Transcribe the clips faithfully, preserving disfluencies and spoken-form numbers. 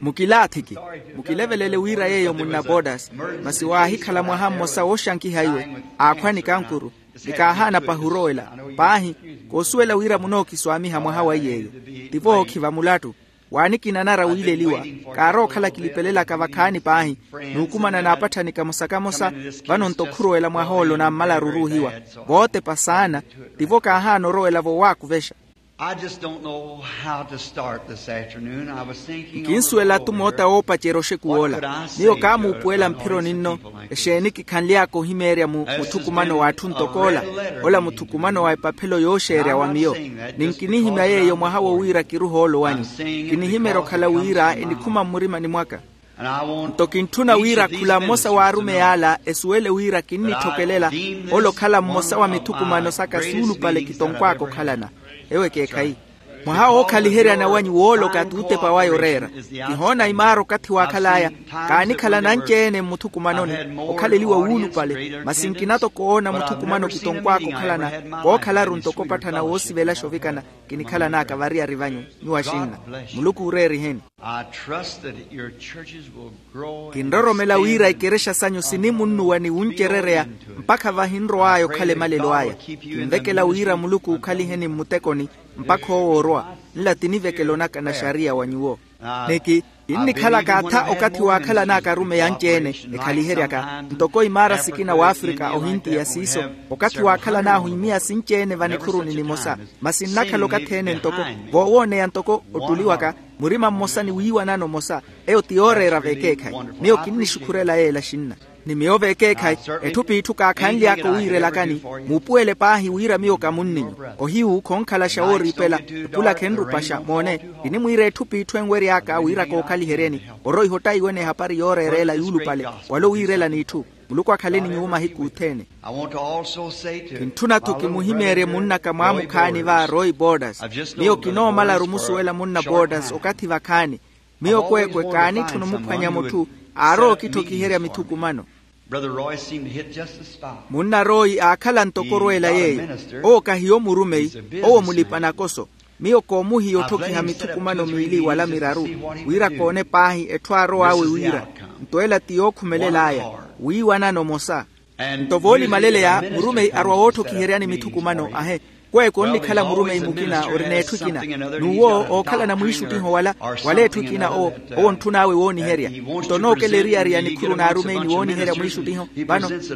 Mukilaathiki, mukilevelele wira yeeyo munna bodas. Masi waahikhala mwaha mmosa wooxankiha iwe, aakhwa ni kankuru, ni kaahaana pahi orowela. Paahi, koosuwela wira munookiswaamiha mwaha wa iyeeyo. Tivo ookhiva mulattu. Waanikinanara wiileliwa, kaarowa okhala kilipelelaka vakhaani paahi, n'ukumana n'apatthanika mosakamosa. Vano-nto khurowela mwaha ole onammalaru oruuhiwa. Vootepa saana. Tivo kaahaana orowela-vo waakuvexa. I just don't know how to start this afternoon. I was thinking on the nkinsuwela-thu moota woopacerya oxekuw'ola. Miyo kaamuupuwela mphironi nno, exeeni kikhanly'aka ohimeerya mu muthukumano w'atthu ntok'ola? Ola muthukumano wa epaphelo yooxeerya wa miyo. Ninkinihimya yeeyo mwaha wo wira kiruha ole owanyu. Kinihimerya okhala wira enikhuma mmurimani mwaka. Nto kintthuna wira khula mmosa w'arumeyi ala esuwele wira kinnitthokelela, ole okhala mmosa wa mithukumano saka suulupale kitonkwaaka okhalana. Ewo ekeekhayi. Mwaha wookhaliheryana wanyu wooloka t'utepa waya oreera. Kihoona imaara okathi waakhal'aya. Kaanikhalana anci-ene mmuthukumanoni, okhaleliwa wuulupale, masi nkina-tho koona muthukumano kitonkwaaka okhalana. Kookhalaru ntoko opatthana woosivelaxa ovikana. Kinikhalan'aka variyari vanyu. Nyuwo axinna. Muluku uureeriheni. Kinroromela wira ikerexa sanyu sinimunnuwa ni wuncerereya, mpakha vahi nrow'aya okhala emalelo aya. Kinvekela wira muluku ookhaliheni mmutekoni, mpakha owo orowa. Nla ti nivekelo naka na xariya wa nyuwo. Niki, kinnikhalaka atha okathi waakhalan'aka arumeyi anci-ene, ekhaliheryaka ntoko imaara sikina w'afrika ohintiya siiso. Okathi waakhalan'ahu imiya sinci-ene vanikhuruni nimosa. Masi nnakhala okathi-ene ntoko voowooneya ntoko ottuli waka, murima mmosa ni wiiwanano omosa. Eyo ti yooreera veekeekhayi. Miyo kinnixukhurela yeela xinna. Ni miyo veekeekhayi, etthu p'itthu kaakhanly'aka owiirelakani. Muupuwele paahi wira miyo kamunninyu. Ohiyu khonkhalaxa wooriipela, epulakha enrupaxa moone. Kinimwiira etthu p'itthu enwery'aka wira kookhaliheryeni. Oroiha ottaiwene ehapari yooreera ela yuulupale, wala owiirela n'itthu. Muluku akhaleni nyuwo mahiku othene. Kintthuna-tho kimuhimeerye munnaka mwaamukhaani va roy bodas. Miyo kinoomalaru omusuwela munna bodas okathi vakhaani. Miyo kweekwe kaanitthuna omuphwanya mutthu aarowa okitthokiherya mithukumano. Munna roy aakhala ntoko orweela yeeyo. Owo kahiyo murumeyi. Owo mulipa-nakoso. Miyo koomuhiya otthokiha mithukumano miili wala miraru, wira koone paahi etthu aarow'awe wira. Nto ela ti yookhumelel'aya. Wiiwanano omosa. Nto voolimaleleya murumeyi arwa wootthokiheryani mithukumano ahe. Kweekwe onnikhala murumeyi mukina ori n'etthu ekina. N'uwo ookhalana mwiixuttiho wala wala etthu ekina owo. Owo ontthun'awe wooniherya. Nto onookela eriyari ya nikhuru n'arumeyi ni wooniherya mwiixuttiho.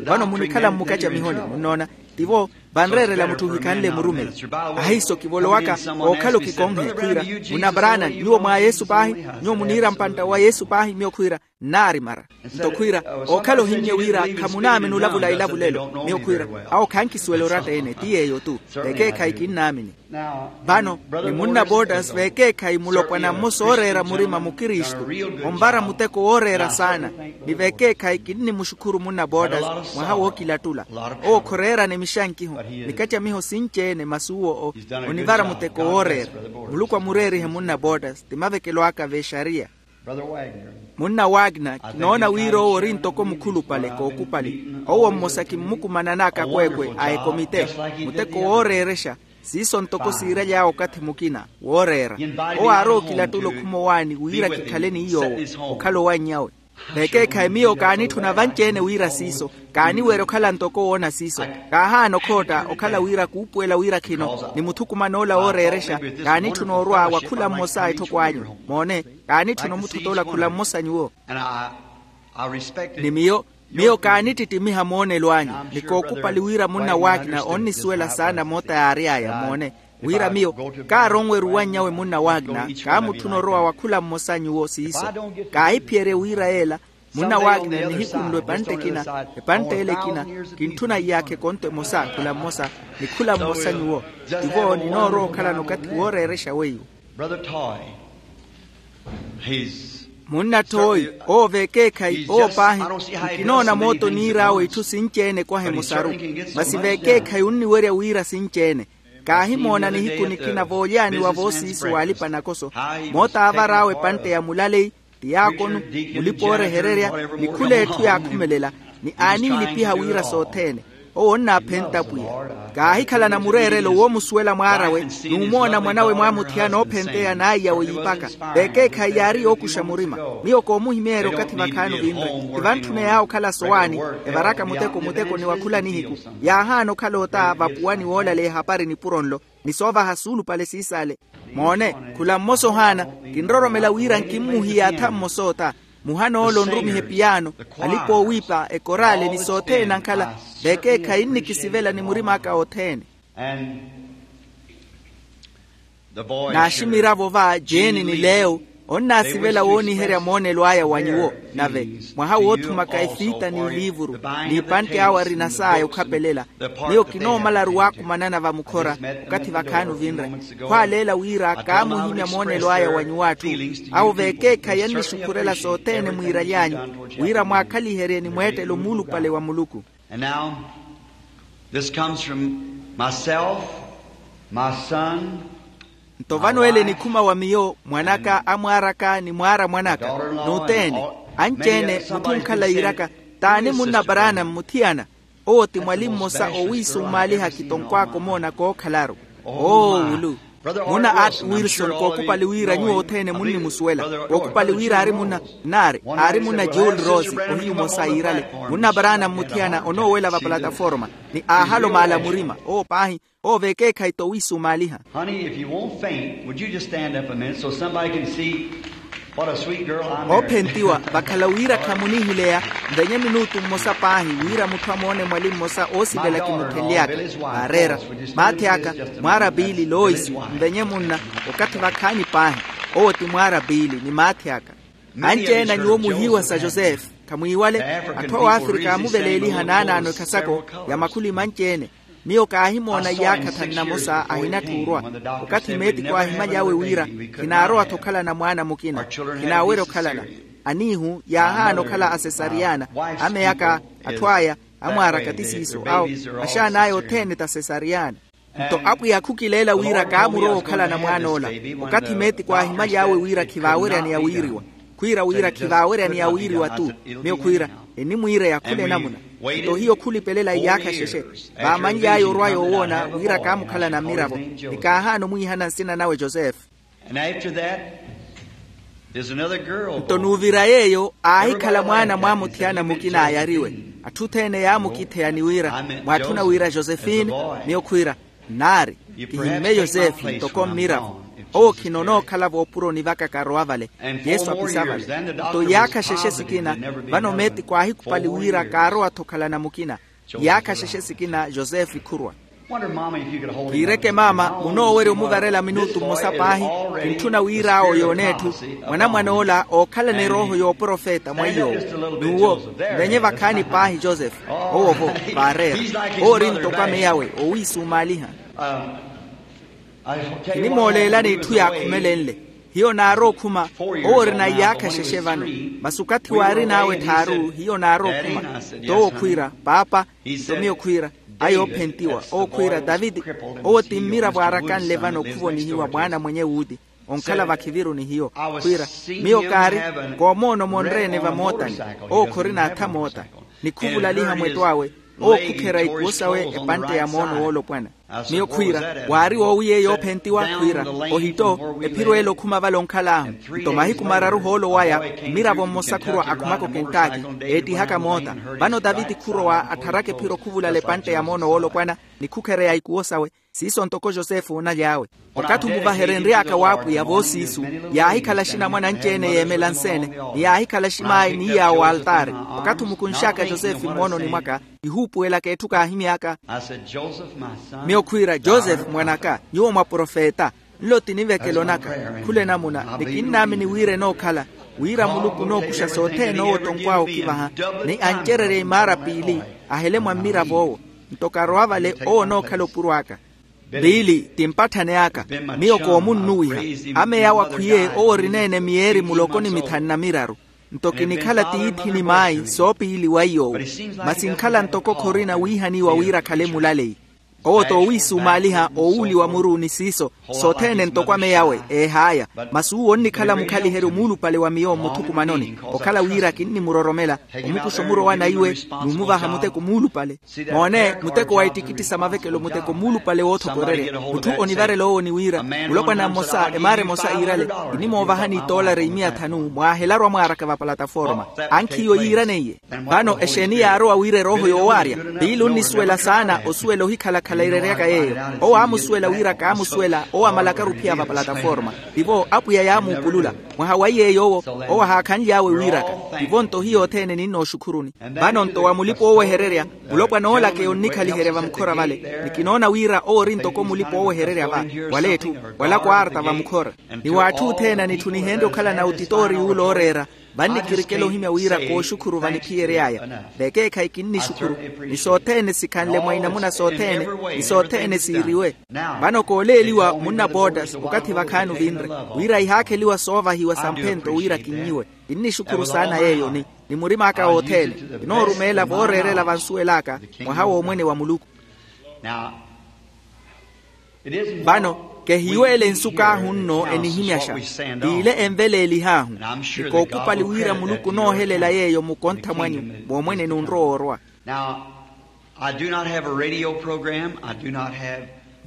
Vano munikhala mmukacamihoni munnoona. Tivo vanreerela mutthu ohikhanle murumeyi. Ahiiso kivolowaka ookhala okikonkhe khwiira, munna branani nyuwo mwa yesu paahi? Nyuwo muniira mpantta wa yesu paahi miyo khwiira nnaarimara. Nto khwiira ookhala ohimmye wira khamunaamini olavula ilavulelo miyo khwiira, awo khankisuwela oratta-ene ti yeeyo-tu. Vekeekhayi kinnaamini. Vano ni munna botas vekeekhayi mulopwana mmosa ooreera murima mukristu, onvara muteko wooreera saana. Ni vekeekhayi kinnimuxukhuru munna botas mwaha wookilattula. Owo khoreerana emixankiho, nikacamiho sinci-ene masi uwo onivara muteko wooreera. Muluku amureerihe munna botas ti mavekelo aka v'exariya. Munna wagner kinoona wira owo ori ntoko mukhulupale kookupali. Owo mmosa kimmukumanan'aka kweekwe a ekomite, muteko wooreerexa. Siiso ntoko siiraly'awe okathi mukina wooreera. Owo aarowa okilattula okhuma owaani wira kikhale ni yoowo okhala owannyawe. Vekeekhayi miyo kaanitthuna vanci-ene wira siiso. Kaaniwerya okhala ntoko woona siiso. Kaahaana okhootta okhala wira kuupuwela wira khino ni muthukuman'ola wooreerexa. Kaanitthuna orwa wa khula mmosa etthoko anyu. Moone, kaanitthuna omuthotoola khula mmosa nyuwo. Ni miyo miyo kaanittittimiha moonelo anyu. Ni kookupali wira munna wagner onnisuwela saana moota yaary'aya moone. Wira miyo kaaronwerya owanny'awe munna wagner kaamutthuna orowa wa khula mmosa nyuwo siiso. Kaahiphiyerye wira yeela munna wagner nihikunlo epantte ekina, epantte ele ekina. Kintthuna iyaakha ekonto emosa khula mmosa ni khula mmosa nyuwo. Tivo ninoorowa okhalana okathi wooreerexa weiwo. Munna thoyi owo vekeekhayi owo paahi. Nkinoona moota oniir'awe itthu sinci-ene kwaha emosaru. Masi vekeekhayi onniwerya wira sinci-ene. Kaahimoona nihiku nikina voolyaaniwa voosiiso w'alipa-nakoso. Moota aavar'awe epantte ya mulaleyi, tiyaakonu, mulipa oorehererya, ni khula etthu yaakhumelela, ni aanilipiha wira sothene. Owo onnaaphenta pwiya. Kaahikhalana mureerelo woomusuwela mwaar'awe, n'umoona mwan'awe mwaamuthiyana oophenteya n'aiyawe yiipaka. Vekeekhayi yaari yookuxa murima. Miyo koomuhimeerya okathi vakhaani ovinre. Ti vantthuney'awe okhala sowaani, evaraka muteko muteko ni wa khula nihiku. Yaahaana okhala ota vapuwani woolaleya ehapari nipuro nlo, ni soovaha suulupale siisale. Moone, khula mmosa ohaana. Kinroromela wira nkimmuhiye atha mmosa ota. Muhana ole onrumiha epiyaano, alipa oowiipa, ekoraale ni sothene ankhala. Vekeekhayi nnikisivela ni murim'aka othene. Naaximiravo va jeeni ni leo, onnaasivela wooniherya moonelo aya wa nyuwo. Nave mwaha woothumaka efiita n'iliivuru, n'ipantte awe arina saya okhapelela. Miyo kinoomalaru waakumanana vamukhora, okathi vakhaani ovinre. Khwaaleela wira kaamuhimya moonelo aya wa nyuw'atthu. Awo vekeekhayi ennixukhurela sothene mwiiraly'anyu, wira mwaakhaliherye ni mweettelo muulupale wa muluku. And now, this comes from myself, my son. Nto vano ele enikhuma wa miyo, mwan'aka, amwaar'aka ni mwaara mwan'aka, n'othene. Anci-ene mutthu onkhala yiiraka, t'ani munna paraana mmuthiyana? Owo ti mwali mmosa owiisumaaliha kitonkw'aka omoona kookhalaru. Oo wulu. Munna art wilson kookupali wira nyuwo othene munnimusuwela. Kookupali wira aari munna, naari aari munna juul rose. Ohiyu mmosa yiirale. Munna paraana mmuthiyana onoowela va plataforma, ni aahala omaala murima. Owo paahi. Owo vekeekhayi t'owiisumaaliha. Honey, if you won't faint, would you just stand up a minute so somebody can see what a sweet girl I'm married to? Oophentiwa vakhala wira khamunihileya. Nvenye minutu mmosa paahi wira mutthu amoone mwali mmosa oosivela kimuthenly'aka. Aareera. Maathi aka, mwaara piili loisi, nvenye munna. Okathi vakhaani paahi. Owo ti mwaara piili ni maathi aka. Anci-ene a nyuwo muhiiwa sa josefe. Khamwiiwale. Atthu a wafrika aamuveleeliha naanaano ekhasako ya makhuli manci-ene. Miyo kaahimoona iyaakha thanna mosa ahinatthi orwa. Okathi meetiko aahimaly'awe wira, khinaarowa-tho okhalana mwaana mukina. Khinaawerya okhalana. Aniihu yaahaana okhala asesariyana. Ameyaka, atthu aya, amwaaraka ti siiso awo. Axaan'aya othene t'asesariyana. Nto apwiya khukileela wira kaamurowa okhalana mwaan'ola. Okathi meetiko aahimaly'awe wira khivaaweryaneya wiiriwa. Khwiira wira khivaaweryaneya wiiriwa-tu. Miyo khwiira, enimwiireya khula enamuna. Nto hiyo khulipelela iyaakha xexe. Vaamanly'aya orwa yoowoona wira kaamukhalana mmiravo. Ni kaahaana omwiihana nsina nawe josefe. Nto n'uvira yeeyo aahikhala mwaana mwaamuthiyana mukina ayariwe. Atthu othene yaamukitheya ni wira, mwaatthuna wira josefini? Miyo khwiira, nnaari. Kihimme yosefe ntoko mmiravo. Owo khinonookhala voopuroni vaka karowa vale. Yesu apisa vale. Nto iyaakha xexe sikina, vano meetiko aahikhupali wira kaarowa-tho okhalana mukina. Iyaakha xexe sikina yosefe khurwa. Kiireke maama munoowerya omuvarela minutu mmosa paahi. Kintthuna wira awo yoone etthu. Mwanamwan'ola ookhalana erooho y'oprofeta mwa iy'owo. N'uwo, nvenye vakhaani paahi josefe. Owo-vo, vaareera. Owo ori ntoko ameyawe owiisumaaliha. Kinimooleelani etthu yaakhumelenle. Hiyo naarookhuma. Owo orina iyaakha xexe vano. Masi okathi waarin'awe tthaaru hiyo naarookhuma. T'owo khwiira paapa. Nto miyo khwiira, ayi oophentiwa owo khwiira taviti. Owo ti mmiravo aarakanle vano khuvonihiwa mwaana mwenye wuuti. Onkhala vakhiviru ni hiyo. Khwiira, miyo kaari, koomoona omonre-ene vamootani. Owo khorina atha moota. Ni khuvulaliha mwetto awe. Owo khukherya ikuwo sawe epantte ya moono woolopwana. Miyo khwiira, waari woowiyeeya oophentiwa? Khwiira, ohitto. Ephiro ele okhuma vale onkhal'ahu. Nto mahiku mararu hoolo waya, mmiravo mmosa khurwa akhumaka okentaki, eettihaka moota. Vano taviti khurowa attharaka ephiro khuvulala epantte ya moono woolopwana, ni khukhereya ikuwo sawe. Siiso ntoko josefe oonaly'awe. Okathi omuvaherenry'aka w'apwiya voosiisu, yaahikhala axinamwane anci-ene yeemela nseene, ni yaahikhala aximaayi ni yaawo altaari. Okathi omukunx'aka josefe mmoononi mwaka, kihuupuwelaka etthu kaahimy'aka. Miyo khwiira josefe mwan'aka, nyuwo mwaprofeta. Nlo ti nivekelo naka. Khula enamuna ni kinnaamini wira enookhala, wira muluku onookuxa sothene owo tonkw'awe okivaha, ni ancererya imaara piili, ahele mwa mmirav'owo. Nto karowa vale owo onookhala opuro aka. Piili ti mpatthane aka. Miyo koomunnuwiha. Ameya awo akhwiye owo orina-ene miyeeri muloko ni mithanu na miraru. Nto kinikhala tiithi ni maayi soopiili wa iy'owo. Masi nkhala ntoko khorina wiihaniwa wira akhale mulaleyi. Owo t'owiisumaaliha owuuli wa muru ni siiso, sothene ntoko ameyawe eeh'aya. Masi uwo onnikhala mukhaliheryo muulupale wa miyo mmuthukumanoni, okhala wira kinnimuroromela omukuxa omurowa na iwe, n'umuvaha muteko muulupale. Moone, muteko wa ittikitti sa mavekelo muteko muulupale woothokorerya. Mutthu onivarela owo ni wira, mulopwana mmosa emaara emosa iirale, kinimoovahani itoolari imiya thanu mwaahelaru amwaaraka va palataforma. Ankhiiyo yiiraneiye. Vano exeeni yaarowa wira erooho yoowaarya? Piili onnisuwela saana osuwela ohikhalakhala ereryaka yeeyo. Owo aamusuwela wira kaamusuwela owo amalakaru ophiya va palataforma. Tivo apwiya yaamuupulula. Mwaha wa iy'eyo owo, owo ahaakhanly'awe wiiraka. Tivo nto hiyo othene ninnooxukhuruni. Vano nto wa mulipa oowehererya, mulopwana oolaka eyo onnikhaliherya vamukhora vale. Ni kinoona wira owo ori ntoko mulipa oowehererya va, wala etthu, wala kwaarta vamukhora. Ni w'atthu othene anitthu nihenrye okhalana otitoori yuula ooreera. Vannikirikela ohimya wira kooxukhuru vaniphiyery'aya. Vekeekhayi kinnixukhuru, ni sothene sikhanle mwa inamuna sothene, ni sothene siiriwe. Vano kooleeliwa munna bootas okathi vakhaani ovinre, wira ihaakheliwa soovahiwa samphento wira kinnyiwe. Kinnixukhuru saana yeeyo ni, ni murim'aka wothene, kinoorumeela vooreerela vansuwel'aka, mwaha w'omwene wa muluku. Vano, kehiiweele nsuku ahu nno enihimyaxa, t'ile enveleelih'ahu. Ni kookupali wira muluku onoohelela yeeyo mukontha mwanyu, moomwene n'unrowa orwa.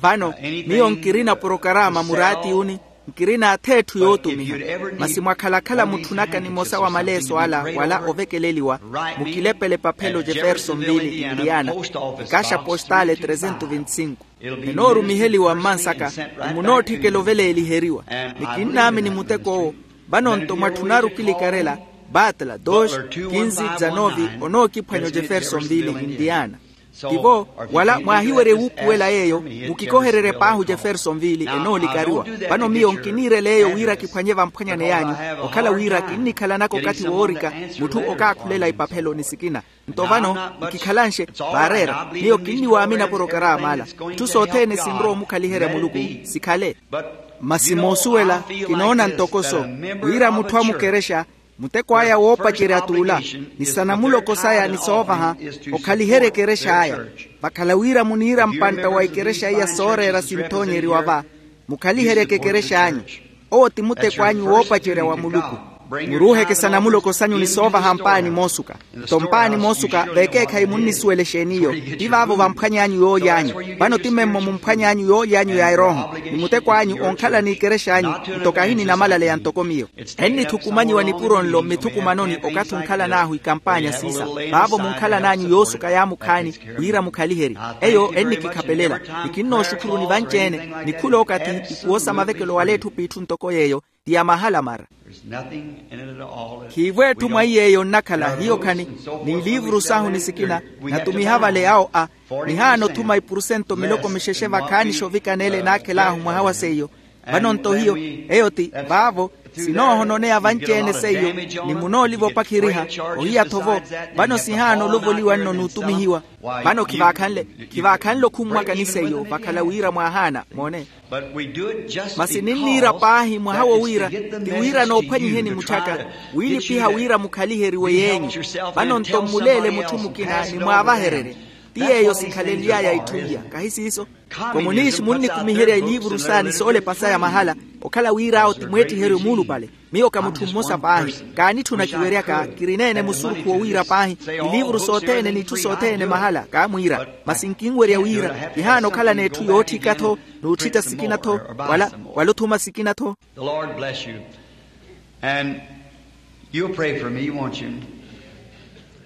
Vano, miyo nkirina porokaraama muraatiuni, nkirina ath'etthu yootumiha. Masi mwakhalakhala mutthu naka nimosa wa maleeso ala wala ovekeleliwa, mukilepele paphelo jeffersonville, indiana, ekaxa postale trezentu vinti sinku. Enoorumiheliwa mmansaka, ni munootthikela oveleeliheriwa. Ni kinnaamini muteko owo. Vano nto mwatthunaaru okilikarela, batla dos, kinsi dzanovi, onookiphwanya ojeffersonville, indiana. Tivo, wala mwaahiwerye wuupuwela yeeyo, mukikohererye paahi ojeffersonville enoolikariwa. Vano miyo nkiniirela eyo wira kiphwanye vamphwanyani y'anyu, okhala wira kinnikhalanaka okathi woorika, mutthu okaakhulela ipaphelo ni sikina. Nto vano, nkikhalanxe, vaareera miyo kinniwaamina porokaraama ala. Itthu sothene sinrowa omukhaliherya muluku, sikhale. Masi moosuwela, kinoona ntokoso, wira mutthu amukerexa, muteko aya woopacerya t'ula, ni sanamuloko saya ni soovaha, okhaliherye ekerexa aya. Vakhala wira muniira mpantta wa ikerexa iya sooreera sinthoonyeriwa va, mukhaliheryeke ekerexa anyu. Owo ti muteko anyu woopacerya wa muluku. Muruuheke sanamuloko sanyu ni soovaha mpaani moosuka. Nto mpaani moosuka vekeekhayi munnisuwela exeeni iyo. Ti vaavo vamphwany'anyu yooly'anyu. Vano ti memmo mumphwany'anyu yooly'anyu ya erooho. Ni muteko anyu onkhala n'ikerexa anyu, nto kahi ninamalaleya ntoko miyo. Ennithukumanyiwa nipuro nlo mmithukumanoni okathi onkhalan'ahu ikampaanya siisa. Vaavo munkhalan'anyu yoosuka yaamukhaani, wira mukhaliherye. Eyo ennikikhapelela. Ni kinnooxukhuruni vanci-ene, ni khula okathi ikuwo sa mavekelo wala etthu p'itthu ntoko yeeyo, ti ya mahala mara. Khiivo etthu mwa iy'eyo nnakhala hiyo khani, n'iliivuru sahu ni sikina, natumiha vale awo a, nihaana othuma ipurusento miloko mixexe vakhaanixa ovikana ele naakhel'ahu mwaha wa seiyo. Vano nto hiyo, eyo ti vaavo, sinoohononeya vanci-ene seiyo, ni munooliva opakhiriha, ohiya-tho vo. Vano sihaana olovoliwa nno n'utumihiwa. Vano khivaakhanle, khivaakhanle okhummwaka ni seiyo vakhala wira mwaahaana moone. Masi ninniira paahi mwaha wo wira, ti wira noophwanyiheni mutthyaka, wiilipiha wira mukhaliheriwe yeenyu. Vano nto mmuleele mutthu mukina ni mwaavahererye. Ti yeeyo sikhalenly'aya itthu iya, kahi siiso? Komuniishi munnikumiherya iliivuru saya ni soolepa saya mahala, okhala wira awo ti mweettiheryo muulupale. Miyo ka mutthu mmosa paahi, kaanitthuna kiweryaka, kirineene musurukhu wo wira paahi, iliivuru sothene n'itthu sothene mahala kaamwiira. Masi nkinwerya wira, kihaana okhala n'etthu yootthika-tho, n'utthita sikina-tho, wala, wala othuma sikina-tho. The Lord bless you. And you'll pray for me, won't you?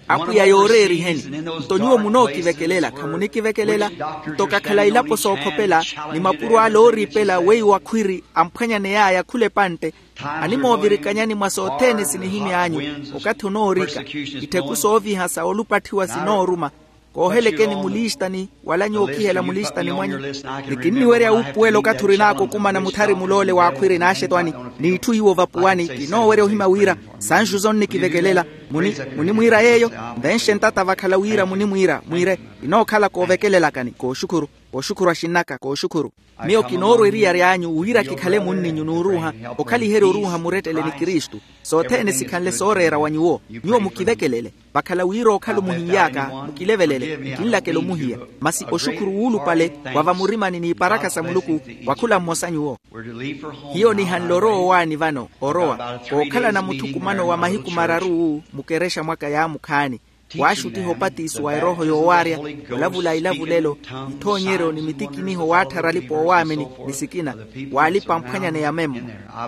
Apwiya yooreeriheni. Nto nyuwo munookivekelela khamunikivekelela. Nto kakhala ilapo sookhopela, ni mapuro ale ooriipela weiwo akhwiri amphwanyaney'aya khula epantte, animoovirikanyani mwa sothene sinihimy'anyu. Okathi onoorika, ittheku sooviha sa olupatthiwa sinooruma. Koohelekeni mulistani, wala nyuwo okihela mulistani mwanyu. Ni kinniwerya wuupuwela okathi orin'aka okumana muthari muloole w'akhwiri n'axetwani, n'itthu iwo vapuwani. Kinoowerya ohimya wira, sanxu sonnikivekelela. Munimwiira yeeyo? Nvenxe ntata vakhala wira munimwiira mwiire. Inookhala koovekelelakani kooxukhuru. Kooxukhuru axinn'aka kooxukhuru. Miyo kinoorwa eriyari anyu wira kikhale munninyu n'uruuha, okhaliherya oruuha murettele ni kristu. Sothene sikhanle sooreera wa nyuwo. Nyuwo mukivekelele. Vakhala wira okhala omuhin'yaka mukilevelele, nkinlakela omuhiya. Masi oxukhuru wuulupale wa vamurimani n'iparakha sa muluku, wa khula mmosa nyuwo. Hiyo nihanle orowa owaani vano orowa, kookhalana muthukumano wa mahiku mararu-wu mukerexa mwaka yaamukhaani. Waaxuttiha opatiso wa erooho yoowaarya, olavula ilavulelo, ithoonyeryo ni mitikiniho waatthara alipa oowaamini ni sikina, waalipa amphwanyaneya memmo.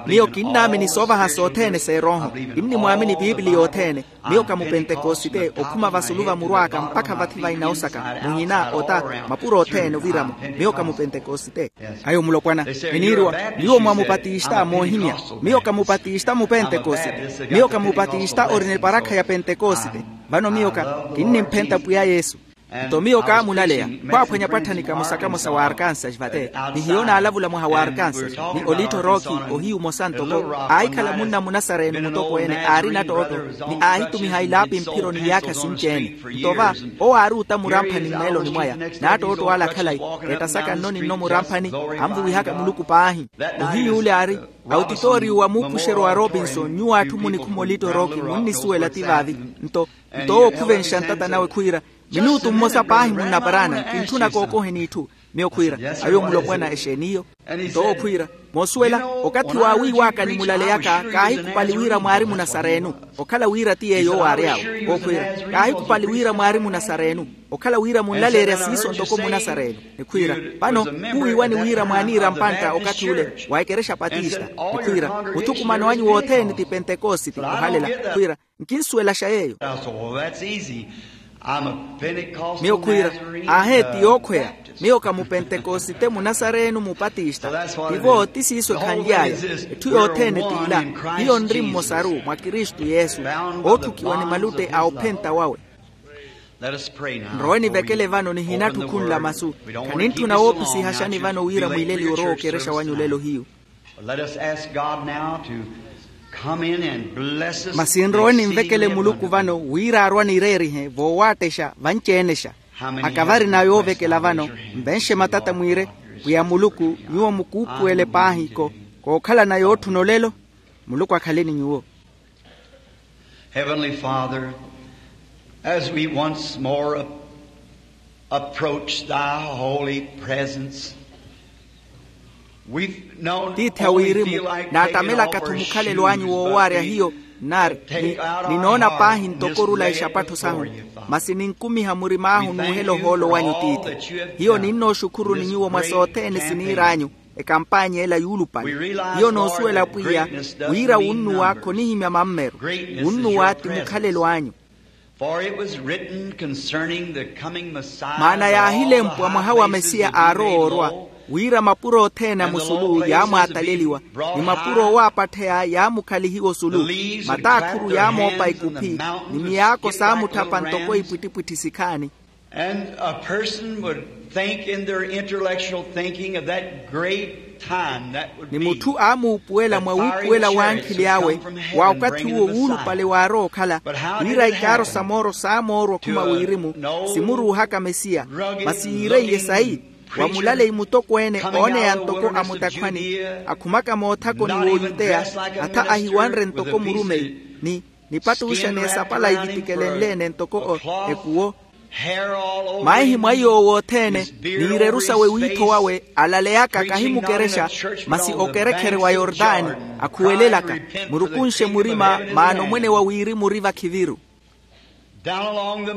Miyo kinnaamini soovaha sothene s'erooho. Kinnimwaamini piipiliya othene. Miyo ka mupentekosite okhuma vasulu va muru aka mpakha vathi vaina osaka, muhina ota, mapuro othene oviramo. Miyo ka mupentekosite. Ayo mulopwana, viniiriwa, nyuwo mwa mupatista moohimya. Miyo ka mupatista mupentekosite. Miyo ka mupatista orina eparakha ya pentekosite. Vano miyo ka kinnimphenta pwiya yesu. Nto miyo kaamulaleya, khwaaphwanya pwatthanika musakamosa wa arkansas vate, ni hiyo naalavula mwaha wa arkansas, ni olittho rooki, ohiyu omosa ntoko aahikhala munna munasareni mutokweene aari nattootto, ni aahitumiha ilaapi mphiro ni iyaakha sinci-ene. Nto va, owo aari ota muramphani mmeeloni mwaya, nattootto ale akhalayi, ettasaka nno ni nno muramphani, anvuwihaka muluku paahi. Ohiy'ule aari, autitoriyu wa muupuxeryo wa robinson nyuwo atthu munikhuma olittho rooki munnisuwela ti vaavi. Nto nto owo okhuvenxa ntata nawe khwiira, minutu mmosa paahi munnaparaana kintthuna kookoheni itthu. Miyo khwiira, ayo mulopwana exeeni iyo? Nto owo khwiira, moosuwela, okathi waawiiwaka ni mulaleyaka kaahikhupali wira mwaari munasarenu. Okhala wira ti yeeyo owo aari awo. Owo khwiira, kaahikhupali wira mwaari munasarenu. Okhala wira munlaleerya siiso ntoko munasarenu. Nikhwiira, vano khuwiiwani wira mwaaniira mpantta okathi ule wa ekerexa patista. Nikhwiira, muthukumano anyu wothene ti pentekositi ohalela. Khwiira, nkinsuwelaxa yeeyo. Miyo khwiira, aahe ti yookhweya. Miyo ka mupentekosite munasarenu mupatista. Tivo ti siiso ekhanly'aya. Etthu yothene t'ila. Hiyo nri mmosaru mwa kristu yesu, ootthukiwa ni malutte a ophenta wawe. Nrowe nivekele vano nihinatthi okhunla masu. Khanintthuna woopisihaxani vano wira mwiileliwe orowa okerexa wanyu olelo hiyu. But let us ask God now to come in and bless us. Masi nrowe ninvekele muluku vano wira arwa nireerihe voowaattexxa vanci-enexa. Akavari na yoovekela vano, nvenxe matata mwiire, pwiya muluku, nyuwo mukuupuwele paahi-ko. Kookhalana yootthuna olelo. Muluku akhale ni nyuwo. Heavenly Father, as we once more approach thy holy presence, we tiithi a wirimu, naatamelaka-tho mukhalelo anyu woowaarya hiyo, nari, ninoona paahi ntoko orula exapattho sahu. Masi ninkumiha murim'ahu n'uhela ohoolo wanyu tiithi. Hiyo ninnooxukhuruni nyuwo mwa sothene siniir'anyu, ekampaanya ela yuulupale. Hiyo noosuwela pwiya, wira wunnuwa khonihimya mammeru. Wunnuwa ti mukhalelo anyu. Maana yaahilempwa mwaha wa mesiya aarowa orwa, wira mapuro othene a musulu yaamwaataleliwa, ni mapuro owaapattheya yaamukhalihiwa osulu. Mataakhuru yaamoopa ikuphi, ni miyaako saamutthapa ntoko ipwittipwitthi sikhaani. And a person would think in their intellectual thinking of that great time that would be. Ni mutthu aamuupuwela mwa wuupuwela w'ankhili awe, wa okathi uwo wuulupale waarowa okhala, wira ikaaro sa mooro saamoorwa okhuma wirimu, simuruuhaka mesiya. Masi yiireiye sayi, wa mulaleyi mutokweene ooneya ntoko a mutakhwani, akhumaka moothakoni w'oyuteya, atha ahiwanre ntoko murumeyi, ni nipattuxa n'esapala ivitikelenle-ene ntoko ekuwo. Maihi mwa iy'owo othene, n'ireru sawe wiitho wawe alaleyaka kahimukerexa, masi okerekhere wa yortani, akhuwelelaka, murukunxe murima, maana omwene wa wirimu ori vakhiviru.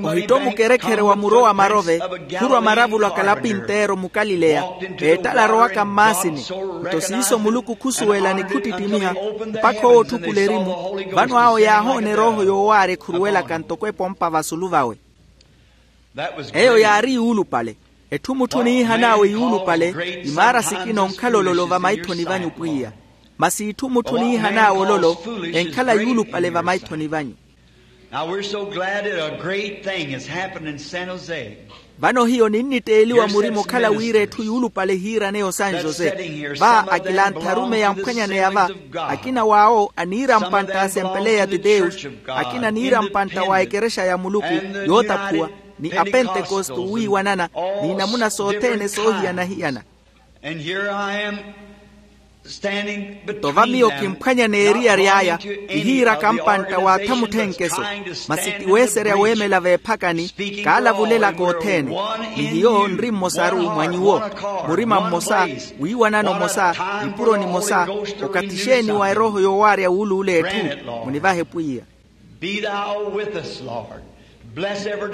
Ohitto mukerekhere wa muro wa marove, khurwa maravulo a kalapinteero mukalileya, eettala arowaka mmaasini. Nto siiso muluku khusuwela ni khuttittimiha, mpakha owo otthukula erimu. Vano awo yaahoona erooho yoowaarya ekhuruwelaka ntoko epompa vasulu vawe. Eyo yaari yuulupale. Etthu mutthu oniihan'awe yuulupale, imaara sikina onkhala ololo vamaithoni vanyu pwiya. Masi itthu mutthu oniihan'awe ololo, enkhala yuulupale vamaithoni vanyu. Now we're so glad that a great thing has happened in San Jose. Vano hiyo ninnitteeliwa murima okhala wira etthu yuulupale ehiiraneya osan jose. Va akilantha arumeyi amphwanyaneya va, akina w'awo aniira mpantta a asempeleya de deus, akina aniira mpantta wa ekerexa ya muluku, yootaphuwa. ni apentekoste owiiwanana, n'inamuna sothene soohiyana-hiyana. Nto va miyo kimphwanya n'eriyari aya, kihiiraka mpantta w'atha mutthenkeso, masi ti weeserya weemela veephakani, kaalavulelaka othene. Ni hiyo nri mmosaru mwa nyuwo, murima mmosa, wiiwanano omosa, nipuro nimosa. Okathi xeeni wa erooho yoowaarya wuuluula etthu? Munivahe pwiya.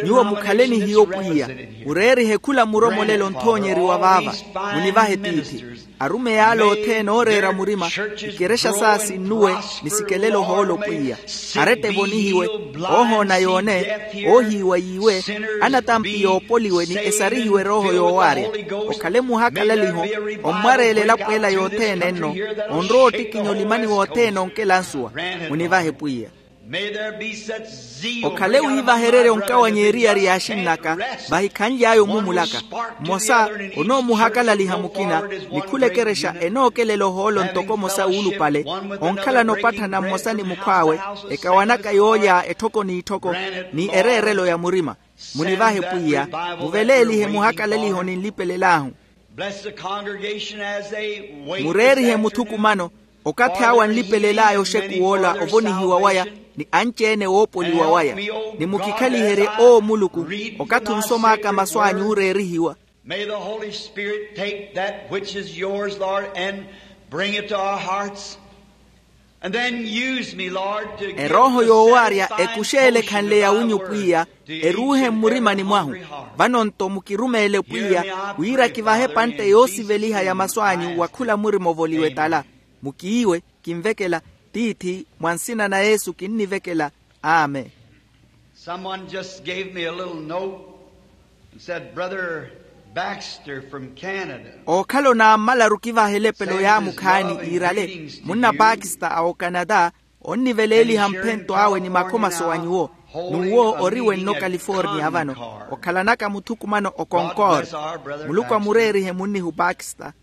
Nyuwo mukhale ni hiyo pwiya. Mureerihe khula muromolelo nthoonyeriwa vaava. Munivahe tiithi. Arumeyi ale othene ooreera murima, ikerexa saa sinnuwe, ni sikelele ohoolo pwiya. Aretta evonihiwe, oohoona yoone, oohiiwa yiiwe, anatampi yoopoliwe ni esarihiwe erooho yoowaarya. Okhale muhakalaliho, ommwareela elapo ela yothene nno, onrowa ottikinya olimani wothene onkelansuwa. Munivahe pwiya. Okhale wiivahererya onkawanya eriyari ya axinn'aka, vahikhanly'aya omumulaka. Mmosa onoomuhakalaliha mukina, ni khula ekerexa enookelela ohoolo ntoko omosa wuulupale, onkhalana opatthana mmosa ni mukhw'awe, ekawanaka yoolya etthoko n'itthoko, ni ereerelo ya murima. Munivahe pwiya, muveleelihe muhakalaliho ninlipelel'ahu. Mureerihe muthukumano, okathi awo anlipelel'aya oxekuw'ola ovonihiwa waya, ni anci-ene woopoliwa waya. Ni mukikhaliherye owo muluku, okathi onsom'aka masu anyu ooreerihiwa. May the Holy Spirit take that which is yours, Lord, and bring it to our hearts. And then use me, Lord, to give erooho the yoowaarya satisfying ekuxeele ekhanle ya winyu pwiya, eruuhe mmurimani mwahu. Vano-nto mukirumeele pwiya, wira kivahe epantte yoosiveliha ya masu anyu wa khula murima ovoliwe tala. Mukiiwe, kinvekela, tiithi, mwa nsina na yesu kinnivekela. Amen. Someone just gave me a little note and said, Brother Baxter from Canada. Ookhala onaammalaru kivaha elepelo yaamukhaani iirale, munna pakista a okanata, onniveleeliha mphento awe ni makhomaso wa nyuwo. N'uwo ori wenno kaliforniya vano, okhalanaka muthukumano okonkor. Muluku amureerihe munnihu pakista.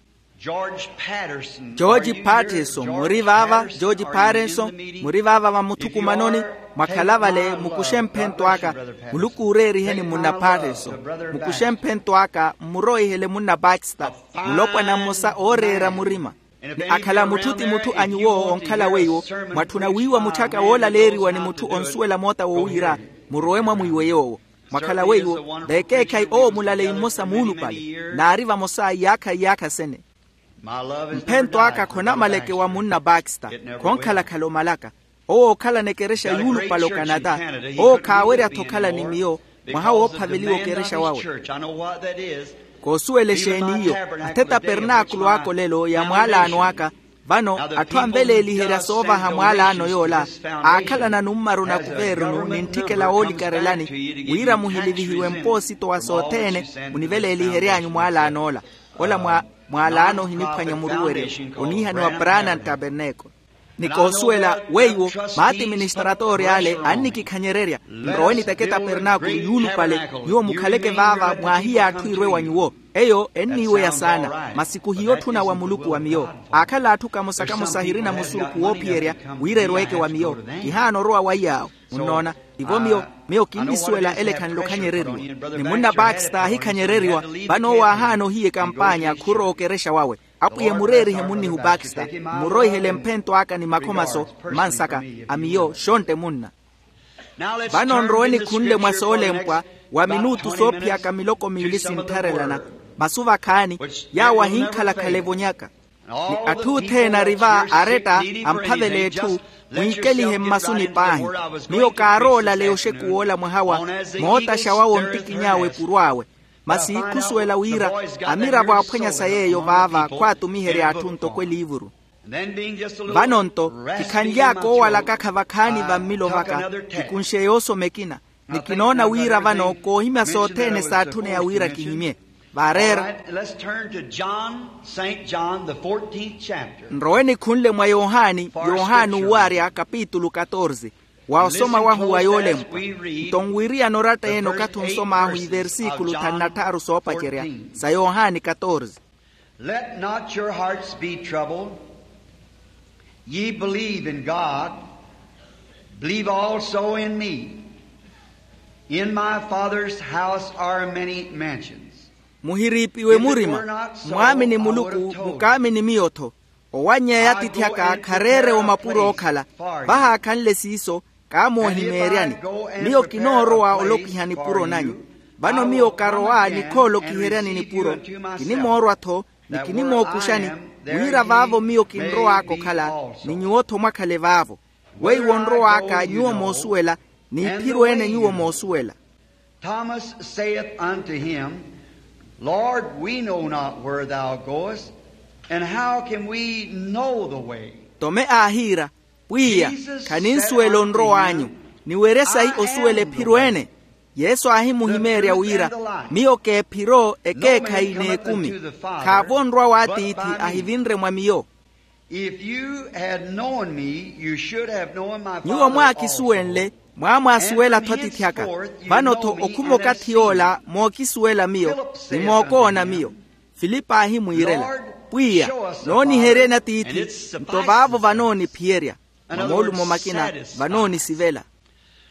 George patterson muri vaava. George patterson muri vaava va muthukumanoni. Mwakhala vale mukuxe mphento aka. Muluku ooreeriheni munna patterson. Mukuxe mphento aka mmuroihele munna pakista. Mulopwana mmosa ooreera murima. Ni akhala mutthu ti mutthu a nyuwo onkhala weiwo, mwatthuna wiiwa mutthu aka woolaleeriwa ni mutthu onsuwela moota wowiira, murowe mwamwiiwe yoowo. Mwakhala weiwo, vekeekhayi owo mulaleyi mmosa muulupale. Naari vamosa iyaakha iyaakha sene. Mphento aka khonamalekewa munna pakista. Khonkhalakhala omalaka. Owo ookhalana ekerexa yuulupale okanata. Owo khaawerya-tho okhala ni miyo. Mwaha woophaveliwa okerexa wawe. Koosuwela exeeni iyo. Athe tapernaakulu aka olelo ya mwaalaano aka. Vano atthu anveleeliherya soovaha mwaalaano yoola, aakhalana nummaru na kuvernu ni ntthikela woolikarelani, wira muhilivihiwe mpoosito wa sothene. Muniveleelihery'anyu mwaalaan'ola. Ola mwaalaano ohiniphwanya muruweryo. Oniihaniwa branham tabernacle. Ni koosuwela weiwo, maatiministratori ale annikikhanyererya. Nrowe niteke tapernaakulu yuulupale. Nyuwo mukhaleke vaava mwaahiya atthu irwe wa nyuwo. Eyo enniiweya saana. Masi kuhiya otthuna wa muluku wa miyo. Aakhala atthu kamosa-kamosa ahirina musurukhu woophiyerya wira erweeke wa miyo. Kihaana orowa waiy'awo. Munnoona? Ivo miyo, miyo kinnisuwela ele khanle okhanyereriwa. Ni munna pakista aahikhanyereriwa. Vano owo aahaana ohiya ekampaanya khurowa okerexa wawe. Apwiya mureerihe munnihu pakista. Mmuroihele mphento aka ni makhomaso. Mmansaka a miyo xontte munna. Vano nrowe nikhunle mwa soolempwa wa minutu soophiyaka miloko miili sinttharelana. Masu vakhaani yaawo ahinkhalakhala evonyaka. Ni atthu othene ari va aretta amphavela etthu. Mwiikelihe mmasuni paahi. Miyo kaarowa olaleya oxekuw'ola mwaha wa mootaxa wawe ontikiny'awe epuro awe. Masi khusuwela wira amiravo aaphwanya sa yeeyo vaava khwaatumiherya atthu ntoko eliivuru. Vano-nto kikhanly'aka oowalakakha vakhaani va mmilo vaka. Kikunxe yoosoma ekina. Ni kinoona wira vano koohimya sothene saatthuneya wira kihimye. Vaareera. Nrowe nikhunle mwa yohani. Yohani uwaarya kapitulu katorze. Wa osoma wahu wa yoolempwa. Nto nwiriyana oratta ene okathi onsom'ahu iversikulu thanu na tthaaru soopacerya sa yohani katorze. Let not your hearts be troubled. Ye believe in God, believe also in me. In my Father's house are many mansions. Muhiriipiwe murima. Mwaamini muluku, mukaamini miyo-tho. Owannyeya atiithi aka khareere omapuro ookhala. Vahaakhanle siiso, kaamoohimeeryani. Miyo kinoorowa olokiha nipuro nanyu. Vano miyo karowa nikhoolokiheryani nipuro. Kinimoorwa-tho, ni kinimookuxani, wira vaavo miyo kinrow'aka okhala, ni nyuwo-tho mwakhale vaavo. Weiwo onrow'aka nyuwo moosuwela, n'iphiro ene nyuwo moosuwela. Thomas saith unto him, Lord, we know not where thou goest, and how can we know the way? Tome aahiira, Pwiya, khaninsuwela onrow'anyu, ni were sayi osuwela ephiro ene? Yesu aahimuhimeerya wira, Miyo k'ephiro, ekeekhayi n'ekumi. Khaavo onrwa w'atiithi ahivinre mwa miyo. If you had known me, you should have known my Father also. Nyuwo mwaakisuwenle, mwaamwaasuwela-tho atiithi aka. Vano-tho okhuma okathi yoola mookisuwela miyo, ni mookoona miyo. Filipo aahimwiirela, Pwiya, nooniheryeni atiithi, nto vaavo vanooniphiyerya. Mwa moolumo makina, vanoonisivelela.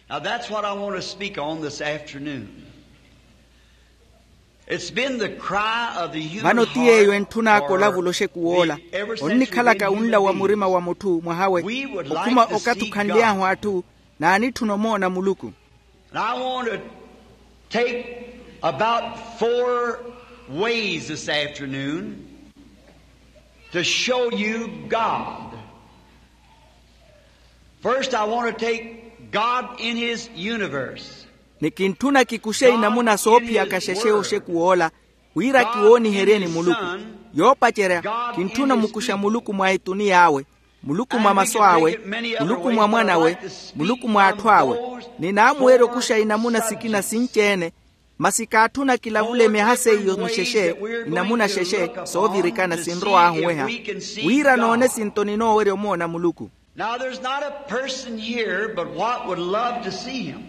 Now that's what I want to speak on this afternoon. It's been the cry of the human heart. Vano ti yeeyo entthun'aka olavula oxeku woola, onnikhalaka unla wa murima wa mutthu mwahawe, okhuma okathukanly'ahu atthu, n'anitthuna omoona muluku. And I want to take about four ways this afternoon to show you God. First, I want to take God in his universe. Ni kintthuna kikuxe inamuna soophiyaka xexe oxeku woola, wira kiwooniheryeni muluku. Yoopacerya, kintthuna omukuxa muluku mwa etuniy'awe, muluku mwa masu awe, muluku mwa mwan'awe, muluku mwa atthu awe. Ni naamuwerya okuxa inamuna sikina sinci-ene, masi kaatthuna kilavule myaha seiyo mixexe, inamuna xexe soovirikana sinrow'ahu oweha, wira noone sinto ninoowerya omoona muluku. Now there's not a person here but what would love to see him.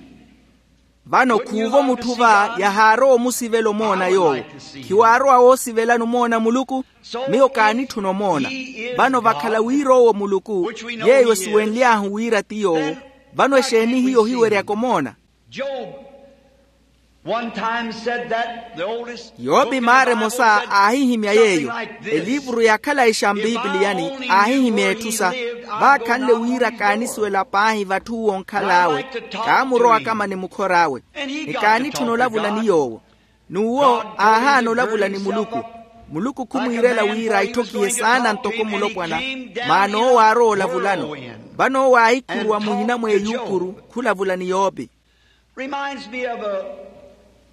Vano khuuvo mutthu va yahaarowa omusivela omoona yoowo. Khiwaarowa woosivelani omoona muluku? Miyo kaanitthuna omoona. Vano vakhala wira owo muluku, yeeyo esiwenly'ahu wira ti yoowo, vano exeeni hiyo ohiweryaka omoona? Job one time said that the oldest yopi maara emosa aahihimya yeeyo. Eliivuru ya khalayi xa mpipiliyani aahihimya etthu sa, vaakhanle wira kaanisuwela paahi vatthu uwo onkhal'awe, kaamurowa akama ni mukhor'awe, ni kaanitthuna olavula ni yoowo. N'uwo aahaana olavula ni muluku. Muluku khumwiirela wira aitthokihe saana ntoko mulopwana, maana owo aarowa olavulano. Vano owo aahikhuruwa muhina mw'eyuukuru khulavula ni yoopi. Reminds me of a,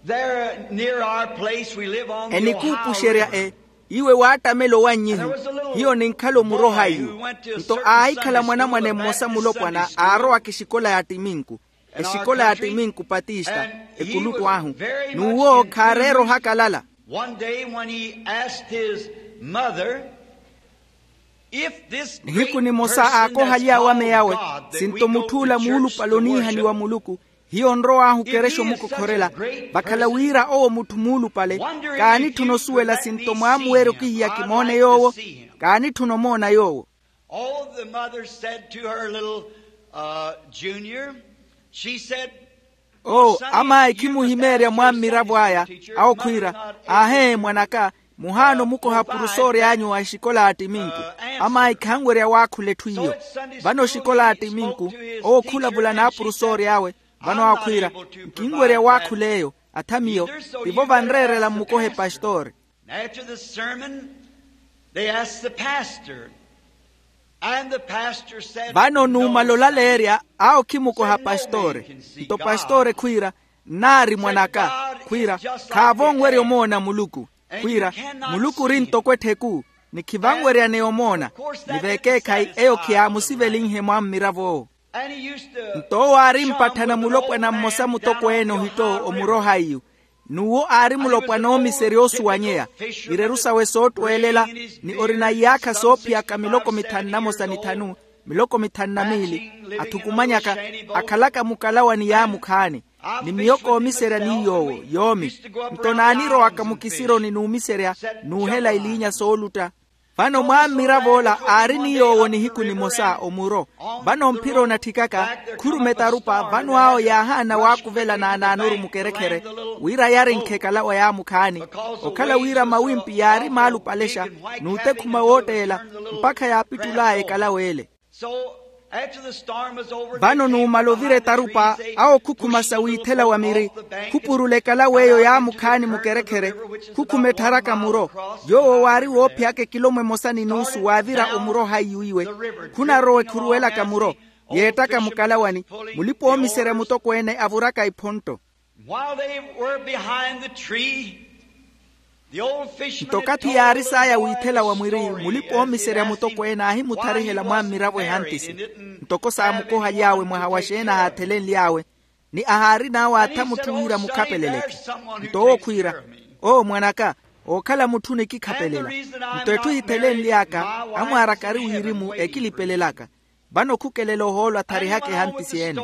there near our place we live on the Ohio River. Enikuupuxerya e, iwe waattamela owannyihu. Hiyo ninkhala omuroha iyu. Nto aahikhala mwanamwane mmosa mulopwana aarowaka exikola ya ttiminku, exikola ya ttiminku patista, ekuluttu ahu. N'uwo khaareera ohakalala. One day when he asked his mother, nihiku nimosa aakohaly'awe ame yawe, sinto mutth'ula muulupale oniihaniwa muluku, hiyo onrow'ahu okerexa omukokhorela. Vakhala wira owo mutthu muulupale, kaanitthuna osuwela sinto mwaamuwerya okihiya kimoone yoowo. Kaanitthuna omoona yoowo. All the mother said to her little, uh, junior, she said, oo, amaayi khimuhimeerya mwaammiravo aya, awo khwiira, aahee mwan'aka, muhaana omukoha apurusoori anyu a exikola ya ttiminku. Amaayi khanwerya waakhula etthu iyo. Vano exikola ya ttiminku, owo khulavula n'apurusoori awe. Vano awo khwiira, nkinwerya waakhula eyo. Atha miyo, tivo vanreerela mmukohe pastoori. After the sermon, they asked the pastor. And the pastor said, vano nuumala olaleerya, awo khimukoha pastoore. Nto pastoore khwiira, nnaari mwan'aka. Khwiira, khaavo onwerya omoona muluku. Khwiira, muluku ori ntoko ettheku, ni khivanweryaneya omoona. Ni vekeekhayi eyo khiyaamusivelinhe mwaammirav'owo. Nto owo aari mpatthana mulopwana mmosa mutokweene ohito omuroha iyu. N'uwo aari mulopwana oomiserya oosuwanyeya, ireru sawe soottweelela, ni orina iyaakha soophiyaka miloko mithanu na mosa ni thanu, miloko mithanu na miili. Athukumanyaka, akhalaka mukalawa ni yaamukhaani. Ni miyo koomiserya ni yoowo yoomi. Nto naanirowaka mukisironi n'umiserya, n'uhela iliinya soolutta. Vano mwammirav'ola aari ni yoowo nihiku nimosa omuro. Vano mphira onatthikaka, khurume tarupa vano awo yaahaana waakuvela naanaanoru mukerekhere, wira yarenkhe ekalawa yaamukhaani. Okhala wira mawimpi yaari maalupalexa n'utekhuma wootteela, mpakha yaapittul'aya ekalawa ele. Vano numala ovira etarupa, awo khukhuma sa wiithela wa miri, khupurula ekalawa eyo yaamukhaani mukerekhere, khukhuma ettharaka muro. Yoowo waari woophiyaka ekilomo emosa ni nuusu waavira omuro haiyu iwe. Khunarowa ekhuruwelaka muro, yeettaka mukalawani. Mulipa-oomiserya mutokweene avuraka iphontto. While they were behind the tree, the old fisherman nto okathi yaari saaya wiithela wa mwiri, mulipa-oomiserya mutokweene aahimutharihela mwammiravo ehantisi. Ntoko saamukohaly'awe mwaha wa xeeni ahaathelenly'awe, ni ahaarin'awe atha mutthu wira mukhapeleleke. Nto owo khwiira, oo mwan'aka, ookhala mutthu onikikhapelela. Nto etthu ehithelenly'aka, amwaara kari wirimu ekilipelelaka. Vano khukelela ohoolo atharihaka ehantisi ene.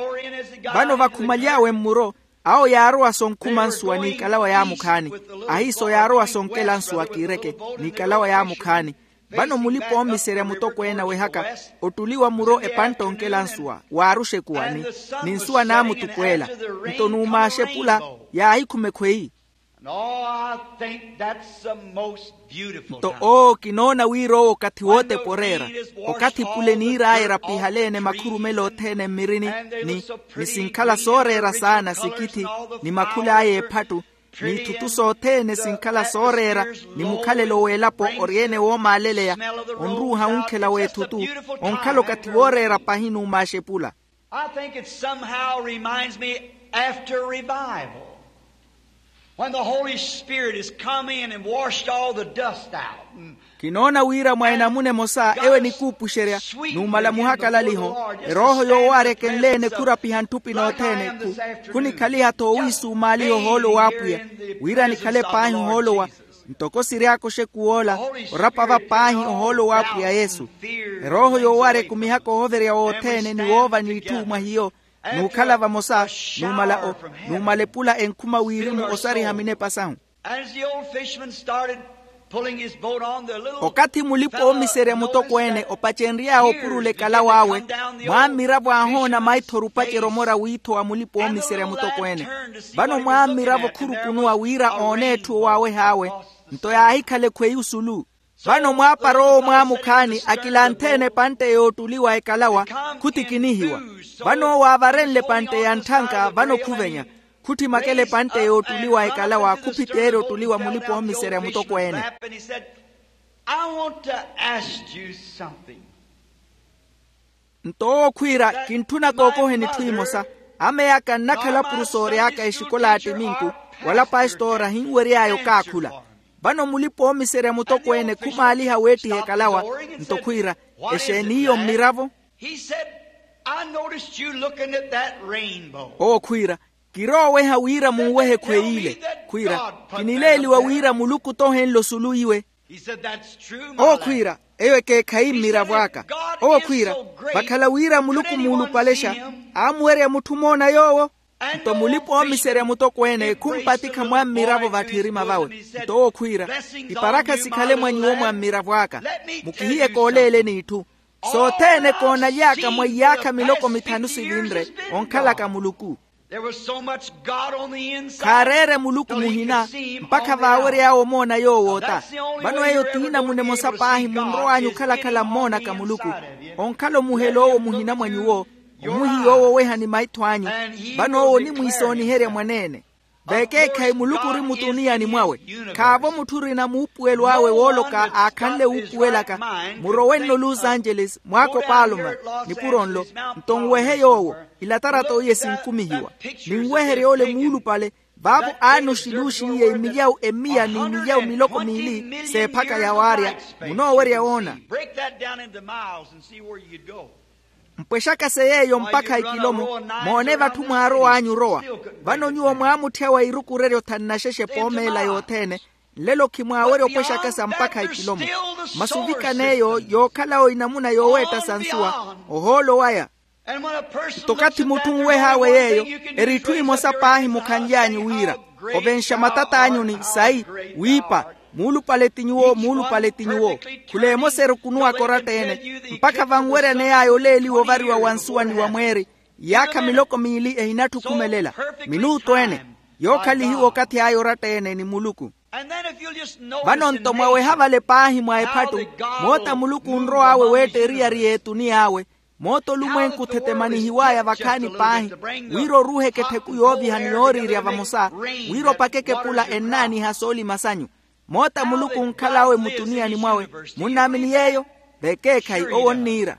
Vano vakhumaly'awe mmuro, awo yaarowa sonkhuma nsuwa n'ikalawa yaamukhaani. Ahiiso yaarowa sonkela nsuwa kiireke, n'ikalawa yaamukhaani. Vano mulipa-oomiserya mutokweene awehaka, ottuliwa muro epantte onkela nsuwa waaruxa ekuwani, ni nsuwa naamutukweela. Nto numaaxepula, yaahikhuma ekhweyi. Nto oo kinoona wira owo okathi wootepa oreera. Okathi pule niir'aya erapihale-ene makhurumelo othene mmirini, ni sinkhala sooreera saana sikithi, ni makhul'aya eephattu, n'ithutu sothene sinkhala sooreera, ni mukhalelo w'elapo ori-ene woomaaleleya, onruuha wunkhela w'ethutu, onkhala okathi wooreera pahi numaaxepula. I think it somehow reminds me after revival, when the Holy Spirit has come in and washed all the dust out. Kinoona wira mwa enamuna emosa ewo enikuupuxerya, numala muhakalaliho, erooho yoowaarya ekenle-ene khurapiha ntthupi nothene. Khunikhaliha-tho owiisumaaliha ohoolo w'apwiya, wira nikhale paahi ohoolo wa, ntoko siry'aka oxekuw'ola, orapava paahi ohoolo w'apwiya yesu. Erooho yoowaarya ekumihaka ohoverya wothene ni woova n'itthu mwa hiyo, n'ukhala vamosa, numala o, numala epula enkhuma wirimu osariha minepa sahu. As the old fisherman started pulling his boat on, the little okathi mulipa-oomiserya mutokweene opacenry'awe opurula ekalawa awe, mwammiravo aahoona maithoru opacerya omora wiitho wa mulipa-oomiserya mutokweene. Vano mwammiravo khurukunuwa wira oone etthu owaaweh'awe, nto yaahikhala ekhweyi osulu. Vano mwaapara owo mwaamukhaani akilanthe-ene epantte yoottuliwa ekalawa, khutikinihiwa. Vano owo aavarenle epantte ya ntthanka vano khuvenya, khutthimakela epantte yoottuliwa ekalawa khuphiteerya ottuliwa mulipa-oomiserya mutokweene. Nto owo khwiira, kintthuna kookoheni etthu emosa. Amey'aka nnakhala puru soory'aka exikola ya ttiminku, wala pastora ahinwery'aya okaakhula. Vano mulipa-oomiserya mutokweene khumaaliha weettiha ekalawa, nto khwiira, exeeni iyo mmiravo? Owo khwiira, kirooweha wira munwehe ekhweyi ile. Khwiira, kinileeliwa wira muluku tohenle osulu iwe. Owo khwiira, eyo ekeekhayi mmiravo aka. Owo khwiira, vakhala wira muluku muulupalexa, aamuwerya mutthu omoona yoowo. Nto mulipa-oomiserya mutokweene khumpatikha mwammiravo vatthirima vawe. Nto owo khwiira, iparakha sikhale mwa nyuwo mwammiravo aka. Mukihiye kooleeleni itthu. Sothene koonaly'aka mwa iyaakha miloko mithanu sivinre, onkhalaka muluku. Khaareere muluku muhina, mpakha vaawery'awe omoona yoowo ota. Vano eyo t'inamuna emosa paahi munrow'anyu okhalakhala mmoonaka muluku. Onkhala omuhela owo muhina mwa nyuwo, omuhiya owo oweha ni maitho anyu. Vano owo onimwiisooniherya mwaneene. Vekeekhayi muluku ori mutuniani mwawe. Khaavo mutthu orina muupuwelo awe wooloka aakhanle wuupuwelaka. Murowe nno los angeles mwaakopaloma, nipuro nlo. Nto nwehe yoowo, ilatarato iye sinkumihiwa. Ninweherye ole muulupale. Vaavo aana oxiluuxiiye imilyawu emiya n'imilyawu miloko miili, s'ephaka yawaarya. Munoowerya woona. Mpwexaka-se yeeyo mpakha ikilomo. Moone vatthu mwaarow'anyu orowa. Vano nyuwo mwaamutthya wa irukurerya othanu na xexe epoomeela yothene. Nlelo khimwaawerya opwexaka-sa mpakha ikilomo. Masi ovikana eyo yookhala-wo inamuna yooweetta sa nsuwa, ohoolo waya. Nto okathi mutthu onweh'awe yeeyo, eri itthu imosa paahi mukhanly'anyu wira, ovenxa matat'anyu ni sayi, wiipa. Muulupale ti nyuwo, muulupale ti nyuwo. Khula emosa erukunuwaka oratta-ene, mpakha vanweryaney'aya oleeliwa ovariwa wa nsuwa ni wa mweeri. Iyaakha miloko miili ehinatthi okhumelela, minuutu ene, yookhalihiwa okathi aya oratta-ene ni muluku. Vano-nto mwaweha vale paahi mwa ephattu, moota muluku onrow'awe weetta eriyari y'etuni y'awe. Moota olumwenku othetemanihiw'aya vakhaani paahi, wira oruuheke ettheku yooviha ni yooriirya vamosa, wira opakeke epula ennaaniha soolima sanyu. Moota muluku onkhal'awe mutuniyani mwawe. Munnaamini yeeyo? Vekeekhayi owo onniira.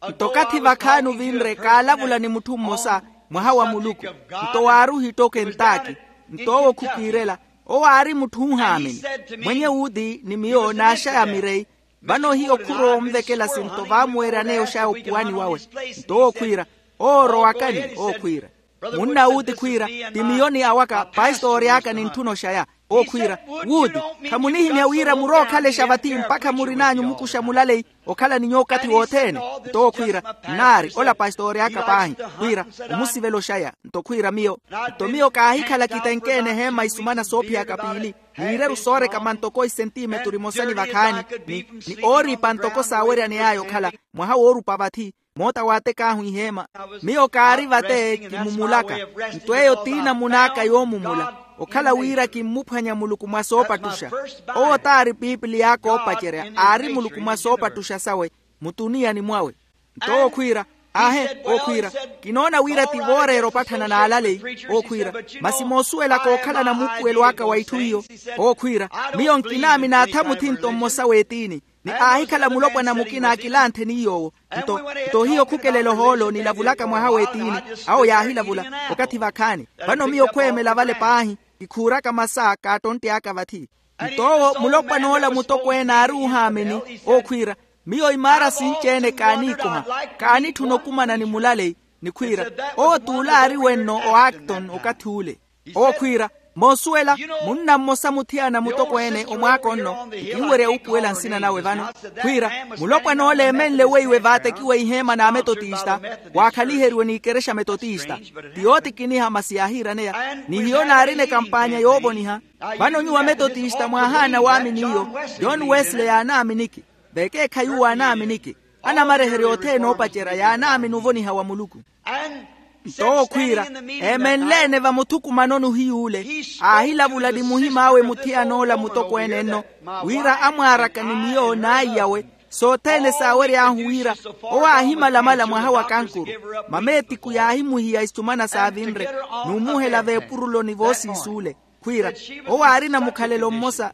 Nto okathi vakhaani ovinre kaalavula ni mutthu mmosa, mwaha wa muluku, nto waari ohittoka entaaki. Nto owo khukiirela. Owo aari mutthu oohaamini. Mwenye wuuti ni miyo naaxaya mireyi. Vano hiyo khurowa onvekela sinto vaamuweeryaneya oxaya opuwani wawe. Nto owo khwiira, owo orowakani? Owo khwiira, munna wuuti khwiira, ti miyo ni awaka pastoori aka nintthuna oxaya. Owo khwiira, wuuti, khamunihimya wira murookhalexa vathi mpakha murin'anyu mukuxa mulaleyi okhala ni nyuwo okathi wothene? Nto owo khwiira, nnaari ola pastoori aka paahi. Khwiira, omusivela oxaya. Nto khwiira miyo, nto miyo kaahikhala kitenkeene eheema isumana soophiyaka piili, n'ireru soorekama ntoko isentimeturu imosa ni vakhaani, ni ooriipa ntoko saaweryaney'aya okhala. Mwaha woorupa vathi, moota waatek'ahu iheema. Miyo kaari vate kimumulaka. Nto eyo ti namun'aka yoomumula, okhala wira kimmuphwanya muluku mwa soopattuxa. Owo t'ari piipiliy'aka oopacerya, aari muluku mwa soopattuxa sawe, mutuniyani mwawe. Nto owo khwiira, aahe, owo khwiira, kinoona wira ti vooreera opatthana n'alaleyi. Owo khwiira, masi moosuwelaka okhala namuupuwelo aka wa itthu iyo. Owo khwiira, miyo nkinaamina atha muthinto mmosa w'etiini, ni aahikhala mulopwana mukina akilantheni iy'owo. Nto, nto hiyo khukelela ohoolo nilavulaka mwaha w'etiini, awo yaahilavula. Okathi vakhaani, vano miyo khweemela vale paahi, kikhuuraka masa kaattontt'aka vathi. Nto owo mulopwan'ola mutokweene aari oohaamini, owo khwiira, miyo imaara sinci-ene kaaniikoha, kaanitthuna okumana ni mulaleyi. Ni khwiira, owo t'ule aari wenno o acton okathi ule. Owo khwiira, moosuwela, munna mmosa muthiyana mutokweene omwaaka onno, nkinwerya wuupuwela nsina nawe vano. Khwiira, mulopwan'ola eemenle weiwe vaatekiwe iheema n'ametotista, waakhaliheriwe n'ikerexa metotista. Ti yootikiniha masi yaahiiraneya, ni hiyo naarina ekampaanya yoovoniha. Vano nyuwo ametotista mwaahaana waamini iyo. John wesley yaanaaminiki. Vekeekhayi uwo aanaaminiki. Anamareherya othene oopacerya yaanaamini ovoniha wa muluku. Nto owo khwiira, eemenle-ene vamuthukumanoni ohiy'ule, aahilavula ni muhim'awe muthiyan'ola mutokweene nno, wira amwaaraka ni miyo n'aiyawe, sothene saawery'ahu wira owo aahimalamala mwaha wa kankuru. Mameetiku yaahimuhiya isumana saavinre, n'umuhela veepuruloni voosiis'ule. Khwiira, owo aarina mukhalelo mmosa.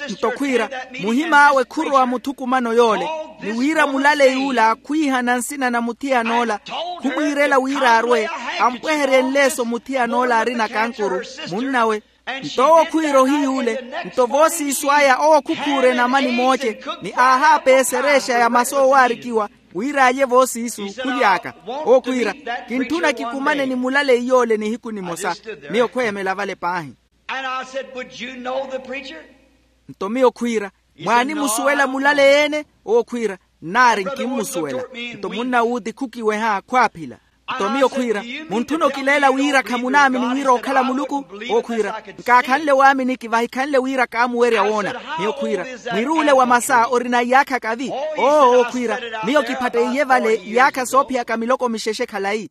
Nto khwiira, muhim'awe khurowa muthukumano yoole, ni wira mulaley'ula khwiihana nsina na muthiyan'ola, khumwiirela wira arwe, ampweherye nleeso muthiyan'ola arina kankuru, munn'awe. Nto owo khwiira ohiy'ule, nto voosiiso aya owo khukhuure namani mooce, ni aahaapeesa ereexa ya masi oowaarikiwa, wira alye voosiiso. Khuly'aka, owo khwiira, kintthuna kikumane ni mulaleyi yoole nihiku nimosa. Miyo khweemela vale paahi. And I said, would you know the preacher? Nto miyo khwiira, mwaanimusuwela mulaleyi-ene? Owo khwiira, nnaari nkimmusuwela. Nto munna wuuti khukiweha khwaaphila. Nto miyo khwiira, muntthuna okileela wira khamunaamini wira okhala muluku? Owo khwiira, nkaakhanle waaminiki vahikhanle wira kaamuwerya woona. Miyo khwiira, mwiruule wa masa orina iyaakha kavi? Oo owo khwiira, miyo kiphatteiye vale iyaakha soophiyaka miloko mixexe khalayi.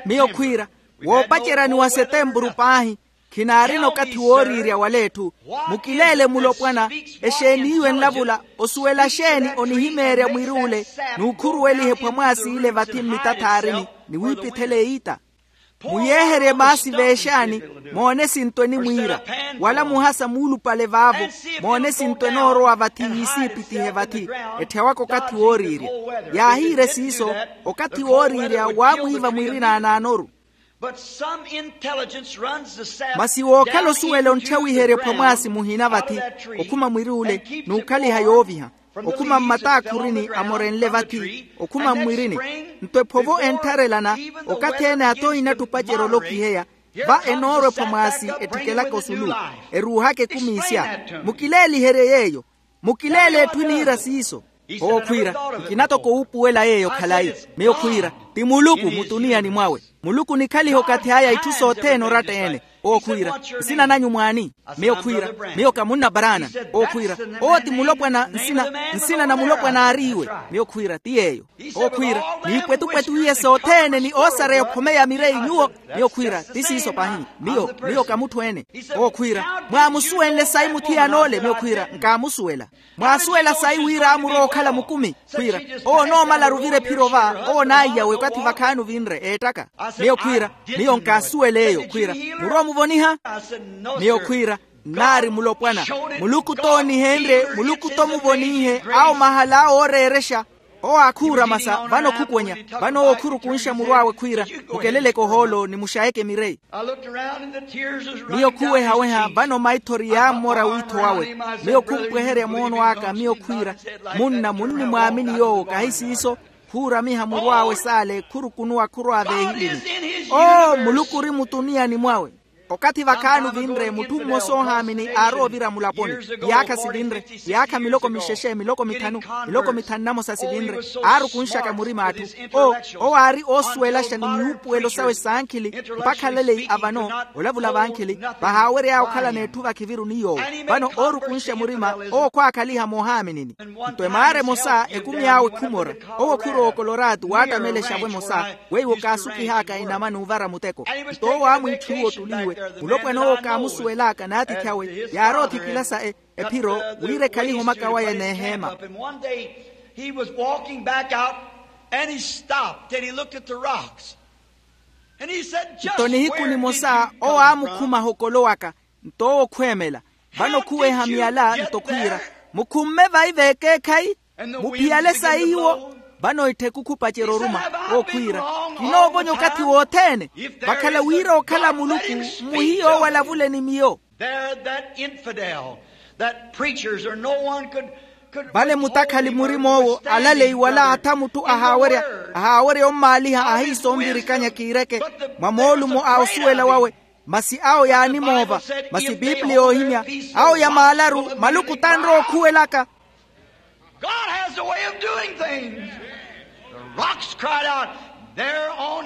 Miyo khwiira, woopaceryani wa setempuru paahi, khinaarina okathi wooriirya waleetthu. Mukileele mulopwana, exeeni iwe enlavula? Osuwela xeeni onihimeerya mwir'ule n'ukhuruweliha ephwamwaasi ile vathi mmitathaarini, ni wiipithela eyiita? Muyeeherye maasi veexaani, moone sinto enimwiira, wala muhasa muulupale vaavo, moone sinto enoorowa vathi yiisiipitihe vathi. Etthewaka okathi wooriirya. Yaahiire siiso, okathi wooriirya waamwiiva mwirina anaanoru. Masi wookhala osuwela ontthawiherya ephwamwaasi muhina vathi, okhuma mwir'ule n'ukhaliha yooviha, okhuma mmataakhuruni amorenle vathi, okhuma mmwirini. Nto ephovo enttharelana, okathi-ene ata ohinattupacerya olokiheya, va enoorwa ephwamwaasi etthikelaka osulu, eruuhaka ekumi isya. Mukileeliherye yeeyo. Mukileele etthu eniira siiso. Owo khwiira, nkina toko wuupuwela yeeyo khalayi. Miyo khwiira, ti muluku mutuniyani mwawe. Muluku onikhaliha okathi aya itthu sothene oratta-ene. Owo khwiira, nsina nanyu mwaani? Miyo khwiira, miyo ka munna baraana. Owo khwiira, owo ti mulopwana nsina, nsina na mulopwana aari iwe. Miyo khwiira ti yeeyo. Owo khwiira, n'ipwetupwetu iye sothene ni oosareya okhome ya mireyi nyuwo. Miyo khwiira ti siiso pahi. Miyo miyo ka mutthu ene. Owo khwiira, mwaamusuwenle sayi muthiyan'ole? Miyo khwiira nkaamusuwela. Mwaasuwela sayi wira aamurowa okhala mukumi? Khwiira, owo onoomalaru ovira ephiro va, owo onaiyawe okathi vakhaani ovinre eettaka. Miyo khwiira, miyo nkaasuwela eyo. Khwiira, murowa omuvoniha? Miyo khwiira, nnaari mulopwana. Muluku toonihenrye, muluku tomuvonihe. Awo mahala awo ooreerexa. Owo aakhuura masa vano khukonya. Vano owo khurukunxa muru awe khwiira, mukeleleke ohoolo ni muxayeke mireyi. Miyo khuwehaweha vano maithori yaammora wiitho wawe. Miyo khumpweherya moono aka miyo khwiira, munna munnimwaamini yoowo kahi siiso. Khuuramiha muru awe saale khurukunuwa khurwa veehilini. Oo muluku ori mutuniyani mwawe. Okathi vakhaani ovinre mutthu mmosa oohaamini aarowa ovira mulaponi. Iyaakha sivinre, iyaakha miloko mixexe miloko mithanu, miloko mithanu namosa sivinre, aarukunxaka murima atthu. Owo aari oosuwelaxa ni miwuupuwelo sawe saankhili. Mpakha alaleyi avano olavula vankhili, vahaawery'aya okhalana etthu vakhiviru ni yoowo. Vano oorukunxa murima, owo khwaakhaliha moohaaminini. Nto emaara emosa ekumi awe khumora. Owo khurowa okoloraatu waattamelexa-vo emosa, weiwo kaasukih'aka inama n'uvara muteko. Nto owo aamwiitthiwa ottuli iwe, mulopwana owo kaamusuwel'aka n'atiithi awe yaarowa othikila sa ephiro, wira ekhalihe omaka waye n'eheema. He was walking back out and he stopped and he looked at the rocks. Nto nihiku nimosa owo aamukhumaha okolo waka. Nto owo khweemela. Vano khuweha miyala nto khwiira, mukhumme vayi veekeekhayi? Muphiyale sayi iwo. Vano ittheku khupacerya oruma. Owo khwiira, kinoovonya okathi wothene. Vakhala wira okhala muluku, mmuhiye owo alavule ni miyo. There that infidel, that preachers or no one could. Vale mutakhali murim'owo alaleyi wala atha mutthu ahaawerya, ahaawerya ommaaliha ahiisa onvirikanya kiireke mwa moolumo a osuwela wawe. Masi awo yaanimoova. Masi piipiliya oohimya, awo yamaalaru maluku tanrowa okhuwelaka. God has a way of doing things. The rocks cried out.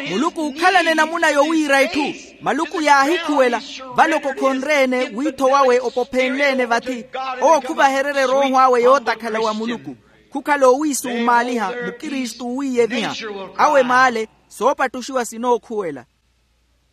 Muluku ookhalana enamuna yowiira itthu. Maluku yaahikhuwela. Vale okokhonre-ene wiitho wawe opophenle-ene vathi. Owo khuvahererye erooho awe yootakhala wa muluku. Khukhala owiisumaaliha mukristu owiiyeviha. Awe maale soopattuxiwa sinookhuwela.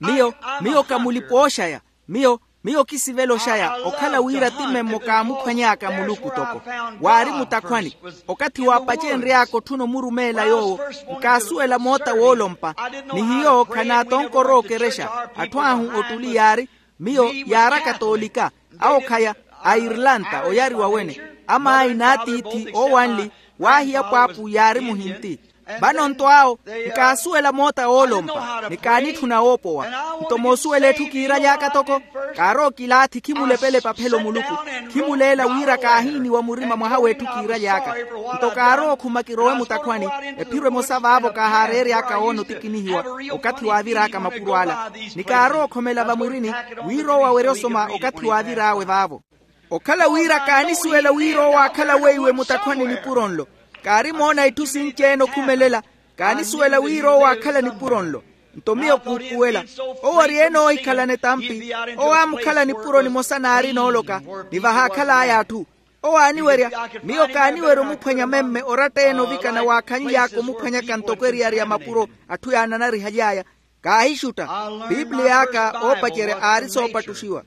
Miyo, miyo ka mulipa oxaya. Miyo, miyo kisivela oxaya okhala wira ti memmo kaamukhwany'aka muluku toko. Waari mutakhwani. Okathi waapacenry'aka otthuna omurumeela yoowo, nkaasuwela moota woolompa. Ni hiyo khanaatonkor'okerexa. Atthu ahu ottuli yaari. Miyo yaari akatoolika. Awo khaya, airlanta oyariwa wene. Amaayi n'atiithi oowanli. Waahiya pwaapu yaari muhinti. Vano nto awo nkaasuwela moota woolompa ni kaanitthuna woopowa. Nto moosuwela etthu kiiraly'aka toko, kaarowa okilaathi khimulepela epaphelo muluku. Khimuleela wira kaahiiniwa murima mwaha w'etthu kiiraly'aka. Nto kaarowa okhuma kirowe mutakhwani. Ephiro emosa vaavo kaahaareery'aka woona otikinihiwa okathi waavir'aka mapuro ala. Ni kaarowa okhomela vamwirini wira owo awerye osoma okathi waavir'awe vaavo. Okhala wira kaanisuwela wira owo aakhala weiwe mutakhwani nipuro nlo. Kaarimoona itthu sinci-ene okhumelela. Kaanisuwela wira owo aakhala nipuro nlo. Nto miyo kuupuwela. Owo ori-ene oohikhalana etampi. Owo aamukhala nipuro nimosa naari nooloka. Ni vahaakhal'aya atthu. Owo aaniwerya. Miyo kaaniwerya omuphwanya memme oratta-ene ovikana waakhanly'aka omuphwanyaka ntoko eriyari ya mapuro. Atthu yaananarihaly'aya. Kaahixutta. Piipiliya aka oopacerya aari soopattuxiwa.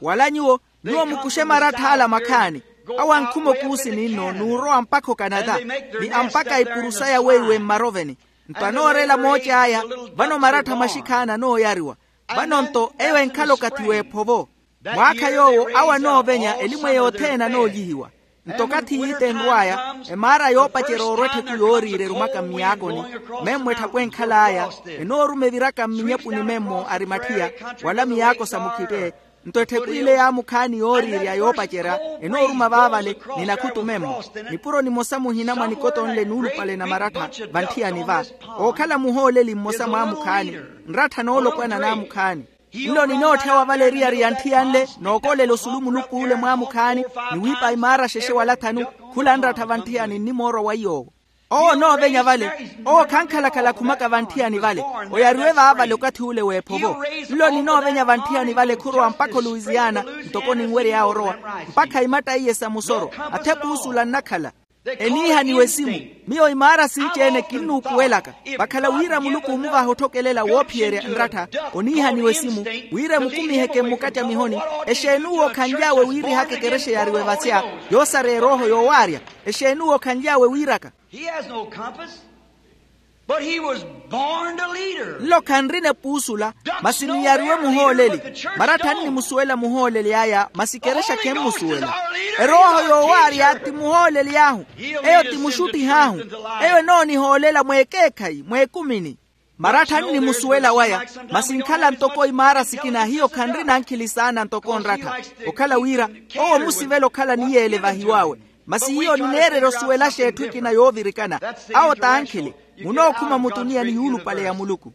Wala nyuwo, nyuwo mukuxe marattha ala makhaani. Awo ankhuma okuusi ninno n'urowa mpakha okanata. Ni ampaka ipuru saya weiwe mmaroveni. Nto anoorela mooci aya. Vano marattha maxikhaani anooyariwa. Vano nto eyo enkhala okathi w'ephovo. Mwaakha yoowo awo anoovenya elimwe yothene anoolyihiwa. Nto okathi yiita enrw'aya, emaara yoopacerya oorwa etthettu yooriira erumaka mmiyaakoni. Memmo etthapwe enkhal'aya enooruma eviraka mminyepuni memmo ari matthiya, wala miyaako sa mukhitte. Nto ettheku ile yaamukhaani yooriirya yoopacerya enooruma vaavale. Ni nakhutu memmo nipuro nimosa muhina mwa nikoto nle nuulupale na marattha. Vantthiyani va ookhala muhooleli mmosa mwaamukhaani. Nrattha noolopwana naamukhaani. Nlo ninootthyawa vale eriyari ya ntthiya nle nookoolela osulu munuk'ule mwaamukhaani. Ni wiipa imaara xexe wala thanu. Khula nrattha vantthiyani nnimoorwa wa iy'owo. Owo onoovenya vale. Owo khankhalakhala akhumaka vantthiyani vale. Oyariwe vaavale okathi ule w'ephovo. Nlo ninoovenya vantthiyani vale khurowa mpakha oluwisiana. Ntoko ninwery'awe orowa mpakha imatta iye sa musoro. Athepuusula nnakhala. Eniihaniwe esimu. Miyo imaara sinci-ene kinnuupuwelaka. Vakhala wira muluku omuvaha otthokelela woophiyerya nrattha. Oniihaniwe esimu wira emukumiheke mmukacamihoni. Exeen'uwo okhanly'awe wiirihaka ekerexa yaariwe vasya yoosareya erooho yoowaarya? Exeen'uwo okhanly'awe wiiraka? He has no compass. But he was born a leader. Nlo khanrina epuusula. Masi niyariwe muhooleli. Marattha annimusuwela muhooleli aya masi ekerexa khemmusuwela. Erooho yoowaarya ti muhooleli ahu. Eyo ti muxuttih'ahu. Eyo enoonihoolela mweekeekhayi mweekumini. Marattha annimusuwela waya. Masi nkhala ntoko imaara sikina hiyo khanrina ankhili saana ntoko nrattha. Okhala wira owo omusivela okhala niyeele vahiw'awe. Masi hiyo nineererya osuwelaxa etthu ekina yoovirikana. Awo t'ankhili. Munookhuma mutuniya ni yuulupale ya muluku.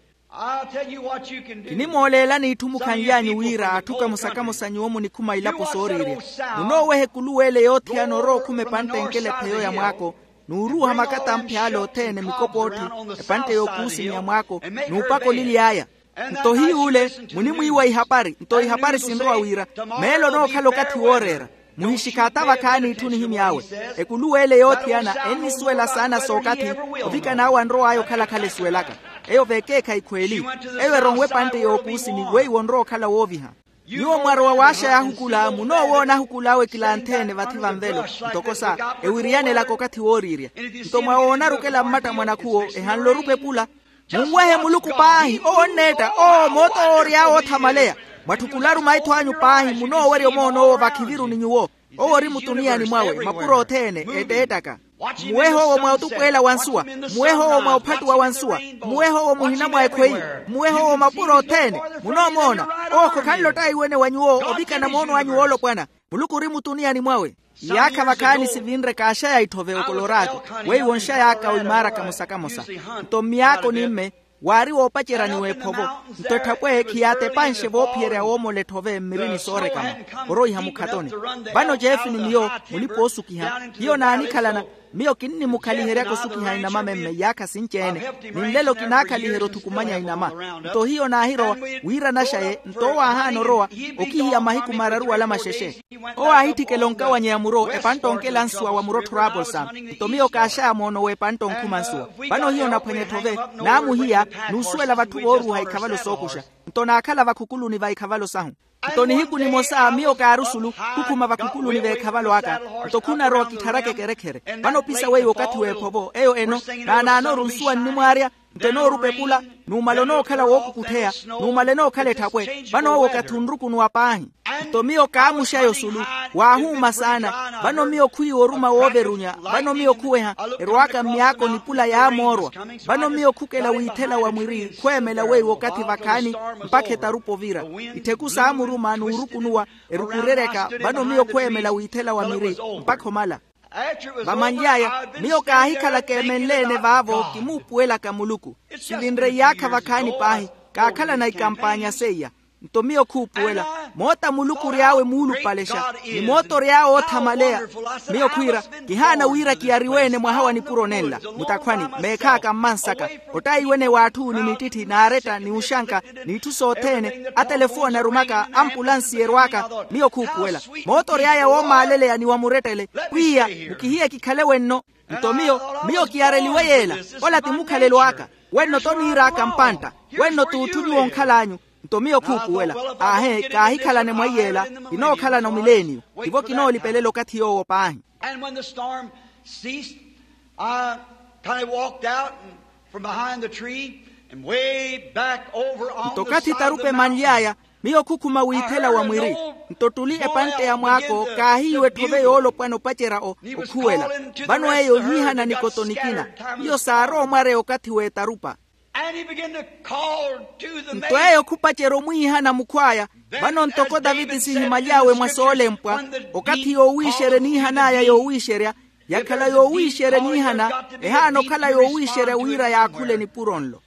Kinimooleelani itthu mukhanly'anyu wira atthu kamosa-kamosa nyuwo munikhuma ilapo sooriirya. Munooweha ekuluw'ele yoothiyana orowa okhuma epantte enkela epheyo ya mwaako, n'uruuha makata amph'ale othene mikopoottho, epantte y'okuusimiya mwaako, n'upaka olily'aya. Nto hiy'ule munimwiiwa ihapari nto ihapari sinrowa wira meelo onookhala okathi wooreera. Muhixikhaatha vakhaani itthu nihimy'awe. Ekuluw'ele yoothiyana ennisuwela saana sookathi ovikan'awe anrow'aya okhala-khala esuwelaka. Eyo vekeekhayi khweeli. Eyo eronwe epantte y'okuusini weiwo onrowa okhala wooviha. Nyuwo mwarowa waaxaya ahukula munoowoona ahukula awe kilantheene vathi vanvelo ntoko sa ewiriyanelaka okathi wooriirya. Nto mwawoona arukela mmatta mwa nakhuwo ehanle orupepula. Munwehe muluku paahi owo onneetta owo moota owoory'awe oothamaleya. Mwatthukullaru maitho anyu paahi munoowerya omoon'owo vakhiviruni nyuwo. Owo ori mutuniyani mwawe mapuro othene etteettaka. Muwehe owo mwa otupweela wa nsuwa. Muwehe owo mwa ophattuwa wa nsuwa. Muwehe owo muhina mwa ekhweyi. Muwehe owo mapuro othene. Munoomoona owo khokhanle ottaiwene wa nyuwo ovikana moono anyu woolopwana. Muluku ori mutuniyani mwawe. Iyaakha vakhaani sivinre kaaxaya itthove okoloraato weiwo onxay'aka oimaaraka mosa-kamosa. Nto mmyaako ni mme waari woopacerya ni w'ephovo. Nto etthapwe khiyaatepanxe voophiyerya woomola etthove mmirini soorekama oroiha mukhatoni. Vano jeefi ni miyo mulipa oosukiha hiyo naanikhalana. Miyo kinnimukhaliherya kosukiha inama memme iyaakha sinci-ene. Ni nlelo kinaakhaliherya othukumanya inama. Nto hiyo naahirowa wiira naxaye nto owo aahaana orowa okihiya mahiku mararu wala maxexe. Owo aahitthikela onkawanyeya muro epantte onkela nsuwa wa muro tthurapolsa. Nto miyo kaaxaya moono w'epantte onkhuma nsuwa. Vano hiyo naphwanya etthove naamuhiya n'usuwela vatthu vooruuha ikhavalo sookuxa. Nto naakhala vakhukuluni va ikhavalo sahu. Nto nihiku nimosa miyo kaari osulu khukhuma vakhukuluni v'ekhavalo aka. Nto khunarowa kittharaka ekerekhere. Vano opisa weiwo okathi w'ephovo eyo eno naanaanoru nsuwa nnimwaarya. Nto enoorupepula numala onookhala wookukutheya. Numala enookhala etthapwe vano owo okathi onrukunuwa paahi. Nto miyo kaamuxaya osulu waahuuma saana. Vano miyo khwiiwa oruma wooverunya. Vano miyo khuweha erow'aka mmyaako nipula yaamoorwa. Vano miyo khukela wiithela wa mwiri khweemela weiwo okathi vakhaani mpakha etarupa ovira. Ittheku saamuruma n'urukunuwa erukureryaka. Vano miyo khweemela wiithela wa miri mpakha omala. Vamanly'aya miyo kaahikhala keemenle-ene vaavo kimuupuwelaka muluku. Sivinre iyaakha vakhaani paahi kaakhalana ikampaanya seiya. Nto miyo khuupuwela moota muluku ory'awe muulupalexa ni moota ory'awe oothamaleya. Miyo khwiira kihaana wira kiyariwe-ene mwaha wa nipuro nenla mutakhwani meekh'aka mmansaka. Ottayiwene w'atthu ni mittitthi n'aretta ni uxanka n'itthu sothene atelefooni arumaka ampulansi erw'aka. Miyo khuupuwela moota ory'aya woomaaleleya ni wa murettele pwiya mukihiye kikhale wenno. Nto miyo miyo kiyareliwe yeela ola ti mukhalelo aka. Wenno toniir'aka mpantta wenno t'utthu nyuwo onkhal'anyu. Nto miyo khuupuwela aahe kaahikhalane mwa iyeela kinookhalana omileeniyo. Tivo kinoolipelela okathi yoowo paahi. And when the storm ceased, I kind of walked out and from behind the tree and way back over on the side of the mountain. Nto okathi tarupa emanly'aya miyo khukhuma wiithela wa mwiri. Nto ttuli epantte ya mwaako kaahiiwa etthove yoolopwana opacerya okhuwela. Vano eyo yiihana nikoto nikina. Hiyo saarowa omwareya okathi w'etarupa. Nto eyo khupacerya omwiihana mukhw'aya. Vano ntoko taviti siihimaly'awe mwa soolempwa okathi yoowiixerya eniihan'aya yoowiixerya yakhala yoowiixerya eniihana. Ehaana okhala yoowiixerya wira yaakhule nipuro nlo.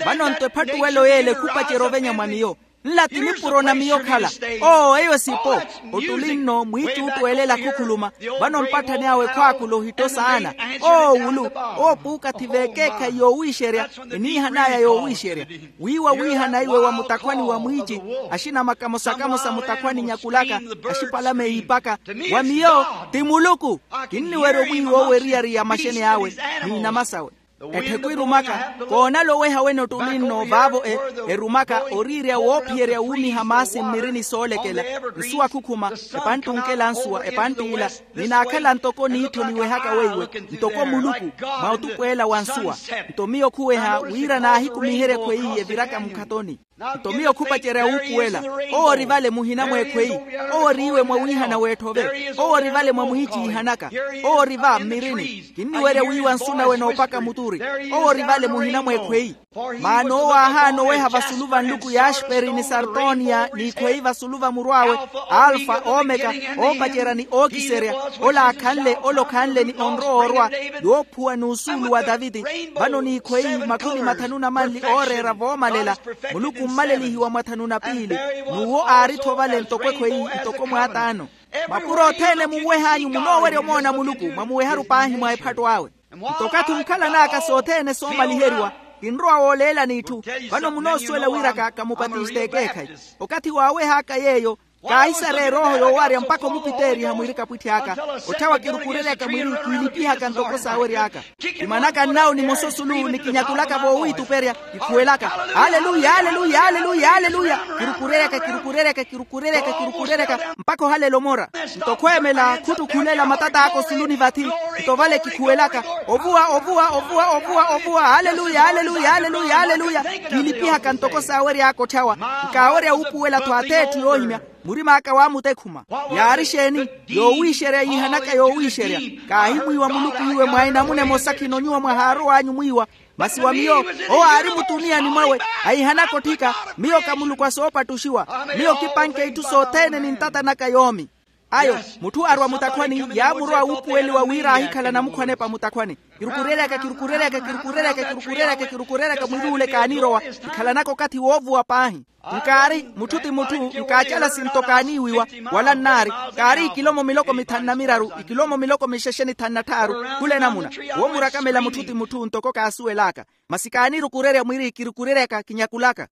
Vano nto ephattuwelo y'ele khupacerya ovenya mwa miyo. Nla ti nipuro na miyo okhala. Oo eyo esipo. Ottuli nno mwiicuuttu weelela khukhuluma. Vano mpatthani awe khwaakula ohitto saana. Oo wulu. Oo puukathi veekeekhayi yoowiixerya. Eniihan'aya yoowiixerya. Wiiwa wiihana iwe wa mutakhwani wa mwiici. Axinamaka mosa kamosa mutakhwani nyakulaka. Axipalame yiipaka. Wa miyo ti muluku. Kinniwerya omwiiwa owo eriyari ya maxeni awe. N'inama sawe. Ettheku erumaka. Koonala oweha wene ottuli nno vaavo e erumaka oriirya woophiyerya wuumiha maasi mmirini soolekela. Nsuwa khukhuma. Epantti onkela nsuwa epantti ila. Ninaakhala ntoko niittho niwehaka weiwe. Ntoko muluku. Mwa otupu ela wa nsuwa. Nto miyo khuweha wira naahikumiherye ekhweyi eviraka mukhatoni. Nto miyo khupacerya wuupuwela. Owo ori vale muhina mweekhweyi. Owo ori iwe mwawiihana weetthove. Owo ori vale mwamwiiciihanaka. Owo ori va mmirini. Kinniwerya wiiwa nsu nawe noopaka muturi. Owo ori vale muhina mweekhweyi. Maana owo aahaana oweha vasulu va nluku ya axperi ni sartoniya n'ikhweyi vasulu va murw'awe. Alfa omeka. Oopacerya ni ookiserya. Ola akhanle ola okhanle ni onrowa orwa. Yoophuwa n'usuulu wa taviti. Vano n'ikhweyi makhumi mathanu na manli ooreera voomalela. Muluku mmalelihiwa mwathanu na piili. N'uwo aari-tho vale ntoko ekhweyi ntoko mwaataano. Mapuro othene munweh'anyu munoowerya omoona muluku mwamuweharu paahi mwa ephatto awe. Nto okathi onkhalan'aka sothene soomaliheriwa. Kinrowa wooleelani itthu. Vano munoosuwela wiraka kamupatiste ekeekhayi. Okathi waaweh'aka yeeyo. Kaahisarya erooho yoowarya mpakha omupiteeriha mwirika pwitthi aka. Otthawa kirukureryaka mwiri kiilipihaka ntoko saawery'aka. Kimanaka nnawo ni mososulu ni kinyakulaka voowiituperya. Kikhuwelaka. Aleluya aleluya aleluya aleluya. Kirukureryaka kirukureryaka kirukureryaka kirukureryaka. Mpakha ohalela omora. Nto khweemela khuttukhulela matat'aka osuluni vathi. Nto vale kikhuwelaka. Ovuwa ovuwa ovuwa ovuwa ovuwa aleluya aleluya aleluya aleluya. Kiilipihaka ntoko saawery'aka otthawa. Nkaawerya wuupuwela-tho ath'etthu yoohimya. Murim'aka waamutekhuma. Yaari exeeni? Yoowiixerya yiihanaka yoowiixerya. Kaahimwiiwa muluku iwe mwa enamuna emosa khino nyuwo mwahaarow'anyu mwiiwa. Masi wa miyo owo aari mutuniyani mwawe. Ahihanaka otthika. Miyo ka muluku a soopattuxiwa. Miyo kipanke itthu sothene ni ntata naka yoomi. Ayo mutthu arwa mutakhwani yaamurowa wuupuweliwa wira aahikhala namukhwanepa mutakhwani. Kirukureryaka kirukureryaka kirukureryaka kirukureryaka kirukureryaka mwir'ule kaanirowa. Nkhalanaka okathi woovuwa paahi. Nkaari mutthu ti mutthu nkaacala sinto kaaniiwiwa. Wala nnaari. Kaari ikilomo miloko mithanu na miraru ikilomo miloko mixexe ni thanu na tthaaru. Khula enamuna. Woomurakhamela mutthu ti mutthu ntoko kaasuwel'aka. Masi kaanirukurerya mwiri kirukureryaka kinyakulaka.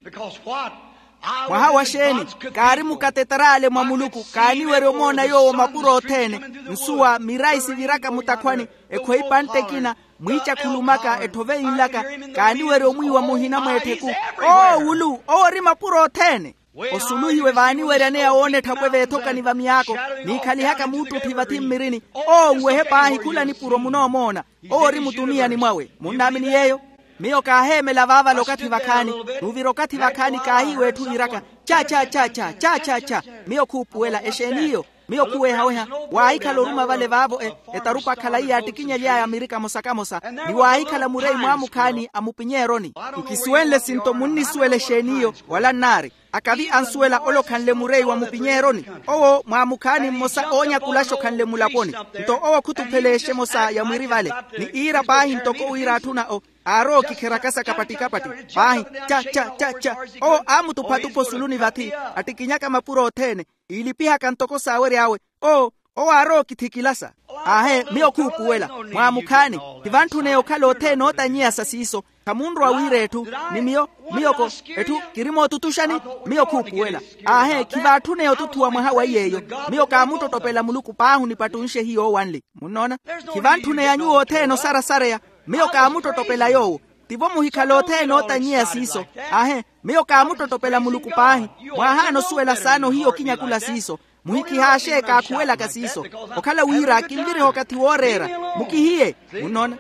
Mwaha wa xeeni? Kaari mukatetarale mwa muluku kaaniwerya omoona yoowo mapuro othene. Nsuwa mirayi siviraka mutakhwani. Ekhweyi pantte ekina. Mwiicakhulumaka etthove yinlaka. Kaaniwerya omwiiwa muhina mweettheku. Owo wulu owo ori mapuro othene. Osuluhiwe vaaniweryaneya woona etthapwe veethokani va miyaako. Niikhalihaka muuttutthi vathi mmirini. Owo nwehe paahi khula nipuro munoomoona. Owo ori mutuniyani mwawe munnaamini yeeyo. Miyo kaaheemela vaavale okathi vakhaani. N'uvira okathi vakhaani kaahiiwa etthu yiiraka. Cha cha cha cha cha cha cha. Miyo khuupuwela exeeni iyo? Miyo khuwehaweha. Waahikhala oruma vale vaavo etarupa khalayi yaattikinyaly'aya miri kamosa kamosa. Ni waahikhala mureyi mwaamukhaani a mupinyeeroni. Nkisuwenle sinto munnisuwela exeeni iyo? Wala nnaari. Akavi ansuwela ole okhanle mureyi wa mupinyeeroni. Owo mwaamukhaani mmosa oonyakulaxa okhanle mulaponi. Nto owo khutupheleexa emosa ya mwiri vale. Ni iira paahi ntoko wira atthu na o aarowa okikherakasa kapatti kapatti. Paahi cha cha cha cha. Owo aamutupha-tupha osuluni vathi. Attikinyaka mapuro othene. Iilipihaka ntoko saawery'awe. Oo. Owo aarowa okithikilasa. Aahe miyo khuupuwela. Mwaamukhaani. Khivantthuneya okhala othene ootanyiyasa siiso. Khamunrowa wiira etthu. Ni miyo. Miyoko. Etthu kiri mootutuxani. Miyo khuupuwela. Aahe khivatthuneya otuthuwa mwaha wa iy'eyo. Miyo kaamuttottopela muluku paahi onipattunxe hiyo owanli. Munnoona? Khivantthuneya nyuwo othene osarasareya. Miyo kaamuttottopela yoowo. Tivo muhikhala othene ootanyiya siiso. Aahe. Miyo kaamuttottopela muluku paahi. Mwaahaana osuwela saana ohiya okinyakula siiso. Muhikihaaxe kaakhuwelaka siiso. Okhala wira kinviriha okathi wooreera. Mukihiye. Munnoona?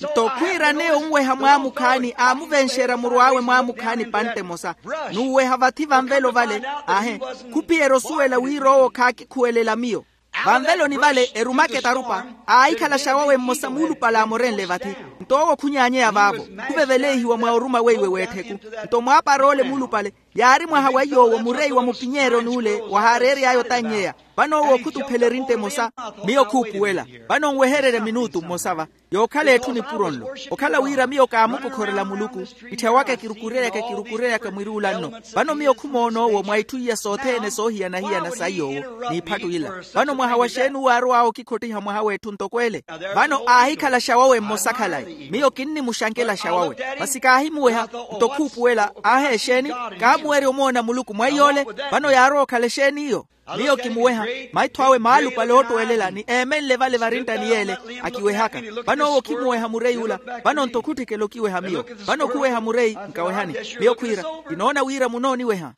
Nto khwiiraneya onweha mwaamukhaani aamuvenxerya murw'awe mwaamukhaani pantte emosa. N'uweha vathi vanvelo vale. Aahe. Khuphiyerya osuwela wira owo khaakikhuwelela miyo. Vanveloni vale erumaka etarupa. Aahikhalaxa wawe mmosa muulupale aamorenle vathi. Nto owo khunyaanyeya vaavo. Khuveveleihiwa mwa oruma weiwe w'ettheku. Nto mwaaparoole muulupale. Yaari mwaha wa yoowo mureyi wa mupinyeeryo n'ule wahaareery'aya otannyeya. Vano owo khutuphela erintta emosa. Miyo khuupuwela. Vano nwehererye minutu mmosa va, yookhala etthu nipuro nlo. Okhala wira miyo kaamukokhorela muluku, itthya waka kirukureryaka kirukureryaka mwiri ula nno. Vano miyo khumoona owo mwa itthu iya sothene soohiyana-hiyana sa yoowo, n'iphattu ila. Vano mwaha wa xeeni uwo aarow'awe okikhottiha mwaha w'etthu ntoko ele? Vano aahikhala xawawe mmosa khalayi. Miyo kinnimuxankela xawawe. Masi kaahimuweha, nto khuupuwela, aahi exeeni? Kaamuwerya omoona muluku mwa iy'ole. Vano yaarowa okhala exeeni iyo? Miyo kimuweha, maitho awe maalupale oottuwelela ni eemenle vale varinttani y'ele, akiwehaka. Vano owo khimuweha mureyi ula. Vano nto khutthikela okiweha miyo. Vano khuweha mureyi nkawehani. Miyo khwiira, kinoona wira munooniweha.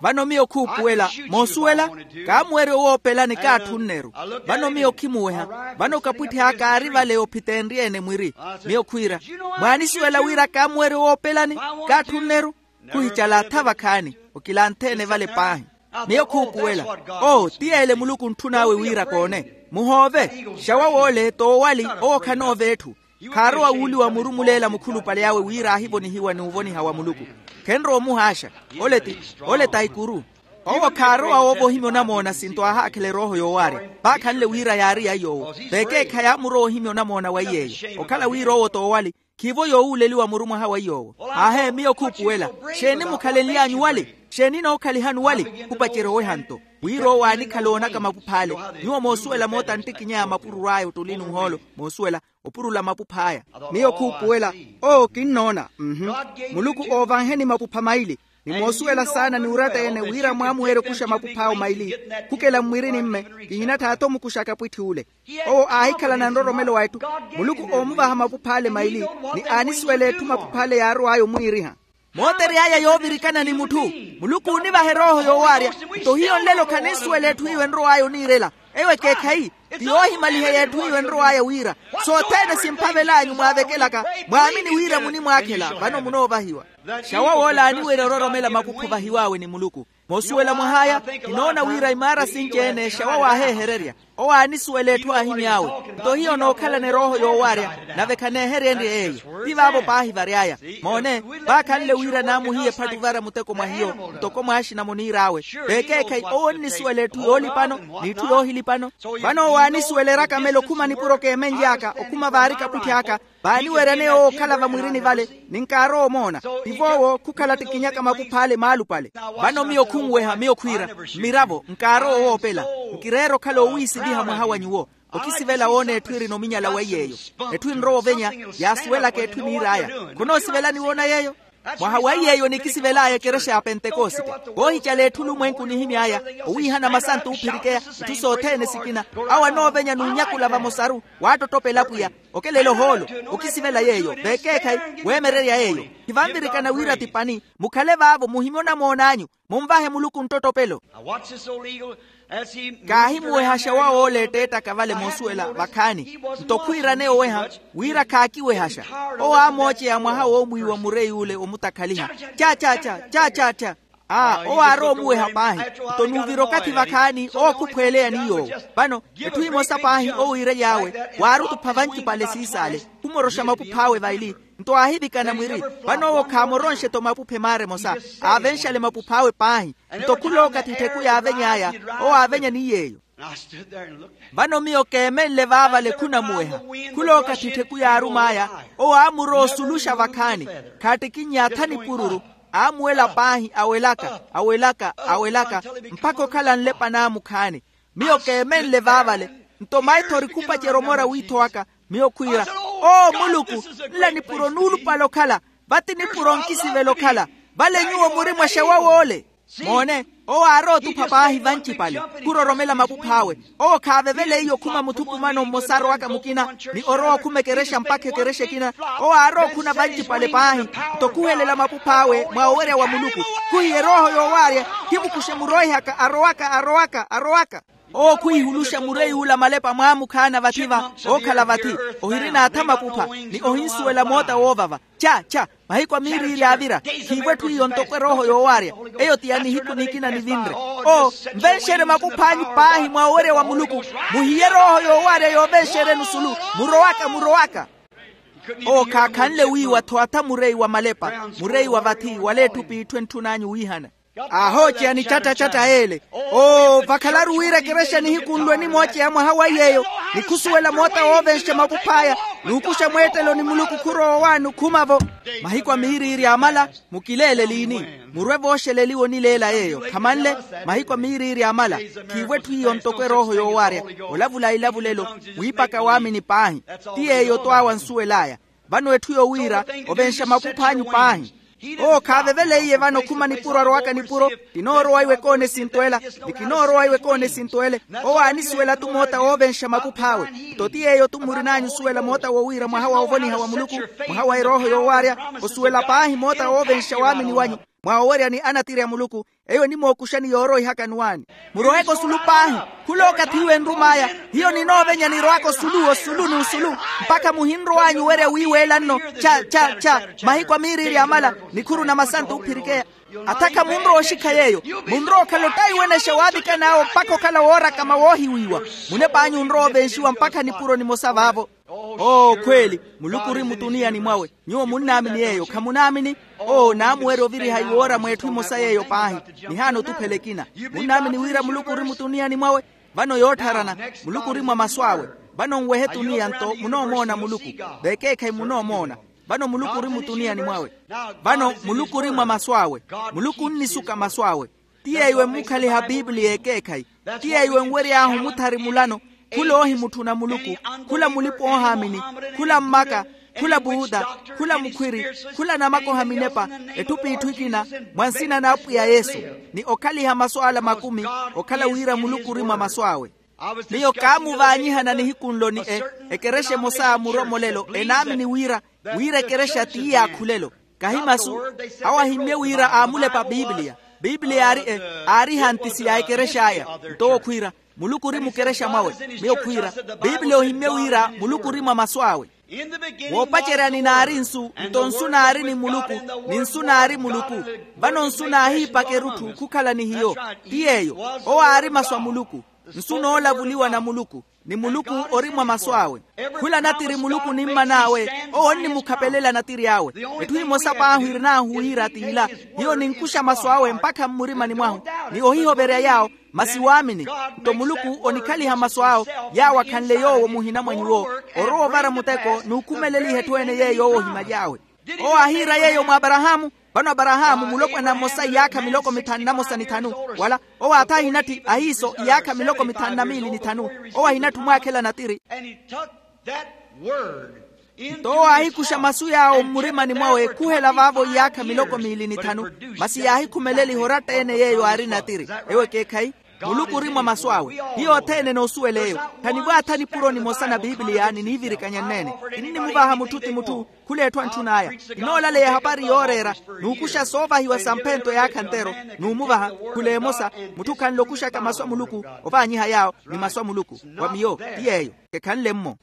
Vano miyo khuupuwela, moosuwela? Kaamuwerya owoopelani kaatthunn'eru. Vano miyo khimuweha. Vano kapwitthi aka aari vale ophiteenrye-ene mwiri. Miyo khwiira, mwaanisuwela wira kaamuwerya owoopelani? Kaatthunn'eru. Khuhicala atha vakhaani, okilanthe-ene vale paahi. Miyo khuupuwela. Oo ti yeele muluku ontthun'awe wira koone. Muhoove. Xawa woole t'owali. Owo khanoova etthu. Khaarowa wuuliwa murumuleela mukhulupale awe wira aahivonihiwa n'uvoniha wa muluku. Khenrowa omuhaaxa. Ole ti, ole ta ikuru. Owo khaarowa woova ohimya onamoona sinto aahaakhela erooho yoowaarya. Vaakhanle wira yaari ya yoowo. Vekeekhayi aamurowa ohimya onamoona wa iy'eyo. Okhala wira owo t'owali, khiivo yoowuuleliwa muru mwaha wa iy'owo. Aahe miyo khuupuwela. Xeeni mukhalenly'anyu wali? Xeeni nookhalihani wali? Khupacerya oweha nto. Wira owo aanikhala oonaka mapupha ale. Nyuwo moosuwela moota nttikinya ya mapururu aya ottuli n'uhoolo. Moosuwela, opurula mapupha aya. Miyo khuupuwela. Oo kinnoona. Muluku oovanheni mapupha maili. Ni moosuwela saana ni uratta-ene wira mwaamuwerya okuxa mapupha awe maili. Khukela mmwirini mme, kihinattha aatha omukuxa kapwitthi ule. Owo aahikhalana nroromelo wa etthu. Muluku oomuvaha mapupha ale maili, ni aanisuwela etthu mapupha ale yaarow'aya omwiiriha. Mootery'aya yoovirikana ni mutthu. Muluku oonivaha erooho yoowaarya. Nto hiyo nlelo khaninsuwela etthu iyo enrow'aya oniirela. Eyo ekeekhayi. Ti yoohimaliheya etthu iyo enrow'aya wira, sothene simphavel'anyu mwaavekelaka, mwaamini wira munimwaakhela vano munoovahiwa. Xawa woola aaniwerya ororomela mapupha ovahiw'awe ni muluku. Moosuwela mwah'aya, kinoona wira imaara sinci-ene xawa waaheehererya. Owo aanisuwela etthu aahimy'awe. Nto hiyo nookhalana erooho yoowaarya, nave khaneeheryenrye eyo. Ti vaavo paahi vary'aya. Moone, vaakhanle wira naamuhiye ephatuvara muteko mwa hiyo. Ntoko mwaaxina muniir'awe, veekeekhayi owo onnisuwela etthu yoolipano, n'itthu yoohilipano. Vano owo aanisuwela erakamelo khuma nipuro keemenly'aka okhuma vaari kapwitthi aka. Vaaniweryaneya owo okhala vamwirini vale, ni nkaarowa omoona. Tivo owo khukhala ttikinyaka mapupha ale maalupale. Vano miyo khunweha miyo khwiira, mmiravo nkaarowa owoopela. Nkireera okhala oowiisiviha mwaha wa nyuwo. Okisivela woona etthu erina ominyala weiy'eyo. Etthu enrowa ovenya, yaasuwelaka etthu eniir'aya. Khonoosivela ni woona yeeyo? Mwaha weiy'eyo nikisivel'aya ekerexa ya pentekosite. Voohicala etthu olumwenku onihimy'aya, owiihana masantu oophirikeya, itthu sothene sikina. Awo anoovenya n'unyakula vamosaru, waattottopela apwiya. Okelela ohoolo. Okisivela yeeyo veekeekhayi, weemererya yeeyo. Khivanvirikana wira ti pani. Mukhale vaavo muhimye onamoon'anyu. Munvahe muluku nttotopelo. Kaahimuwehaxa wa wooleetteettaka vale moosuwela vakhaani. Nto khwiiraneya oweha, wira khaakiwehaxa. Owo aamooceya mwaha woomwiiwa mureyi ule omutakhaliha. Cha cha cha cha cha cha. Aa owo aarowa omuweha paahi. Nto nuuvira okathi vakhaani owo khuphweeleya ni yoowo. Vano, etthu emosa paahi owo iirely'awe, waari otupha vancipale siisaale, khumoroxa mapuph'awe vaili. Nto aahivikana mwiri. Vano owo khaamoronxe-tho mapupha emaara emosa. Aavenxale mapuph'awe paahi. Nto khulookathi ettheku yaaveny'aya, owo aavenya ni yeeyo. Vano miyo keemenle vaavale khunamuweha. Khulookathi ettheku yaarum'aya, owo aamurowa osuluxa vakhaani. Khaattikinnya atha nipururu. Aamuwela paahi awelaka awelaka awelaka, mpakha okhala nlepa n'amukhaani. Miyo keemenle vaavale. Nto maithori khupacerya omora w'iitho waka. Miyo khwiira, oo muluku, nla nipuro nuulupale okhala. Vati nipuro nkisivela okhala. Vale nyuwo muri mwaxa wa woole. Moone, owo aarowa otupha paahi vancipale, khuroromela mapuph'awe. Owo khaavevela iyo okhuma muthukumano mmosa arowaka mukina, ni orowa okhuma ekerexa mpakha ekerexa ekina. Owo aarowa okhuna vancipale paahi, nto khuhelela mapuph'awe mwa owerya wa muluku. Khuhiye erooho yoowaarya, khimukuxe muroihaka arowaka arowaka arowaka. Owo khwiihuluxa mureyi ula malepa mwaamukhaana vathi-va. Ookhala vathi, ohirina atha mapupha, ni ohinsuwela moota woovava. Cha cha. Mahiku a miiriili aavira, khiivo etthu iyo ntoko erooho yoowaarya. Eyo ti ya nihiku nikina nivinre. Oo, nvenxerye mapuph'anyu paahi mwa owerya wa muluku. Muhiye erooho yoowaarya yoovenxeryeni osulu. Murowaka murowaka. Owo khaakhanle wiiwa-tho atha mureyi wa malepa, mureyi wa vathi wala etthu p'itthu entthun'anyu wiihana. Aahooceya nicattacatta ele. Oo, vakhalaru wira ekerexa nihikunlwe nimooceya mwaha wa yeeyo, nikhusuwela moota woovenxa makuph'aya, n'ukuxa mweettelo ni muluku khurowa owaani okhuma-vo. Mahiku a miiriiri amala, mukileele liini? Murwe vooxeleliwa onileela yeeyo khamanle. Mahiku a miiriiri amala, khiivo etthu iyo ntoko erooho yoowaarya, olavula ilavulelo, wiipaka waamini paahi. Ti yeeyo-to awo ansuwel'aya. Vano etthu yowiira ovenxa makuph'anyu paahi. Owo khaaveveleiye vano okhuma nipuro arowaka nipuro. Kinoorowa iwe koona esinto ela, ni kinoorowa iwe koona esinto ele. Owo aanisuwela-tu moota woovenxa makuph'awe. Nto ti yeeyo-tu murin'anyu osuwela moota wowiira mwaha wa ovoniha wa muluku, mwaha wa erooho yoowaarya, osuwela paahi moota woovenxa waamini wanyu. Mwa oweryani anatiri a muluku, eyo enimookuxani yooroihaka nwaani. Muroheke osulu paahi. Khula okathi iwe enrum'aya, hiyo ninoovenya nirowaka osulu osulu n'usulu, mpakha muhinrow'anyu owerya wiiweela nno. Cha cha cha. Mahiku a miiriiri amala, nikhuru na masantu ophirikeya. Athakha munrowa oxikha yeeyo. Munrowa okhala ottaiwenexa waavikan'awe mpakha okhala woorakama woohiwiiwa. Munep'anyu onrowa ovenxiwa mpakha nipuro nimosa vaavo. Oo khweeli, muluku ori mutuniani mwawe. Nyuwo munnaamini yeeyo khamunaamini? Oo naamuwerya oviriha iwoora mweetthu imosa yeeyo paahi. Nihaana otuphela ekina. Munnaamini wira muluku ori mutuniani mwawe? Vano yoottharana, muluku ori mwa masu awe. Vano nwehe tuniya nto munoomoona muluku. Vekeekhayi munoomoona. Vano muluku ori mutuniyani mwawe. Vano muluku ori mwa masu awe. Muluku onnisuka masu awe. Ti yeeyo emmukhaliha piipiliya ekeekhayi. Ti yeeyo enwery'ahu omuthari mulano. Khula oohimutthuna muluku, khula mulipa-oohaamini, khula mmaka, khula puuta, khula mukhwiri, khula namakoha minepa, etthu p'itthu ekina, mwa nsina n'apwiya yesu. Ni okhaliha masu ala makumi, okhala wira muluku ori mwa masu awe. Miyo kaamuvaanyihana nihikunlo ni e ekerexa emosa muromolelo enaamini wira, wira ekerexa ti yaakhulelo. Kahi masu. Awo ahimmye wira aamulepa piipiliya. Piipiliya aari e, aari ehantisi ya ekerex'aya. Nto owo khwiira, muluku ori mukerexa mwawe. Miyo khwiira, piipiliya ohimmye wira muluku ori mwa masu awe. Woopaceryani naari nsu, nto nsu naari ni muluku, ni nsu naari muluku. Vano nsu naahiipaka erutthu khukhala ni hiyo. Ti yeeyo. Owo aari masu a muluku. Nsu noolavuliwa na muluku, ni muluku ori mwa masu awe. Khula natiri muluku onimman'awe, owo onnimukhapelela natiri awe. Etthu emosa paahi irin'ahu wira t'ila. Hiyo ninkuxa masu awe mpakha mmurimani mwahu, ni ohihoverya yaawo. Masi waamini. Nto muluku onikhaliha masu awo, yaawo akhanle yoowo muhina mwa nyuwo. Orowa ovara muteko n'ukhumeleliha etthu ene yeeyo owo ohimaly'awe. Owo aahiira yeeyo mwa aparahaamu. Vano aparahaamu mulopwana mmosa iyaakha miloko mithanu na mosa ni thanu. Wala owo aatha ahinatthi ahiiso iyaakha miloko mithanu na miili ni thanu. Owo ahinatthi omwaakhela natiri. Nto owo aahikuxa masu yaawo mmurimani mwawe ekhuhela vaavo iyaakha miloko miili ni thanu. Masi yaahikhumeleliha oratta-ene yeeyo aari natiri. Ewo ekeekhayi. Muluku ori mwa masu awe. Hiyo othene noosuwela eyo. Khanivwaatha nipuro nimosa na piipiliya niniivirikanya nneene. Kinnimuvaha mutthu ti mutthu. Khula etthu antthun'aya. Kinoolaleya ehapari yooreera, n'ukuxa soovahiwa samphento yaakha ntero. N'umuvaha. Khula emosa. Mutthu khanle okuxaka masu a muluku. Ovaanyiha yaawo ni masu a muluku. Wa miyo ti yeeyo. Kekhanle-mmo.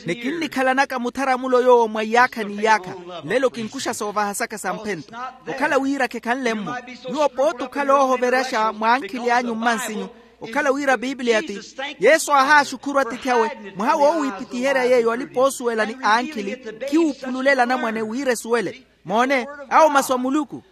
Ni kinnikhalanaka mutharamulo yoowo mwa iyaakha n'iyaakha. Nlelo kinkuxa soovahasaka samphento. Okhala wira kekhanle-mmo. Nyuwo pooti okhala oohoverexa mwa ankhili anyu mmansinyu. Okhala wira piipiliya ti, yesu aahaaxukhuru atiithi awe. Mwaha woowiipitiherya yeeyo alipa-oosuwela ni ankhili, khiwuphululela anamwane wira esuwele. Moone, awo masu a muluku.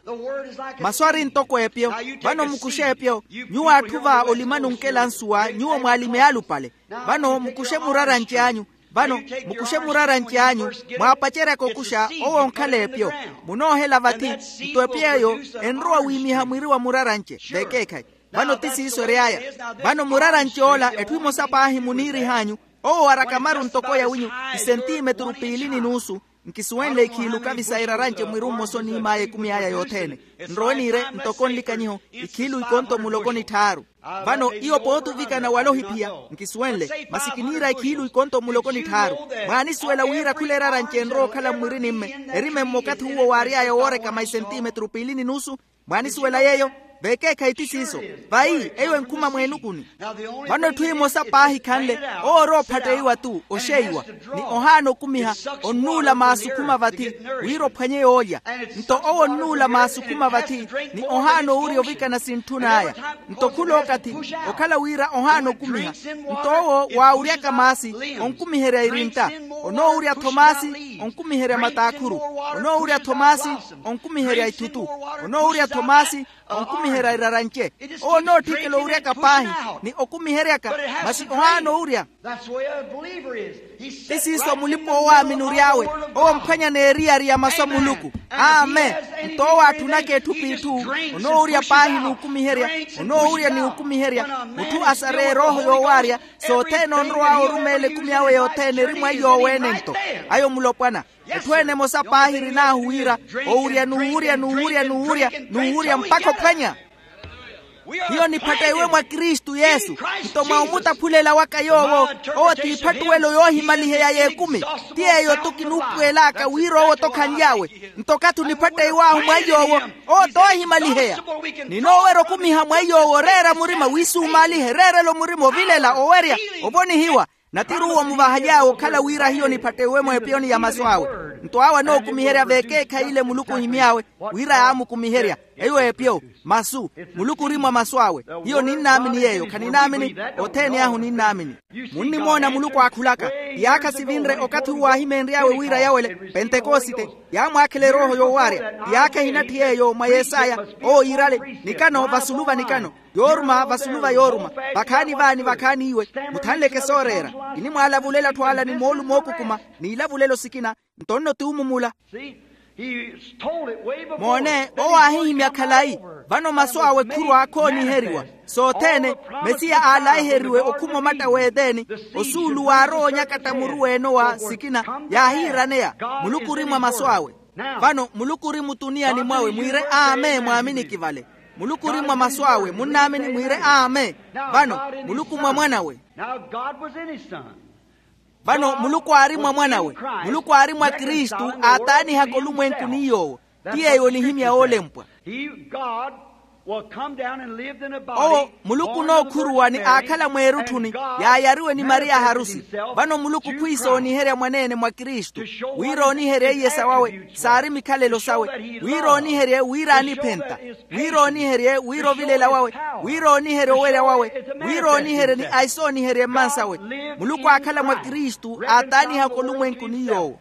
Masu ari ntoko epyo. Vano mukuxe epyo. Nyuwo atthu va olimani onkela nsuwa nyuwo mwaalime alupale. Vano mukuxe muraranci anyu. Vano mukuxe muraranci anyu. Mwaapaceryaka okuxa owo onkhala epyo. Munoohela vathi. Nto epyo eyo enrowa wiimiha mwiri wa muraranci. Vekeekhayi. Vano ti siiso ery'aya. Vano muraranci ola etthu emosa paahi muniirih'anyu. Owo araka maru ntoko yawinyu, isentimeturu piili ni nuusu. Nkisuwenle ikhiilu kavisa iraranci mwiri mmosa oniim'aya ekumi aya yothene. Nrowe niire ntoko nlikanyiho ikhiilu ikonto muloko ni tthaaru. Vano iyo pooti ovikana wala ohiphiya. Nkisuwenle masi kiniira ikhiilu ikonto muloko ni tthaaru. Mwaanisuwela wira khula iraranci enrowa okhala mmwirinimme, erime mmokathi uwo waary'aya woorekama isentimeturu piili ni nuusu. Mwaanisuwela yeeyo? Vekeekhayi ti siiso. Vayi eyo enkhuma mweenukuni. Vano etthu emosa paahi khanle, owo ori ophatteiwa-tu oxeiwa, ni ohaana okumiha, onnuula maasu okhuma vathi, wira ophwanye yoolya. Nto owo onnuula maasu okhuma vathi, ni ohaana owurya ovikana sintthun'aya. Nto khula okathi, okhala wira ohaana okumiha, nto owo waawuryaka maasi, onkumiherya irintta. Onoowurya thomasi onkumiherya mataakhuru. Onoowurya thomasi onkumiherya ithutu. Onoowurya thomasi onkumiherya irarance. Owo onootthikela owuryaka paahi ni okumiheryaka. Masi ohaana owurya. Ti siiso mulipa-oowaamini ory'awe. Owo omphwanya n'eriyari ya masu a muluku. Amen. Nto owo aatthunaka etthu p'itthu. Onoowurya paahi n'ukumiherya. Onoowurya ni okumiherya. Mutthu asareya erooho yoowaarya. Sothene onrow'awe orumeela ekumi awe yothene eri mwa iy'oweene nto. Ayo mulopwana. Etthu ene emosa paahi erinaahu wira owurya n'uwurya n'uwurya n'uwurya n'uwurya mpakha ophwanya. Hiyo niphatteiwe mwa kristu yesu. Nto mwa omutaphulela waka yoowo owo t'iphattuwelo yoohimaliheya y'ekumi. Ti yeeyo-tho kinuupuwel'aka wira owo-tho khanly'awe. Nto okathi oniphatteiw'ahu mwa iy'owo owo t'oohimaliheya. Ninoowerya okumiha mwa iy'owo oreera murima wiisumaalihe reerela omurima ovilela owerya ovonihiwa. Natiruuwo muvahaly'awe okhala wira hiyo niphatteiwe mw'epiyoni ya masu awe. Nto awo anookumiherya v'ekeekhayi ile muluku ohimy'awe wira yaamukumiherya. Eyo epiyo masu. Muluku ori mwa masu awe. Hiyo ninnaamini yeeyo khaninaamini. Othene ahu ninnaamini. Munnimoona muluku aakhulaka. Iyaakha sivinre okathi uwo aahimeenry'awe wira yawele pentekosite. Yaamwaakhela erooho yoowaarya iyaakha ehinatthi yeeyo mwa yesaya. Owo yiirale nikano vasulu va nikano yooruma vasulu va yooruma. Vakhaani vaani vakhaani iwe muthanleke sooreera. Kinimwaalavulela atthu ala ni moolu mookukuma n'ilavulelo sikina. Nto nno ti umumula. Moone owo aahihimya khalayi. Vano masu awe khurwa akhooniheriwa sothene. Mesiya aalaiheriwe okhuma omatta w'eteni osuulu waarowa onyakatta muru w'enowa sikina yaahiiraneya. Muluku ori mwa masu awe. Vano muluku ori mutuniyani mwawe mwiire amen mwaaminiki vale. Muluku ori mwa masu awe munnaamini mwiire amen. Vano muluku mwa mwan'awe. Vano muluku aari mwa mwan'awe. Muluku aari mwa kristu aataanihaka olumwenku ni yoowo. Ti yeeyo onihimya woolempwa. Owo muluku onookhuruwa ni aakhala mweerutthuni yaayariwe ni mariya aharusi. Vano muluku khwiisa ooniherya mwaneene mwa kristu wira ooniherye iye sawawe saari mikhalelo sawe. Wira ooniherye wira aaniphenta wira ooniherye wira ovilela wawe wira ooniherye owerya wawe wira ooniherye ni aisooniherye mmansawe. Muluku aakhala mwa kristu aataanihaka olumwenku ni yoowo.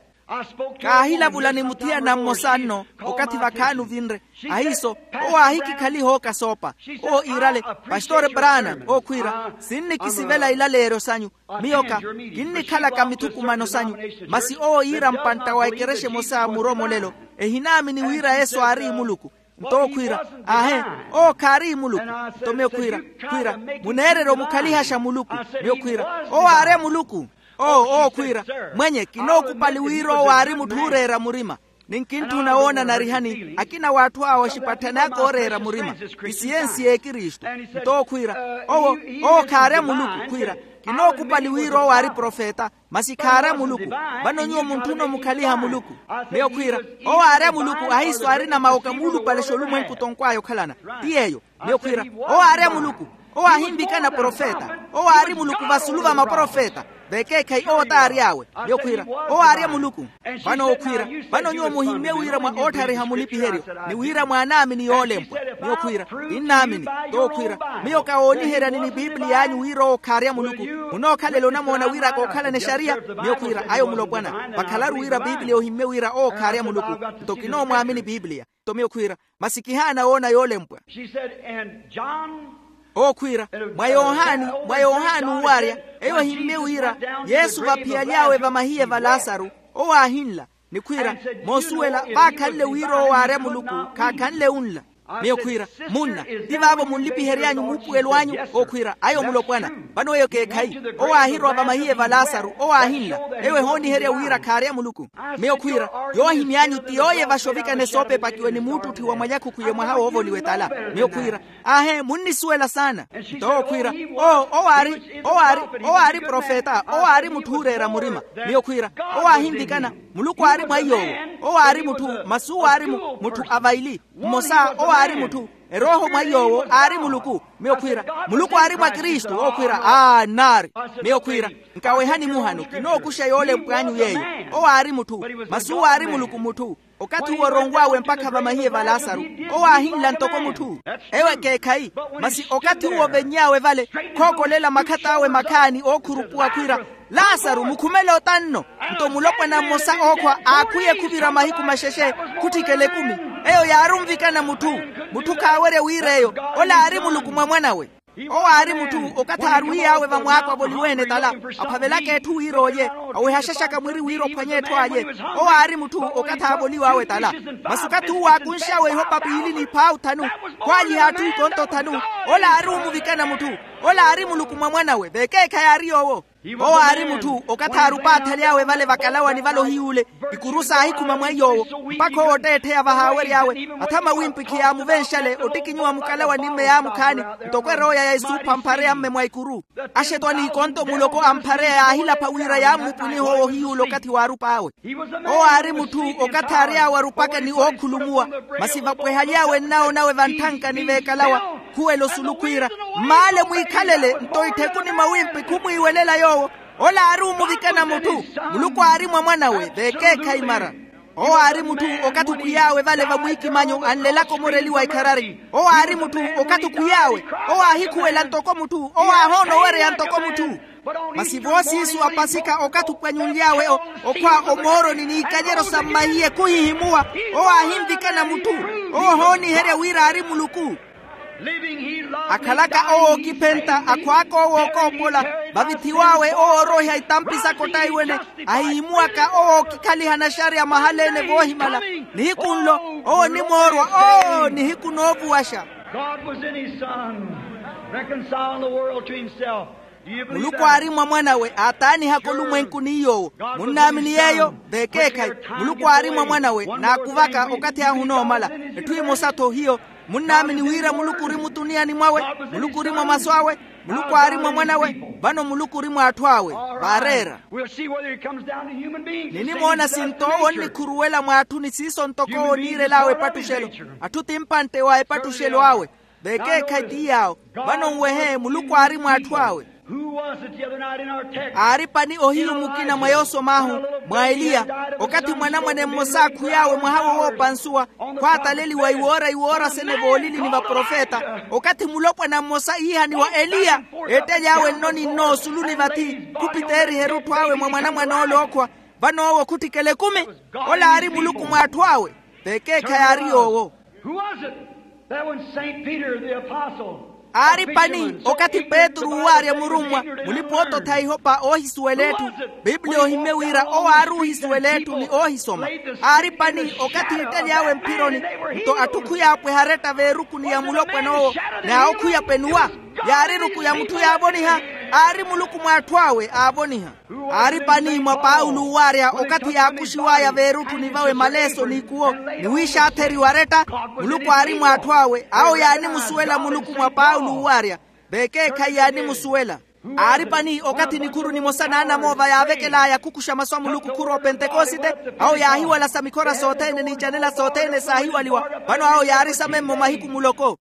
Kaahilavula ni muthiyana mmosa nno okathi vakhaani ovinre. Ahiiso owo aahikikhaliha ookasoopa. Owo iirale pastor branham owo khwiira sinnikisivela ilaleeryo sanyu. Miyo ka kinnikhalaka mithukumano sanyu. Masi owo iira mpantta wa ekerexa emosa muromolelo ehinaamini wira yesu aari muluku. Nto owo khwiira aahe owo khaari muluku. Nto miyo khwiira khwiira muneererya omukhalihaxa muluku. Miyo khwiira owo aarya muluku. Owo owo khwiira mwenye kinookupali wira owo aari mutthu ooreera murima. Ni nkintthuna woona narihani akina w'atthu awo axipatthani aka ooreera murima isiyensi y'ekristu. Nto owo khwiira owo owo khaarya muluku khwiira kinookupali wira owo aari profeta. Masi khaarya muluku. Vano nyuwo muntthuna omukhaliha muluku. Miyo khwiira owo aarya muluku ahiiso aarina mawoka muulupalexa olumwenku tonkw'aya okhalana. Ti yeeyo. Miyo khwiira owo aarya muluku. Owo aahinvikana profeta. Owo aari muluku vasulu va maprofeta. Vekeekhayi owo t'ary'awe. Miyo khwiira owo aarya muluku. Vano owo khwiira vano nyuwo muhimmye wira mwa ootthariha mulipiheryo ni wira mwaanaamini yoolempwa. Miyo khwiira kinnaamini. T'owo khwiira miyo kawooniheryani ni pipiliy'anyu wira owo khaarya muluku. Munookhalela onamoona wira kookhalana exariya. Miyo khwiira ayo mulopwana vakhalaru wira pipiliya ohimmye wira owo khaarya muluku. Nto kinoomwaamini pipiliya. Nto miyo khwiira masi kihaana woona yoolempwa. Owo khwiira mwa yohani mwa yohani uwaarya eyo ehimmye wira yesu vaphiyaly'awe vamahiye va lasaru. Owo aahinla ni khwiira moosuwela vaakhanle wira owo aarya muluku khaakhanle unla. Miyo khwiira munna ti vaavo munlipihery'anyu muupuwelo anyu? Owo khwiira ayo mulopwana. Vano eyo keekhayi. Owo aahirowa vamahiye va lasaru owo aahinla eyo ehooniherya wira khaarya muluku. Miyo khwiira yoohimy'anyu ti yooyevaxa ovikana esoopepakiwe ni muuttutthi wa mwalyakhukhwiye mwaha woovoliwa etala. Miyo khwiira aahe munnisuwela saana. Nto owo khwiira owo owo aari owo aari owo aari profeta owo aari mutthu ooreera murima. Miyo khwiira owo aahinvikana muluku aari mwa iy'owo. Owo aari mutthu masi uwo aari mutthu a vaili mmosa owo aari mutthu erooho mwa iy'owo aari muluku. Miyo khwiira muluku aari mwa kristu owo khwiira aa nnaari. Miyo khwiira nkawehani muhano kinookuxa yoolempw'anyu yeeyo. Owo aari mutthu masi uwo aari muluku mutthu. Okathi uwo oronw'awe mpakha vamahiye va lasaru owo aahinla ntoko mutthu. Eyo ekeekhayi. Masi okathi uwo ovenny'awe vale khookolela makhat'awe makhaani ookhurupuwa khwiira lasaru mukhumele ota nno. Nto mulopwana mmosa ookhwa aakhwiye khuvira mahiku maxexe, khutthikela ekumi. Eyo yaari onvikana mutthu. Mutthu khaawerya wira eyo. Ola aari muluku mwa mwan'awe. Owo aari mutthu okathi aarwiy'awe vamwaako avoliwe-ene tala, aphavelaka etthu wira olye, awehaxaxaka mwiri wira ophwanye etthu alye. Owo aari mutthu okathi aavoliw'awe tala. Masi okathi uwo aakunx'awe ihopa piili n'iphaawu thanu, khwaalyiha atthu ikonto thanu. Ola aari omuvikana mutthu. Ola aari muluku mwa mwan'awe vekeekhayi aari yoowo. Owo aari mutthu okathi aarupaathaly'awe vale vakalawani vale ohiyuule. Ikuru saahikhuma mweiy'owo, mpakha owo otteettheya vahaawery'awe athama wimpi khiyaamuvenxale ottikinyiwa mukalawani mme yaamukhaani. Ntoko erooya ya esuupha mphareya mme mwa ikuru. Axetwa n'ikonto muloko a mphareya yaahilapha wira yaammupuniha owo ohiyuula okathi waarup'awe. Owo aari mutthu okathi aary'awe arupaka ni ookhulumuwa. Masi vapwehaly'awe nnawo nawe vantthankani veekalawa, khuwela osulu khwiira, mmaale mwiikhalele nto itthekuni mwa wimpi khumwiiwelela yoowo. Ola aari omuvikana mutthu. Muluku aari mwa mwan'awe vekeekhayi mara. Owo aari mutthu okathi okhwiy'awe vale vamwiikimanyo anlelaka omoreliwa ikharari. Owo aari mutthu okathi okhwiy'awe, owo aahikhuwela ntoko mutthu, owo aahoona owereya ntoko mutthu. Masi voosiisu apasika okathi opwanyunly'awe okhwa omooroni n'iikanyeryo sa mmahiye khuhihimuwa. Owo aahinvikana mutthu. Owo ohooniherya wira aari muluku. Akhalaka owo ookiphenta akhwaaka owo okoopola, vavithiw'awe owo ooroiha itampi saka ottaiwene, ahihimuwaka owo ookikhaliha naxariya mahala-ene voohimala. Nihiku nlo owo onimoorwa. Oo nihiku noovuwaxa. God was in his Son, reconciling the world to himself. Muluku aari mwa mwan'awe aataanihaka olumwenku ni yoowo. Munnaamini yeeyo? Vekeekhayi. Muluku aari mwa mwan'awe naakuvaka okathi ahu onoomala. Etthu emosa-tho hiyo. Munnaamini wira muluku ori mutuniyani mwawe? Muluku ori mwa masu awe. Muluku aari mwa mwan'awe. Vano muluku ori mw'atthu awe. Vaareera. Ninimoona sinto owo onnikhuruwela mw'atthu ni siiso ntoko owo oniirel'awe epattuxelo. Atthu timpantte wa epattuxelo awe. Vekeekhayi ti yaawo. Vano nwehe muluku aari mw'atthu awe. Aari pani ohiyu mukina mwa yoosom'ahu, mwa eliya, okathi mwanamwane mmosa aakhwiy'awe mwaha wowoopansuwa, khwaataleliwa iwoora iwoora sene voolili ni vaprofeta. Okathi mulopwana mmosa iihaniwa eliya, eettely'awe nno ni nno osuluni vathi, khupiteeriha erutthu awe mwa mwanamwane ole ookhwa. Vano owo khuttikela ekumi. Ola aari muluku mw'atthu awe. Vekeekhayi aari yoowo. Who was it that when Saint Peter the apostle, aari pani okathi petru uwaarya murummwa, mulipa-ottotha ihopa oohisuwela etthu. Biblia ohimye wira owo aari oohisuwela etthu ni oohisoma. Aari pani okathi iittely'awe mphironi, nto atthu khuyaapweha aretta veerukuni ya mulopwana owo, ni awo khuyapenuwa. Yaari eruku ya mutthu yaavoniha. Aari muluku mw'atthu awe aavoniha. Aari pani mwa paulo uwaarya okathi yaakuxiw'aya veerutthuni vawe maleeso n'ikuwo, ni wiixaatheriwa aretta. Muluku aari mw'atthu awe awo yaanimusuwela muluku mwa paulo uwaarya. Vekeekhayi yaanimusuwela. Aari pani okathi nikhuru nimosa n'anamoova yaavekel'aya khukuxa masu a muluku khurwa opentekosite. Awo yaahiwalasa mikhora sothene n'icanela sothene saahiwaliwa. Vano awo yaari samemmo mahiku muloko.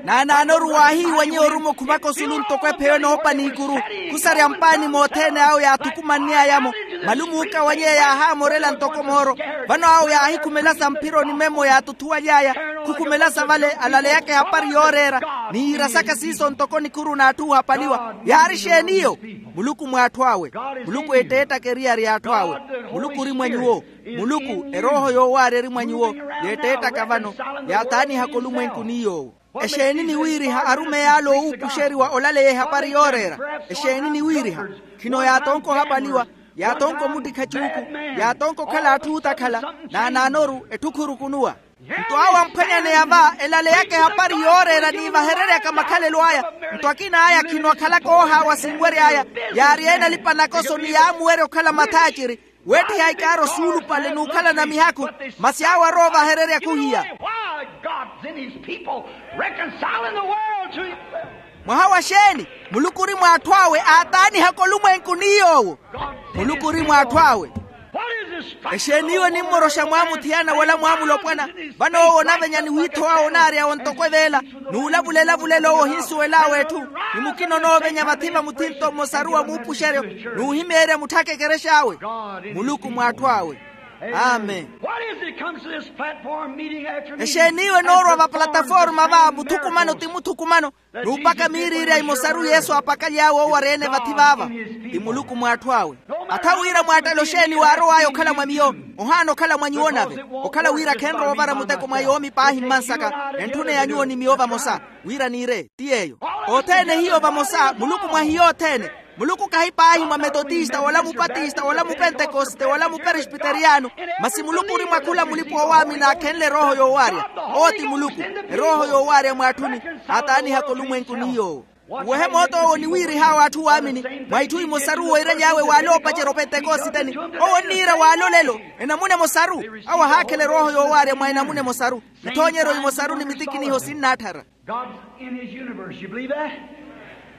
Naanaanoru waahiiwanyiha oruma okhumaka osulu ntoko epheyo enoopa n'ikuru. Khusarya mpaani mothene awo yaathukumann'aya-mo. Malumu okawanyeya yaahaamorela ntoko mooro. Vano awo yaahikhumelasa mphironi memmo yaatuthuwaly'aya. Khukhumelasa vale alaleyaka ehapari yooreera, ni yiirasaka siiso ntoko nikhuru n'atthu oohapaliwa. Yaari exeeni iyo? Muluku mw'atthu awe. Muluku eetteettaka eriyari y'atthu awe. Muluku ori mwa nyuwo. Muluku erooho yoowaarya eri mwa nyuwo, yeetteettaka vano, yaataanihaka olumwenku ni yoowo. Exeeni niwiiriha arumeyi ale owuupuxeriwa olaleya ehapari yooreera? Exeeni niwiiriha? Khino yaatonka ohapaliwa, yaatonka omuttikha cuuku, yaatonka okhala atthu ootakhala. Naanaanoru etthu khurukunuwa. Nto awo amphwanyaneya va elaleyaka ehapari yooreera niivahereryaka makhalelo aya. Nto akina aya khino akhalaka oohaawa sinwery'aya. Yaari ene alipa-nakoso ni yaamuwerya okhala mathaaciri, weettiha ikaaro suulupale n'ukhalana mihakhu. Masi awo aroovahererya khuhiya. Mwaha wa xeeni? Muluku ori mw'atthu awe aataanihaka olumwenku ni yoowo. Muluku ori mw'atthu awe. Exeeni iwe nimmoroxa mwaamuthiyana wala mwaamulopwana? Vano owo onavenya ni wiitho awe onaarya ontoko eveela, n'ulavula elavulelo owo ohinsuwel'awe etthu. Ni mukina onoovenya vathi va muthinto mmosaru wa muupuxeryo, n'uhimeerya mutthaka ekerex'awe. Muluku mw'atthu awe. Amen. What is it comes to this platform meeting after meeting? Exeeni iwe noorwa vaplataforma va muthukumano ti muthukumano, n'upaka miiriirya imosaru yesu apakaly'awe owarya-ene vathi vaava? Ti muluku mw'atthu awe. Atha wira mwaattale oxeeni waarow'aya okhala mwa miyo, ohaana okhala mwa nyuwo nave, okhala wira khenrowa ovara muteko mwa yoomi paahi mmansaka, entthuneya nyuwo ni miyo vamosa, wira niire ti yeeyo. Othene hiyo vamosa muluku mwa hiyo othene. Muluku kahi paahi mwa metotista wala mupatista wala mupentekoste wala muperesbiteriyano, masi muluku ori mwa khula mulipa-oowaamini aakhenle erooho yoowaarya. Owo ti muluku, erooho yoowaarya mw'atthuni, aataanihaka olumwenku ni yoowo. Uwehe moota owo oniwiirih'awe atthu waamini, mwa itthu imosaru woiraly'awe waale oopacerya opentekositeni. Owo onniira waale olelo enamuna emosaru. Awo ahaakhela erooho yoowaarya mwa enamuna emosaru, ithoonyeryo imosaru ni mitikiniho sinnaattharya. God's in his universe. You believe that?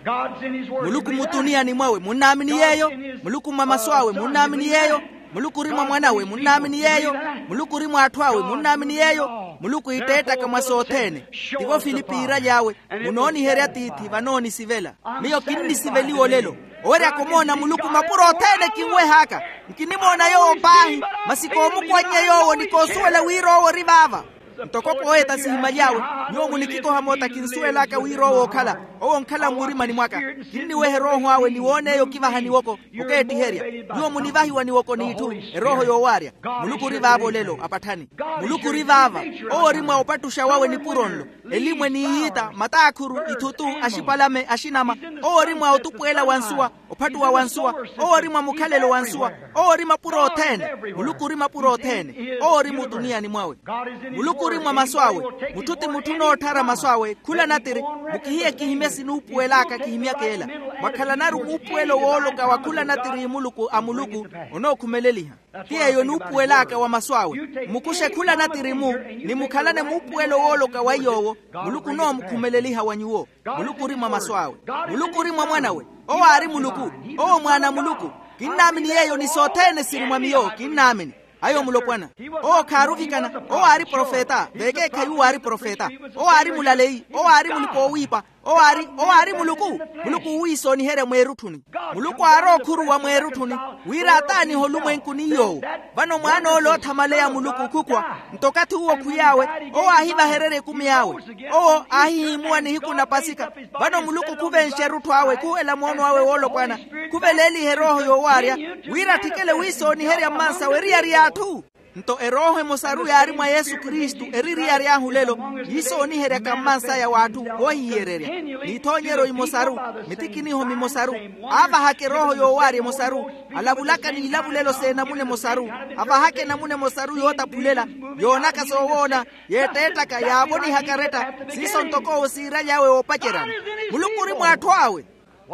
God's in his word. Muluku mutuniani mwawe munnaamini yeeyo? Muluku mwa masu awe munnaamini yeeyo? Muluku ori mwa mwanawe munnaamini yeeyo? Muluku ori mw'atthu awe munnaamini yeeyo? Muluku iitteettaka mwa sothene. Tivo filipi iiraly'awe, munooniherya tiithi vanoonisivela. Miyo kinnisiveliwa olelo. Oweryaka omoona muluku mapuro othene kinweh'aka. Nkinimoona yoowo paahi, masi koomukwannya yoowo ni koosuwela wira owo ori vaava. Ntoko kooyeta sihimaly'awe, nyuwo munikikoha moota kinsuwel'aka wira owo okhala. Owo onkhala mmurimani mwaka. Kinniweha erooho awe ni woon'eyo okivaha niwoko, okeettiherya. Nyuwo munivahiwa niwoko n'itthu, erooho yoowaarya. Muluku ori vaavo olelo apatthani. Muluku ori vaava. Owo ori mwa opattuxa wawe nipuro nlo. Elimwe n'iyiita mataakhuru ithutu, axipalame axinama. Owo ori mwa otupweela wa nsuwa, ophattuwa wa nsuwa. Owo ori mwa mukhalelo wa nsuwa. Owo ori mapuro othene. Muluku ori mapuro othene. Owo ori mutuniyani mwawe. Muluku ori mwa masu awe. Mutthu ti mutthu onootthara masu awe khula natiri. Mukihiye kihimya sinuupuwel'aka kihimyak'ela. Mwakhalanaru muupuwelo wooloka wa khula natiri muluku a muluku, onookhumeleeliha. Ti yeeyo onuupuwel'aka wa masu awe. Mmukuxe khula natiri-mu, ni mukhalane muupuwelo wooloka wa iy'owo. Muluku onoomukhumeleliha wa nyuwo. Muluku ori mwa masu awe. Muluku ori mwa mwanawe. Owo aari muluku. Owo mwaana a muluku. Kinnaamini yeeyo ni sothene siri mwa miyo kinnaamini. Ayo mulopwana. Owo khaaruvikana. Owo aari profeta vekeekhayi uwo aari profeta. Owo aari mulaleyi. Owo aari mulipa-oowiipa. Owo aari owo aari muluku. Muluku uwiisooniherya mweerutthuni. Muluku aari ookhuruwa mweerutthuni wira ataanihe olumwenku ni yoowo. Vano mwaan'ole oothamaleya muluku khukhwa. Nto okathi uwo khwiy'awe owo aahivahererya ekumi awe. Owo aahihiimuwa nihiku na pasika. Vano muluku khuvenxa erutthu awe khuhela moono awe woolopwana. Khuveleeliha erooho yoowaarya wira atthikele wiisooniherya mmansawe eriyari y'atthu. Nto erooho emosaru yaari mwa yesu kristu eri eriyari ahu lelo. Yiisooniheryaka mmansaya w'atthu woohihiyererya. N'ithoonyeryo imosaru, mitikiniho mimosaru. Aavahaka erooho yoowaarya emosaru. Alavulaka n'ilavulelo s'enamuna emosaru. Avahaka enamuna emosaru yootaphulela, yoonaka soowoona, yeetteettaka yaavoniha karetta. Siiso ntoko owo siiraly'awe oopaceryana. Muluku ori mw'atthu awe.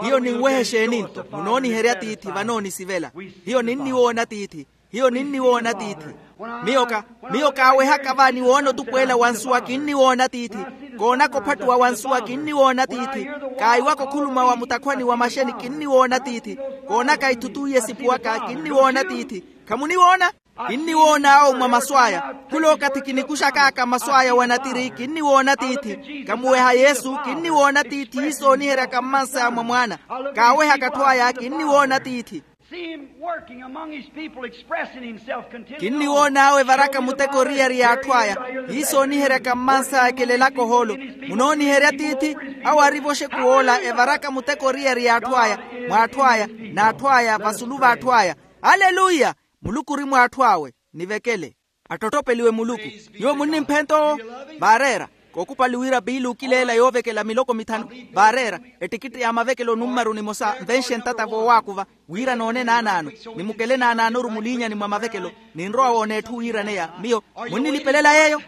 Hiyo ninweha exeeni nto munooniherya tiithi vanoonisivela? Hiyo ninniwoona tiithi. Hiyo ninniwoona tiithi. Miyo ka miyo kaawehaka va niwoona otupweela wa nsuwa kinniwoona tiithi. Koonaka ophattuwa wa nsuwa kinniwoona tiithi. Kaayiwaka okhuluma wa mutakhwani wa maxeni kinniwoona tiithi. Koonaka ithutu iye sipuwaka kinniwoona tiithi. Khamuniwoona? Kinniwoon'awo mwa masu aya. Khul'okathi kinikuxak'aka masu aya wa natiri kinniwoona tiithi. Kamuweha yesu kinniwoona tiithi iisooniheryaka mmansaya mwa mwaana. Kaawehaka atthu aya kinniwoona tiithi. See him working among his people, expressing himself continually. Kinniwoon'awe evaraka muteko eriyari y'atthu aya. Yiisooniheryaka mmansaya ekelelaka ohoolo. Munooniherya tiithi. Awo ari voxeku woola evaraka muteko eriyari y'atthu aya, mw'atthu aya, n'atthu aya vasulu v'atthu aya. Aleluya. Muluku ori mw'atthu awe. Nivekele. Attottopeliwe muluku. Nyuwo munnimphenta owo? Vaareera. Kookupali wira piili okileela yoovekela miloko mithanu. Vaareera. Ettikitti ya mavekelo nummaru nimosa nvenxe ntata voowaakuva. Wira noone naanaano. Nimukele naanaanoru muliinyani mwa mavekelo. Ninrowa woona etthu wiiraneya miyo. Munnilipelela yeeyo?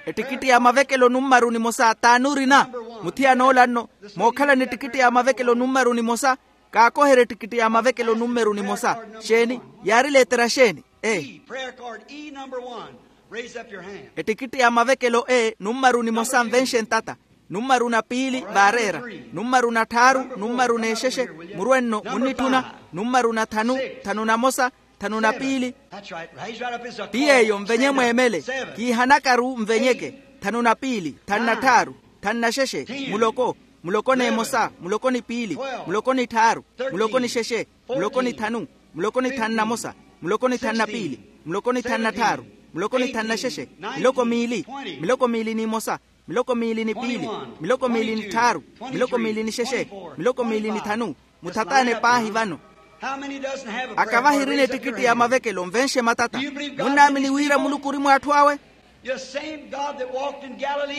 Ettikitti ya mavekelo nummaru nimosa t'ani orina? Muthiyan'ola nno. Mookhalana ettikitti ya mavekelo nummaru nimosa. Kaakoherya ettikitti ya mavekelo nummeru nimosa. Xeeni? Yaari leetera xeeni? E. Ettikitti ya mavekelo e nummaru nimosa nvenxe ntata. Nummaru na piili vaareera. Nummaru na tthaaru. Nummaru n'exexe. Murwe nno munnitthuna. Nummaru na thanu. Thanu na mosa. Thanu na piili. Ti yeeyo nvenye mweemele. Kiihanakaru nvenyeke. Thanu na piili. Thanu na tthaaru. Thanu na xexe. Muloko. Muloko n'emosa. Muloko ni piili. Muloko ni tthaaru. Muloko ni xexe. Muloko ni thanu. Muloko ni thanu na mosa. Muloko ni thanu na piili. Muloko ni thanu na tthaaru. Muloko ni thanu na xexe. Miloko miili. Miloko miili n'imosa. Miloko miili ni piili. Miloko miili ni tthaaru. Miloko miili ni xexe. Miloko miili ni thanu. Muthataane paahi vano. Akavahirina ettikitti ya mavekelo nvenxe matata. Munnaamini wira muluku ori mw'atthu awe?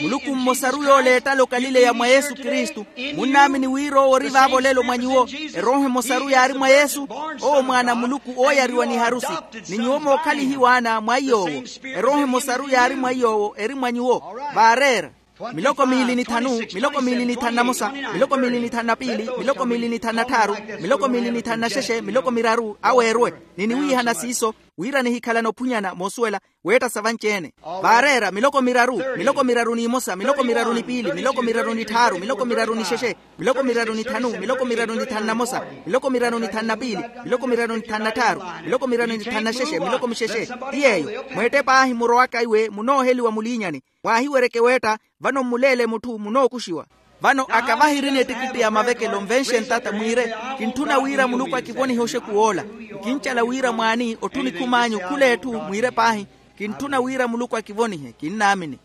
Muluku mmosaru yooleettala okalileya mwa yesu kristu. Munnaamini wira owo ori vaavo olelo mwa nyuwo? Erooho emosaru yaari mwa yesu. Owo mwaana a muluku ooyariwa ni harusi. Ni nyuwo mookhalihiwa ana mwa iy'owo. Erooho emosaru yaari mwa iy'owo eri mwa nyuwo. Vaareera. Miloko miili ni thanu. Miloko miili ni thanu na mosa. Miloko miili ni thanu na piili. Miloko miili ni thanu na tthaaru. Miloko miili ni thanu na xexe miloko miraru aweerwe. Ni niwiihana siiso wira nihikhalana ophunyana moosuwela weetta sa vanci-ene. Vaareera miloko miraru. Miloko miraru n'imosa miloko miraru ni piili miloko miraru ni tthaaru miloko miraru ni xexe miloko miraru ni thanu miloko miraru ni thanu na mosa miloko miraru ni thanu na piili miloko miraru ni thanu na tthaaru miloko miraru ni thanu na xexe miloko mixexe. Ti yeeyo mweette paahi murowaka iwe munooheliwa muliinyani. Mwaahiweryeke weetta vano mmuleele mutthu munookuxiwa. Vano akavahirina ettikitti ya mavekelo nvenxe ntata mwiire kintthuna wira muluku akivonihe oxeku woola. Nkincala wira mwaani otthu nikhum'anyu khula etthu mwiire paahi. Kintthuna wira muluku akivonihe kinnaamini.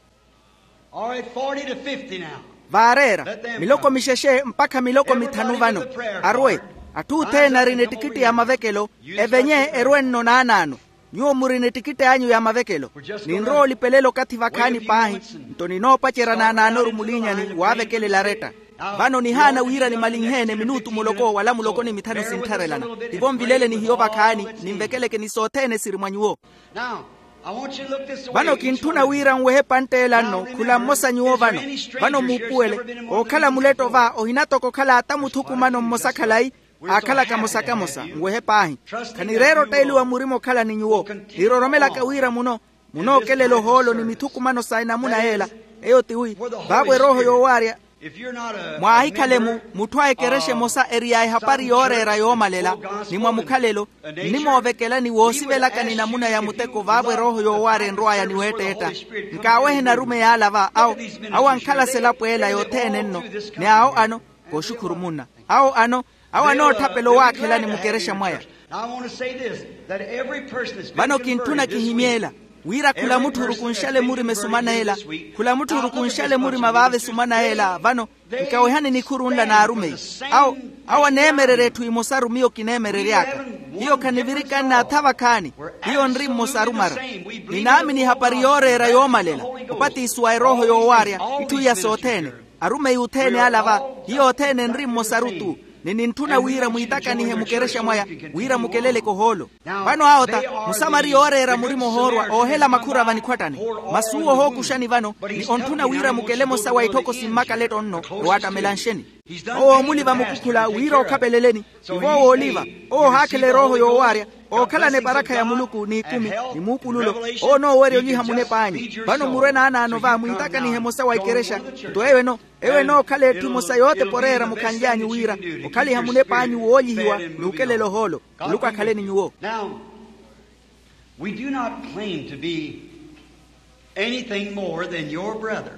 Vaareera miloko mixexe mpakha miloko mithanu vano. Arwe atthu othene arina ettikitti ya mavekelo evenye erwe-nno naanaano. Nyuwo murina ettikitti anyu ya mavekelo. Ninrowa olipelela okathi vakhaani paahi. Nto ninoopacerya naanaanoru muliinyani waavekelela aretta. Vano nihaana wira nimalinhe-ene minutu muloko wala muloko ni mithanu sinttharelana. Tivo nvilele ni hiyo vakhaani. Ninvekeleke ni sothene siri mwa nyuwo. Vano kintthuna wira nwehe epantt'ela nno khula mmosa nyuwo vano. Vano muupuwele ookhala muletto va ohina toko okhala ata muthukumano mmosa khalayi. Aakhalaka mosa kamosa nwehe paahi. Khanireera otteeliwa murima okhala ni nyuwo. Niroromelaka wira muno munookelela ohoolo ni mithukumano sa enamuna yeela. Eyo tiwi vaavo erooho yoowaarya. Mwaahikhalemu mutthu a ekerexa emosa eriy'aya ehapari yooreera yoomalela ni mwa mukhalelo nnimoovekelani woosivelaka ni namuna ya muteko vaavo erooho yoowaarya enrw'aya ni weetteetta. Nkaawehe narumeyi ala va awo ankhala selapo ela yothene nno. Ni awo ano kooxukhuru munna awo ano awo anootthapela owaakhelani mukerexa mwaya. Vano kintthuna kihimyeela wira khula mutthu orukunxale murima esumana ela. Khula mutthu orukunxale murima vaava esumana ela vano nkawehani nikhuru nla n'arumeyi. Awo awo aneemererya etthu emosaru miyo kineemerery'aka. Hiyo khanivirikanne atha vakhaani. Hiyo nri mmosaru mara. Ninaamini ehapari yooreera yoomalela opatisiwa erooho yoowaarya itthu iya sothene. Arumeyi othene ala va hiyo othene nri mmosaru-tu. Ni nintthuna wira mwiitakanihe mukerexa mwaya wira mukeleleke ohoolo. Vano awo ta musamariya ooreera murima ohoorwa oohela makhura vanikhwattani. Masi uwo ohookuxani vano ni ontthuna wira mukele emosa wa itthoko simmakaletto nno ewaattamelanxeni. Owo oomuli vamukukhula wira ookhapeleleni. Ivo owooliva owo ohaakhela erooho yoowaarya ookhalana eparakha ya muluku n'ikumi ni muupululo. Owo onoowerya onyiha munep'anyu vano murwe naanaano va mwiitakanihe emosa wa ikerexa. Nto eyo eno eyo enookhala etthu emosa yootepa oreera mukhanly'anyu wira okhaliha munep'anyu woolyihiwa n'ukelela ohoolo. Muluku akhale ni nyuwo. We do not claim to be anything more than your brother.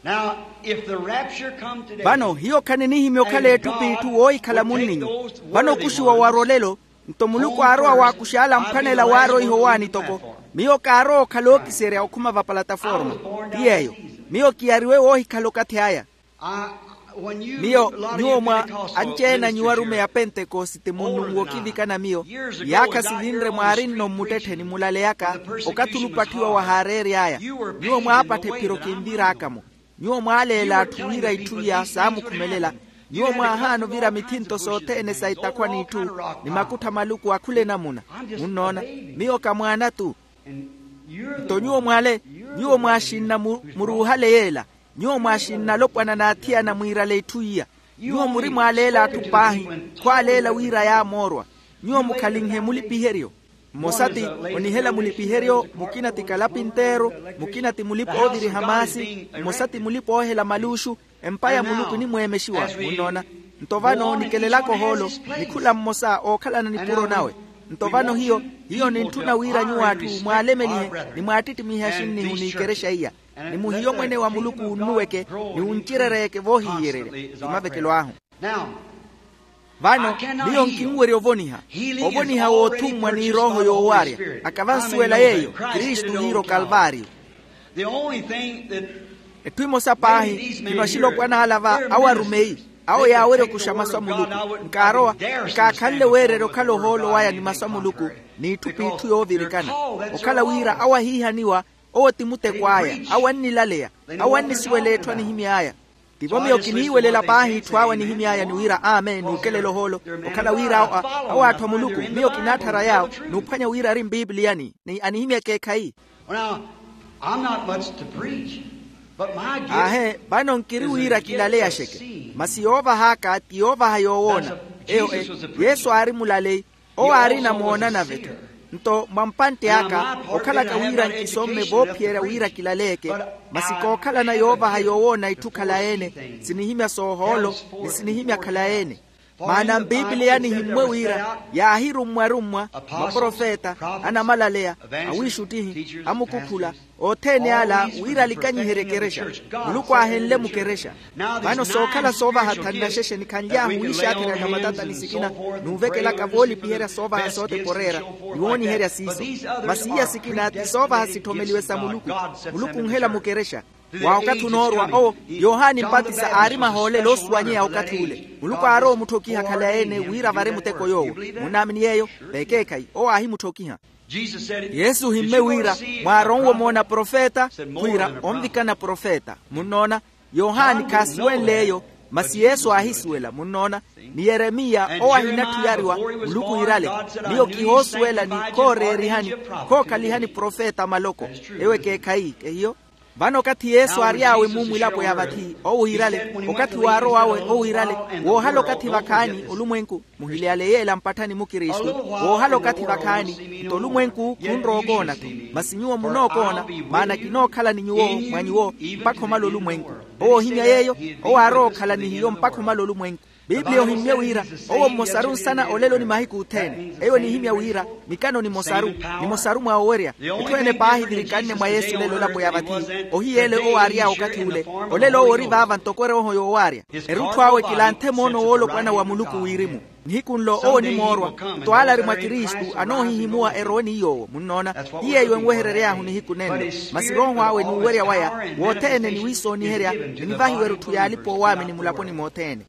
Now, if the rapture come today, vano hiyo khaninihimya okhala etthu p'itthu woohikhala munninyu. Vano okuxiwa warwa olelo nto muluku aarowa waakuxa ala amphwanela waaroiha owaani toko. Miyo kaarowa okhala ookiserya okhuma va palataforma. Ti yeeyo miyo kiyariwe woohikhala okathi aya. Miyo nyuwo mwa anci-ene a nyuwo arumeyi a pentekosite munnunwa okivikana miyo. Yaakha sivinre mwaari-nno mmuttettheni mulaleyaka okathi olupatthiwa wahaareery'aya. Nyuwo mwaapattha ephiro kinviraaka-mo. Nyuwo mwaaleela atthu wira itthu iya saamukhumelela. Nyuwo mwaahaana ovira mithinto sothene sa itakhwa n'itthu ni makuttha maluku akhula enamuna. Munnoona miyo ka mwaana-tu. Nto nyuwo mwaale nyuwo mwaaxinna muruuhale yeela. Nyuwo mwaaxinna alopwana n'athiyana mwiirale itthu iya. Nyuwo muri mwaaleela atthu paahi khwaaleela wira yaamoorwa. Nyuwo mukhalinhe mulipiheryo. Mmosa ti onihela mulipiheryo mukina ti kalapinteeru. Mukina ti mulipa-ooviriha maasi. Mmosa ti mulipa-oohela maluuxu. Empa ya muluku enimweemexiwa munnoona. Nto vano nikelelaka ohoolo ni khula mmosa ookhalana nipuro nawe. Nto vano hiyo hiyo nintthuna wira nyuwo atthu mwaalemelihe ni mwaattittimihe axinnihu n'ikerexa iya. Ni muhiyo mwene wa muluku wunnuweke ni wuncirereyeke voohihiyererya. Ti mavekelo ahu. Vano miyo nkinwerya ovoniha, ovoniha w'othummwa ni erooho yoowarya. Akava nsuwela yeeyo, kristu ohiira okalvaariyo. Etthu emosa paahi, khino axilopwana ala va awo arumeyi, awo yaawerya okuxa masu a muluku. Nkaarowa, nkaakhanle weererya okhala ohoolo waya ni masu a muluku, n'itthu p'itthu yoovirikana. Okhala wira awo ahiihaniwa, owo ti muteko aya. Awo annilaleya, awo annisuwela etthu anihimy'aya. Tivo miyo kiniiwelela paahi itthu awo anihimy'aya ni wira amen n'ukelela ohoolo. Okhala wira awo atthu a muluku, miyo kinaatthara yaawo, n'uphwanya wira ari mpipiliyani ni anihimya ekeekhayi. Aahe, vano nkiri wira kilaleya xeke, masi yoovah'aka ti yoovaha yoowoona. Eyo e, yesu aari mulaleyi. Owo aarina moona nave-tho. Nto mwa mpantte aka, okhalaka wira nkisomme voophiyerya wira kilaleyeke, masi kookhalana yoovaha yoowoona itthu khalayi-ene, sinihimya soohoolo, ni sinihimya khalayi-ene. Maana mpipiliyani himmwe wira, yaahirummwa-rummwa maprofeta, anamalaleya, awiixuttihi, amukukhula, othene ala wira alikanyiherye ekerexa. Muluku aahenle mukerexa. Vano sookhala soovaha thannaxexe nikhanly'ahu wiixaatherya na matatani sikina, n'uvekelaka voolipiherya soovaha sooteporeera, ni wooniherya siiso. Masi iya sikina ti soovaha sitthomeliwe sa muluku. Muluku onhela mukerexa. Wa okathi onoorwa owo, yohani mpatisa aari mahoolelo oosuwanyeya okathi ule. Muluku aarowa omutthokiha khalayi-ene wira vari muteko yoowo. Munnaamini yeeyo? Vekeekhayi owo aahimutthokiha. Yesu ohimmye wira, mwaaronwe omoona profeta? Khwiira onvikana profeta. Munnoona? Yohani khaasuwenle eyo, masi yesu aahisuwela. Munnoona? Ni yeremiya owo ahinatthu yariwa, muluku iirale, miyo kihoosuwela ni khooreerihani, khookhalihani profeta maloko. Ewo ekeekhayi ehiyo. Vano okathi yesu aary'awe mu mwilapo ya vathi owo iirale, okathi waarow'awe owo iirale, woohala okathi vakhaani olumwenku, muhileyale yeela mpatthani mukristu, woohala okathi vakhaani. Nto olumwenku khunrowa okoona-tho, masi nyuwo munookoona, maana kinookhala ni nyuwo mwa nyuwo mpakha omala olumwenku. Owo ohimya yeeyo, owo aarowa okhala ni hiyo mpakha omala olumwenku. Pipiliya ohimmye wira, owo mmosaru nsana olelo ni mahiku othene. Eyo enihimya wira, mikano ni mosaru, ni mosaru mwa owerya. Etthu ene paahi virikanne mwa yesu olelo elapo ya vathi. Ohiyeele owo aary'awe okathi ule. Olelo owo ori vaava ntoko erooho yoowaarya. Erutthu awe kilanthe moono woolopwana wa muluku wirimu. Nihiku nlo owo onimoorwa, nto ale ari mwa kristu anoohihimuwa erowe ni yoowo. Munnoona? Ti yeeyo enweherery'ahu nihiku nenlo. Masi rooho awe n'uwerya waya wothene ni wiisooniherya, ninvahiwa erutthu y'alipa oowaamini mulaponi mothene.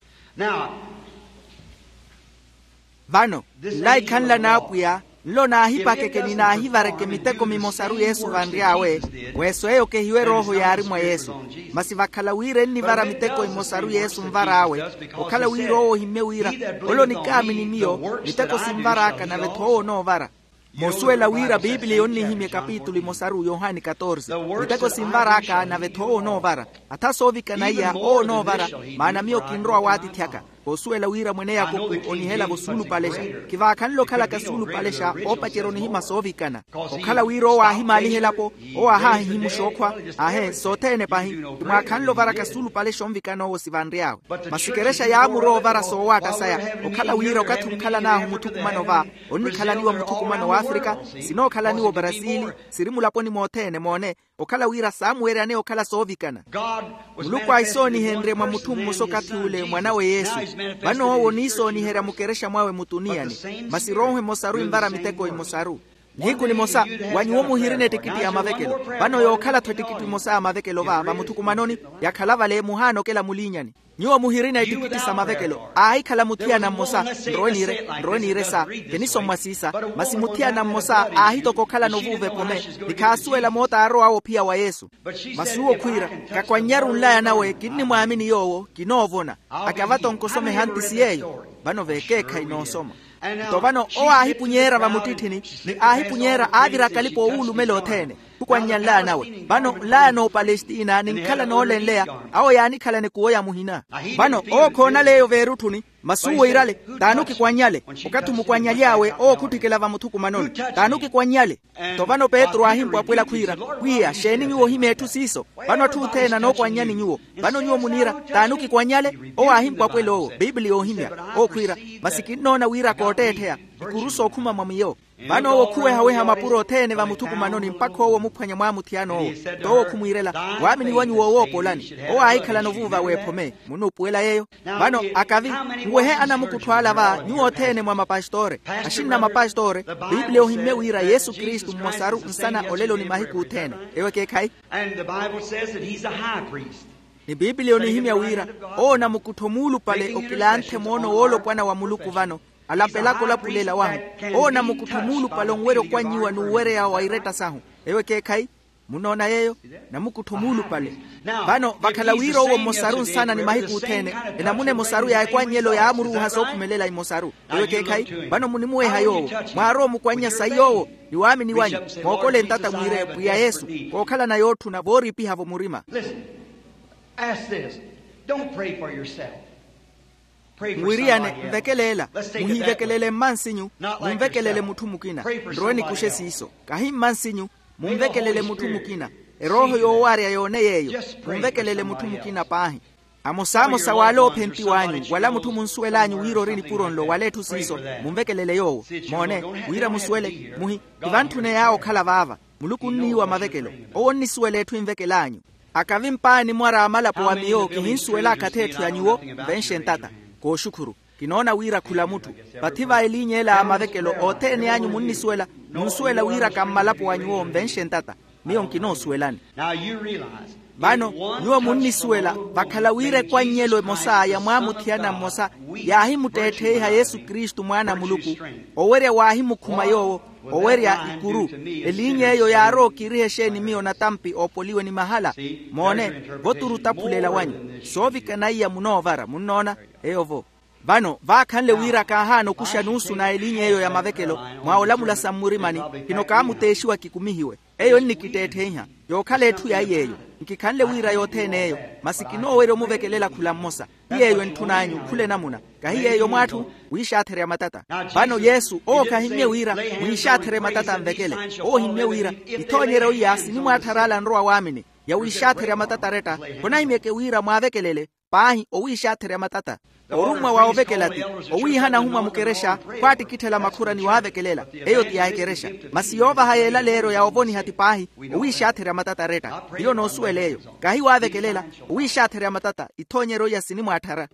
Vano nlaikhanla n'apwiya, nlo naahipakeke ni naahivareke miteko mimosaru yesu vanry'awe. Weso eyo kehiwe erooho yaari mwa yesu. Masi vakhala wira ennivara miteko imosaru yesu nvar'awe, okhala wira owo ohimmye wira, ole onikaamini miyo miteko sinvar'aka nave-tho owo onoovara. Moosuwela wira pipiliya onnihimya ekapitulu imosaru yohani katorse. Miteko sinvar'aka nave-tho owo onoovara. Atha soovikana iya owo onoovara, maana miyo kinrowa waatithi aka. Koosuwela wira mwene yakoku onihela-vo suulupalexa. Kivaakhanle okhalaka suulupalexa oopacerya onihimya soovikana. Okhala wira owo aahimaaliha elapo, owo aahaahihimuxa okhwa. Aahe sothene pahi, ti mwaakhanle ovaraka suulupalexa onvikana owo sivanry'awe. Masi ekerexa yaamurowa ovara soowaatta saya. Okhala wira okathi onkhalan'ahu muthukumano va, onnikhalaniwa muthukumano w'afrika, sinookhalaniwa obrasili, siri mulaponi mothene moone. Okhala wira saamuweryaneya okhala soovikana. Muluku ahisoonihenrye mwa mutthu mmosa okathi ule mwanawe yesu. Vano owo oniisooniherya mukerexa mwawe mutuniyani. Masi rooho emosaru envara miteko emosaru. Nihiku nimosa, wa nyuwo muhirina ettikitti ya mavekelo. Vano yookhala-tho ettikitti emosa ya mavekelo va vamuthukumanoni, yakhala vale muhaana okela muliinyani. Nyuwo muhirina ettikitti sa mavekelo. Aahikhala muthiyana mmosa. Nrowe niire nrowe niire sa, kinisommwa siisa. Masi muthiyana mmosa aahitoka okhalana ovuuva epome, ni khaasuwela moota aarow'awe ophiya wa yesu. Masi uwo khwiira, kakwannyari onlaya nawe kinnimwaamini yoowo kinoovona. Akava-tho onkosomeha nti si yeeyo. Vano veekeekhayi noosoma. Nto vano owo aahipunyeera vamuttitthini, ni aahipunyeera aavira akalipa oowulumela othene. Khukwannya nlaya nawe vano nlaya n'opalestina ninkhala noolenleya. Awo yaanikhalana ekuwo ya muhina. Vano owo khoonaleya eyo veerutthuni. Masi uwo iirale, t'ani okikwannyale? Okathi omukwannyalyawe owo khutthikela vamuthukumanoni. T'ani okikwannyale? Nto vano petru aahimpwapwela khwiira, pwiya xeeni nyuwo ohimya etthu siiso? Vano atthu othene anookwannyani nyuwo. Vano nyuwo muniira, t'ani okikwannyale? Owo aahimpwapwela owo, pipiliya oohimya. Owo khwiira, masi kinnoona wira kootteettheya. ikuru sookhuma mwa miyo. Vano owo khuwehaweha mapuro othene vamuthukumanoni mpakha owo omuphwanya mwamuthiyana owo. Nto owo khumwiirela, waamini wanyu woowoopolani. Owo aahikhalana ovuuva weephome. Munnuupuwela yeeyo? Vano akavi, nwehe anamukuttho ala va nyuwo othene mwa mapastore, axinna mapastore. Piipiliya ohimmye wira yesu kristu mmosaru nsana olelo ni mahiku othene. Eyo ekeekhayi. And the bible says that he's a high priest. Ni piipiliya onihimya wira owo namukuttho muulupale okilanthe moono woolopwana wa muluku vano, alapelaka olapulela wahu. Owo namukuttho muulupale onwerya okwannyiwa n'uwereya wa iretta sahu. Eyo ekeekhayi. Munoona yeeyo? Namukuttho muulupale. Vano vakhala wira owo mmosaru nsana ni mahiku othene, enamuna emosaru ya ekwannyelo yaamuruuha sookhumelela imosaru. Eyo ekeekhayi. Vano munimuweha yoowo, mwaarowa omukwannya sayi yoowo, ni waamini wanyu, mookole ntata mwiire pwiya yesu, kookhalana yootthuna vooriipiha-vo murima. Listen. Ask this. Don't pray for yourself. Pray for mwiriyane somebody else. Nvekeleela. Let's take it that way. Muhiivekelele mmansinyu. Not like yourself. Munvekelele mutthu mukina. Pray for somebody else. Nrowe nikuxe siiso. Kahi mmansinyu. Munvekelele mutthu mukina. Erooho yoowaarya yoone yeeyo. Munvekelele mutthu mukina paahi. Amosamosa w'ale oophenti w'anyu wala mutthu munsuwel'anyu wira ori nipuro nlo wala etthu siiso, munvekelele yoowo. Moone, wira musuwele muhi, ti vantthune yaawo okhala vaava. Muluku onniiwa mavekelo. Owo onnisuwela etthu envekel'anyu. Akavi mpaani mwara a malapo wa miyo kihinsuwel'aka atheetthu ya nyuwo. Nvenxe ntata. Kooxukhuru. Kinoona wira khula mutthu. Vathi va eliiny'ela a mavekelo othene anyu munnisuwela. Munsuwela wira ka mmalapo wa nyuwo nvenxe ntata. Miyo nkinoosuwelani. Vano nyuwo munnisuwela vakhala wira ekwannyelo emosa ya mwaamuthiyana mmosa yaahimutteettheiha yesu kristu mwaana a muluku. Owerya waahimukhuma yoowo. Owerya ikuru eliiny'eyo yaarowa okiiriha exeeni miyo natampi oopoliwe ni mahala. Moone, voturu otaphulela wanyu. Soovikana iya munoovara munnoona. Eyo-vo. Vano vaakhanle wira kaahaana okuxa nuusu na elinya eyo ya mavekelo mwa olamula sa mmurimani. Kino kaamuteexiwa kikumihiwe. Eyo ennikitteettheiha. Yookhala etthu yaiy'eyo. Nkikhanle wira yothene eyo. Masi kinoowerya omuvekelela khula mmosa. Ti yeeyo entthun'anyu khula enamuna. Kahi yeeyo mwaatthu wiixaatherya matata. Vano yesu owo khahimmye wira mwiixaatherye matata anvekele. Owo ohimmye wira ithoonyeryo iya sinimwaatthara ala anrowa waamini. Ya wiixaatherya matata aretta. Khonahimyeke wira mwaavekelele paahi owiixaatherya matata. Orummwa wa ovekela ti owiihana ahumwa mukerexa khwaattikitthela makhura ni waavekelela. Eyo ti ya ekerexa. Masi yoovaha yeelaleeryo ya ovoniha ti paahi owiixaatherya matata aretta. Hiyo noosuwela eyo. Kahi waavekelela owiixaatherya matata ithoonyeryo iya sinimwaatthara.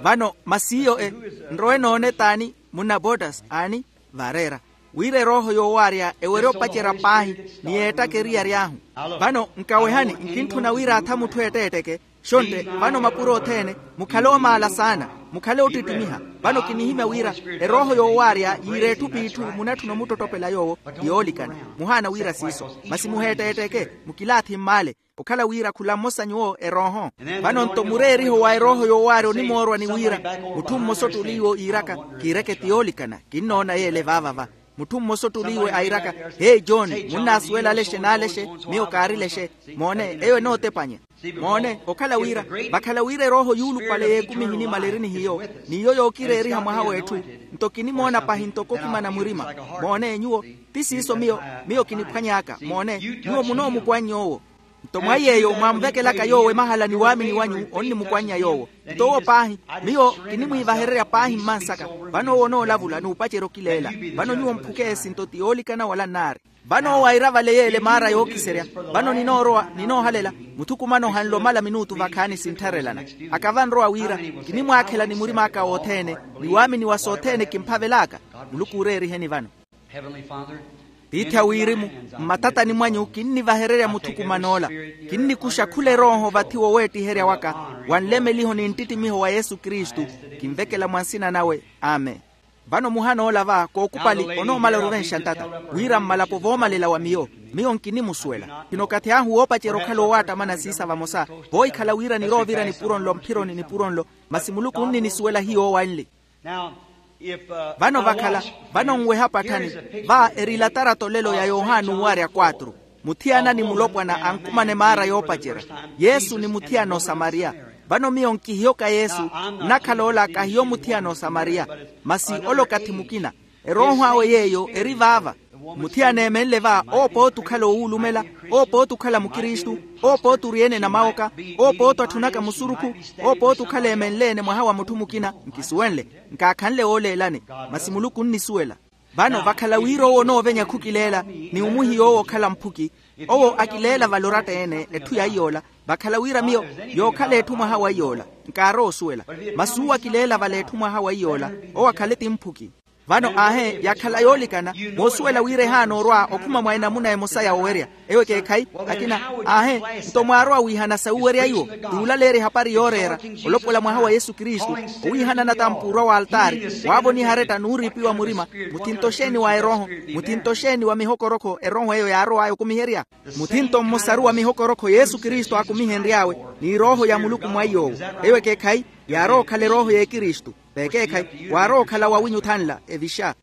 Vano masi iyo e nrowe noone t'ani? Munna botas aani? Vareera wira erooho yoowaarya ewerye opacerya paahi ni yeettaka eriyari ahu. Vano nkawehani nkintthuna wira atha mutthu eetteetteke. Xontte vano mapuro othene mukhale oomaala saana. Mukhale oottittimiha. Vano kinihimya wira erooho yoowaarya yiira etthu p'itthu munatthuna omuttottopela yoowo. Ti yoolikana. Muhaana wira siiso. Masi muheetteetteke. Mukilaathi mmaale. Okhala wira khula mmosa nyuwo erooho. Vano nto mureeriho wa erooho yoowaari onimoorwa ni wira mutthu mmosa ottuliiwe iiraka kiireke ti yoolikana. Kinnoona yeele vaavava. Mutthu mmosa ottuliiwe airaka, hei john, munnaasuwela alexe n'alexe? Miyo kaarilexe. Moone eyo enootepanya. Moone okhala wira vakhala wira erooho yuulupale y'ekumi ehinimaleri ni hiyo n'iyo yookireeriha mwaha w'etthu. Nto kinimoona pahi ntoko okimana murima. Moone nyuwo ti siiso miyo miyo kiniphwany'aka moone. Nyuwo munoomukwannye owo. Nto mwa yeeyo mwamvekelaka yoowo emahala ni waamini wanyu onnimukwannya yoowo. Nto owo paahi miyo kinimwiivahererya paahi mmansaka. Vano owo onoolavula n'upacerya okileela. Vano nyuwo mphukeesi nto ti yoolikana wala nnaari. Vano owo aira vale yeele maara yookiserya. Vano ninoorowa ninoohalela muthukumano ohanle omala minuutu vakhaani sinttharelana. Akavanrowa wira kinimwaakhela ni murim'aka wothene ni waamini wa sothene kimphavel'aka. Muluku ooreeriheni vano. Tiithi a wirimu, mmatatani mwanyu kinnivahererya muthukuman'ola. Kinnikuxa khula erooho vathi woweettiherya waka wa nlemeliho ni nttittimiho wa yesu kristu. Kinvekela mwa nsina nawe. Amen. Vano muhan'ola va kookupali onoomala oruvenxa ntata wira mmalapo voomalela wa miyo. Miyo nkinimusuwela khino okathi ahu woopacerya okhala owaattamana siisa vamosa. Voohikhala wira niroovira nipuro nlo mphironi nipuro nlo. Masi muluku onnisuwela hiyo owanli. Vano vakhala vano nweha patthani. Va eri latarato lelo ya yohani uwarya kwatru. Muthiyana ni mulopwana ankumana emaara yoopacerya. Yesu ni muthiyana osamariya. Vano miyo nkihiyoka yesu. Nnakhala ola kahiyo muthiyana osamariya. Masi ole okathi mukina. Erooho awe yeeyo eri vaava. Muthiyana eemenle va oopooti okhala owuulumela. Owo pooti okhala mukristu. Owo pooti ori-ene namawoka. Owo pooti atthunaka musurukhu. Owo pooti okhala emenle-ene mwaha wa mutthu mukina. Nkisuwenle. Nkaakhanle wooleelani. Masi muluku onnisuwela. Vano vakhala wira owo onoovenya khukileela, ni omuhiya owo okhala mphuki. Owo akileela vale oratta-ene etthu yaiy'ola. Vakhala wira miyo yookhala etthu mwaha waiy'ola. Nkaarowa osuwela. Masi uwo akileela vale etthu mwaha waiy'ola, owo akhale ti mphuki. Vano aahe yakhala yoolikana, moosuwela wira ehaana orwa okhuma mwa enamuna emosa ya owerya. Eyo ekeekhayi. Akina aahe, nto mwaarowa wiihana sawuwerya iwo? Ti wulaleerya ehapari yooreera, olopola mwaha wa yesu kristu, owiihana natampuurwa w'altaari, waavoniha aretta n'uriipiwa murima. Muthinto xeeni wa erooho? Muthinto xeeni wa mihokorokho erooho eyo yaarow'aya okumiherya? Muthinto mmosaru wa mihokorokho yesu kristu aakumihenry'awe, ni erooho ya muluku mwa iy'owo. Eyo ekeekhayi. Yaarowa okhala erooho y'ekristu. V'ekeekhayi waarowa okhala wawinyu thanla evixa.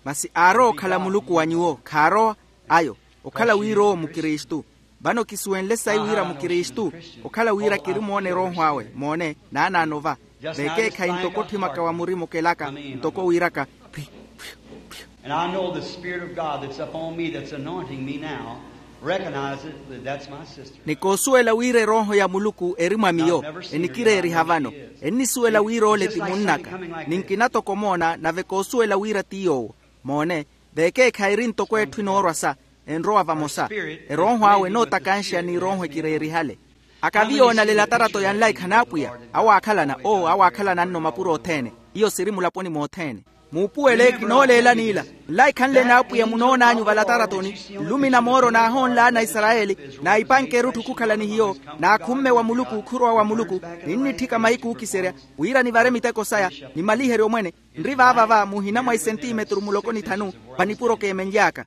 Masi aarowa okhala muluku wa nyuwo khaarowa. Ayo okhala wira owo mukristu. Vano kisuwenle sayi wira mukristu, okhala wira kirimoona erooho awe moone naanaano va. V'ekeekhayi ntoko otthimaka wa murima okelaka, ntoko wiiraka, phwi phwi phwi. And I know the spirit of god that's upon me that's anointing me now recognizes that that's my sister. Ni koosuwela wira erooho ya muluku eri mwa miyo, enikireeriha vano. Ennisuwela wira ole ti munn'aka. Ni nkina toko omoona nave koosuwela wira ti yoowo. Moone, v'ekeekhayi eri ntoko etthu enoorwa sa, enrowa vamosa. Erooho awe enootakanxa n'erooho ekireerihale. Akavi yoonale elatarato ya nlaikha n'apwiya? Awo aakhalana oo awo aakhalana nno mapuro othene. Iyo siri mulaponi mothene. Muupuwele kinooleelani ila. Nlaikha nle n'apwiya munoon'anyu valataratoni, nlumi na mooro naahoonlaana aisarayeli, naipanke erutthu khukhala ni hiyo, naakhumme wa muluku okhurowa wa muluku, ninnitthika mahiku ookiserya, wira nivare miteko saya, nimaliherye omwene. Nri vaava va muhina mwa isentimetru muloko ni thanu, va nipuro keemenly'aka.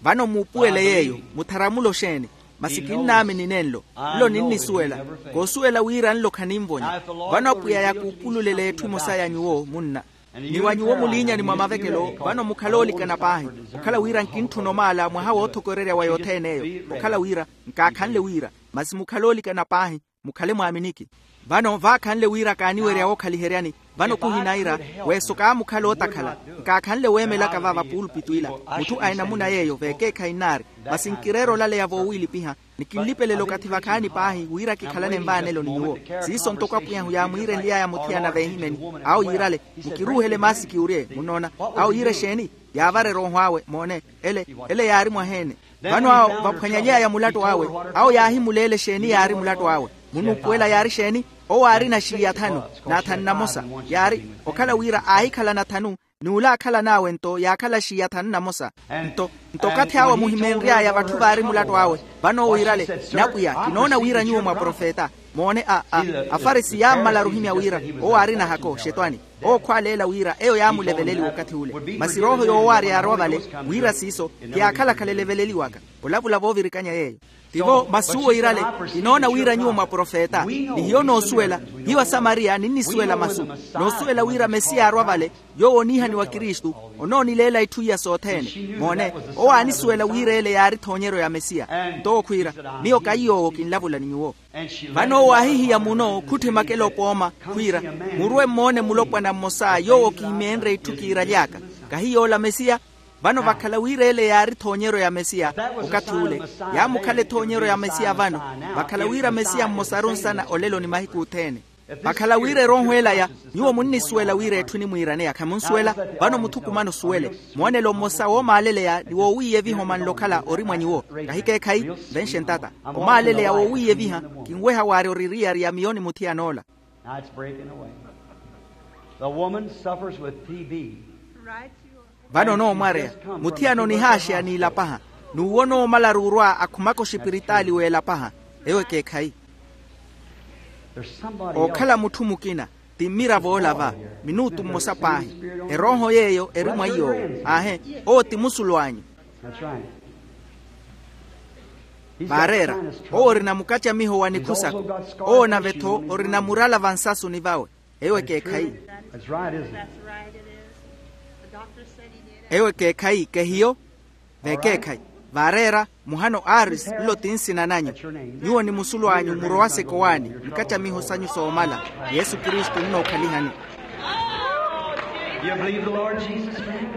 Vano muupuwele yeeyo. Mutharamulo xeeni? Masi kinnaamini nenlo. Nlo ninnisuwela. Koosuwela wira nlo khaninvonya. Vano apwiya yakuupululele etthu emosa ya nyuwo munna, ni wa nyuwo muliinyani mwa mavekelo. Vano mukhale oolikana paahi, okhala wira nkintthuna omaala mwaha woothokorerya wa yothene eyo. Okhala wira nkaakhanle wira. Masi mukhale oolikana paahi, mukhale mwaaminiki. Vano vaakhanle wira kaaniwerya wookhaliheryani. Vano khuhinaira, weeso kaamukhala ootakhala. Nkaakhanle weemelaka va vapuulupito ila. Mutthu a enamuna yeeyo v'ekeekhayi nnaari. Masi nkireera olaleya voowiilipiha, ni kinlipelela okathi vakhaani paahi wira kikhalane nvaanelo ni nyuwo. Siiso ntoko apwiy'ahu yaamwiirenly'aya muthiyana v'ehimeni. Awo yiirale, mukiruuhele maasiki orye munoona. Awo yiire exeeni? Yaavara erooho awe moone. Ele ele yaari mwaheene. Vano awo vaphwanyaly'aya mulattu awe, awo yaahimuleela exeeni yaari mulattu awe. Munuupuwela yaari exeeni? Owo aarina xiiya thanu, na thanu na mosa. Yaari, okhala wira aahikhalana thanu, n'ule aakhalan'awe nto yaakhala xiiya thanu na mosa. Nto nto okathi awo amuhimenry'aya vatthu vaari mulattu awe. Vano owo iirale, n'apwiya kinoona wira nyuwo mwaprofeta. Moone a a afarisi yaammalaru ohimya wira owo aarina hako xetwani. Owo khwaaleela wira eyo yaamuleveleliwa okathi ule. Masi erooho yoowaarya yaarowa vale, wira siiso, ti yaakhalakhala eleveleliwaka. Olavula voovirikanya yeeyo. Tivo masi uwo iirale, kinoona wira nyuwo mwaprofeta. Ni hiyo noosuwela. Hiyo asamariya ninnisuwela masu. Noosuwela wira mesiya aarwa vale, yoowo oniihaniwa kristu, onoonileela itthu iya sothene. Moone, owo aanisuwela wira ele yaari ethoonyeryo ya mesiya. Nto owo khwiira, miyo kaiy'owo kinlavula ni nyuwo. Vano owo aahihiya muno khutthi makelo opooma, khwiira, murwe mmoone mulopwana mmosa yoowo kiimeenre itthu kiiraly'aka. Kahi yoola mesiya? Vano vakhala wira ele yaari ethoonyeryo ya mesiya. Okathi ule, yaamukhala ethoonyeryo ya mesiya vano. Vakhala wira mesiya mmosaru nsana olelo ni mahiku othene. Vakhala wira erooho elaya, nyuwo munnisuwela wira etthu enimwiiraneya khamunsuwela. Vano muthukumane osuwele. Moonelo mmosa woomaaleleya ni woowiiyeviha omanle okhala ori mwa nyuwo. Kahikeekhayi, venxe ntata. Omaaleleya woowiiyeviha, kinweha waarya oririyari ya miyo ni muthiyan'ola. Now it's breaking away. The woman suffers with T B. Vano onoomwareya, muthiyana onihaaxeya n'ilapaha. N'uwo onoomalaru orwa akhumaka oxipiritaali w'elapaha. Eyo ekeekhayi. Ookhala mutthu mukina, ti mmiravo ola va, minutu mmosa paahi. Erooho yeeyo eri mwa iy'owo. Aahe, owo ti musulw'anyu. Vaareera, owo orina mukacamiho wa nikhu saka. Owo nave-tho orina murala vansasuni vawe. Eyo ekeekhayi. Eyo ekeekhayi kehiyo. Vekeekhayi. Vaareera, muhano aris nlo ti nsina nanyu. Nyuwo ni musulw'anyu murowase kowaani, nkacamiho sanyu soomala. Yesu kristu nnookhalihanyu. You believe the Lord Jesus for me?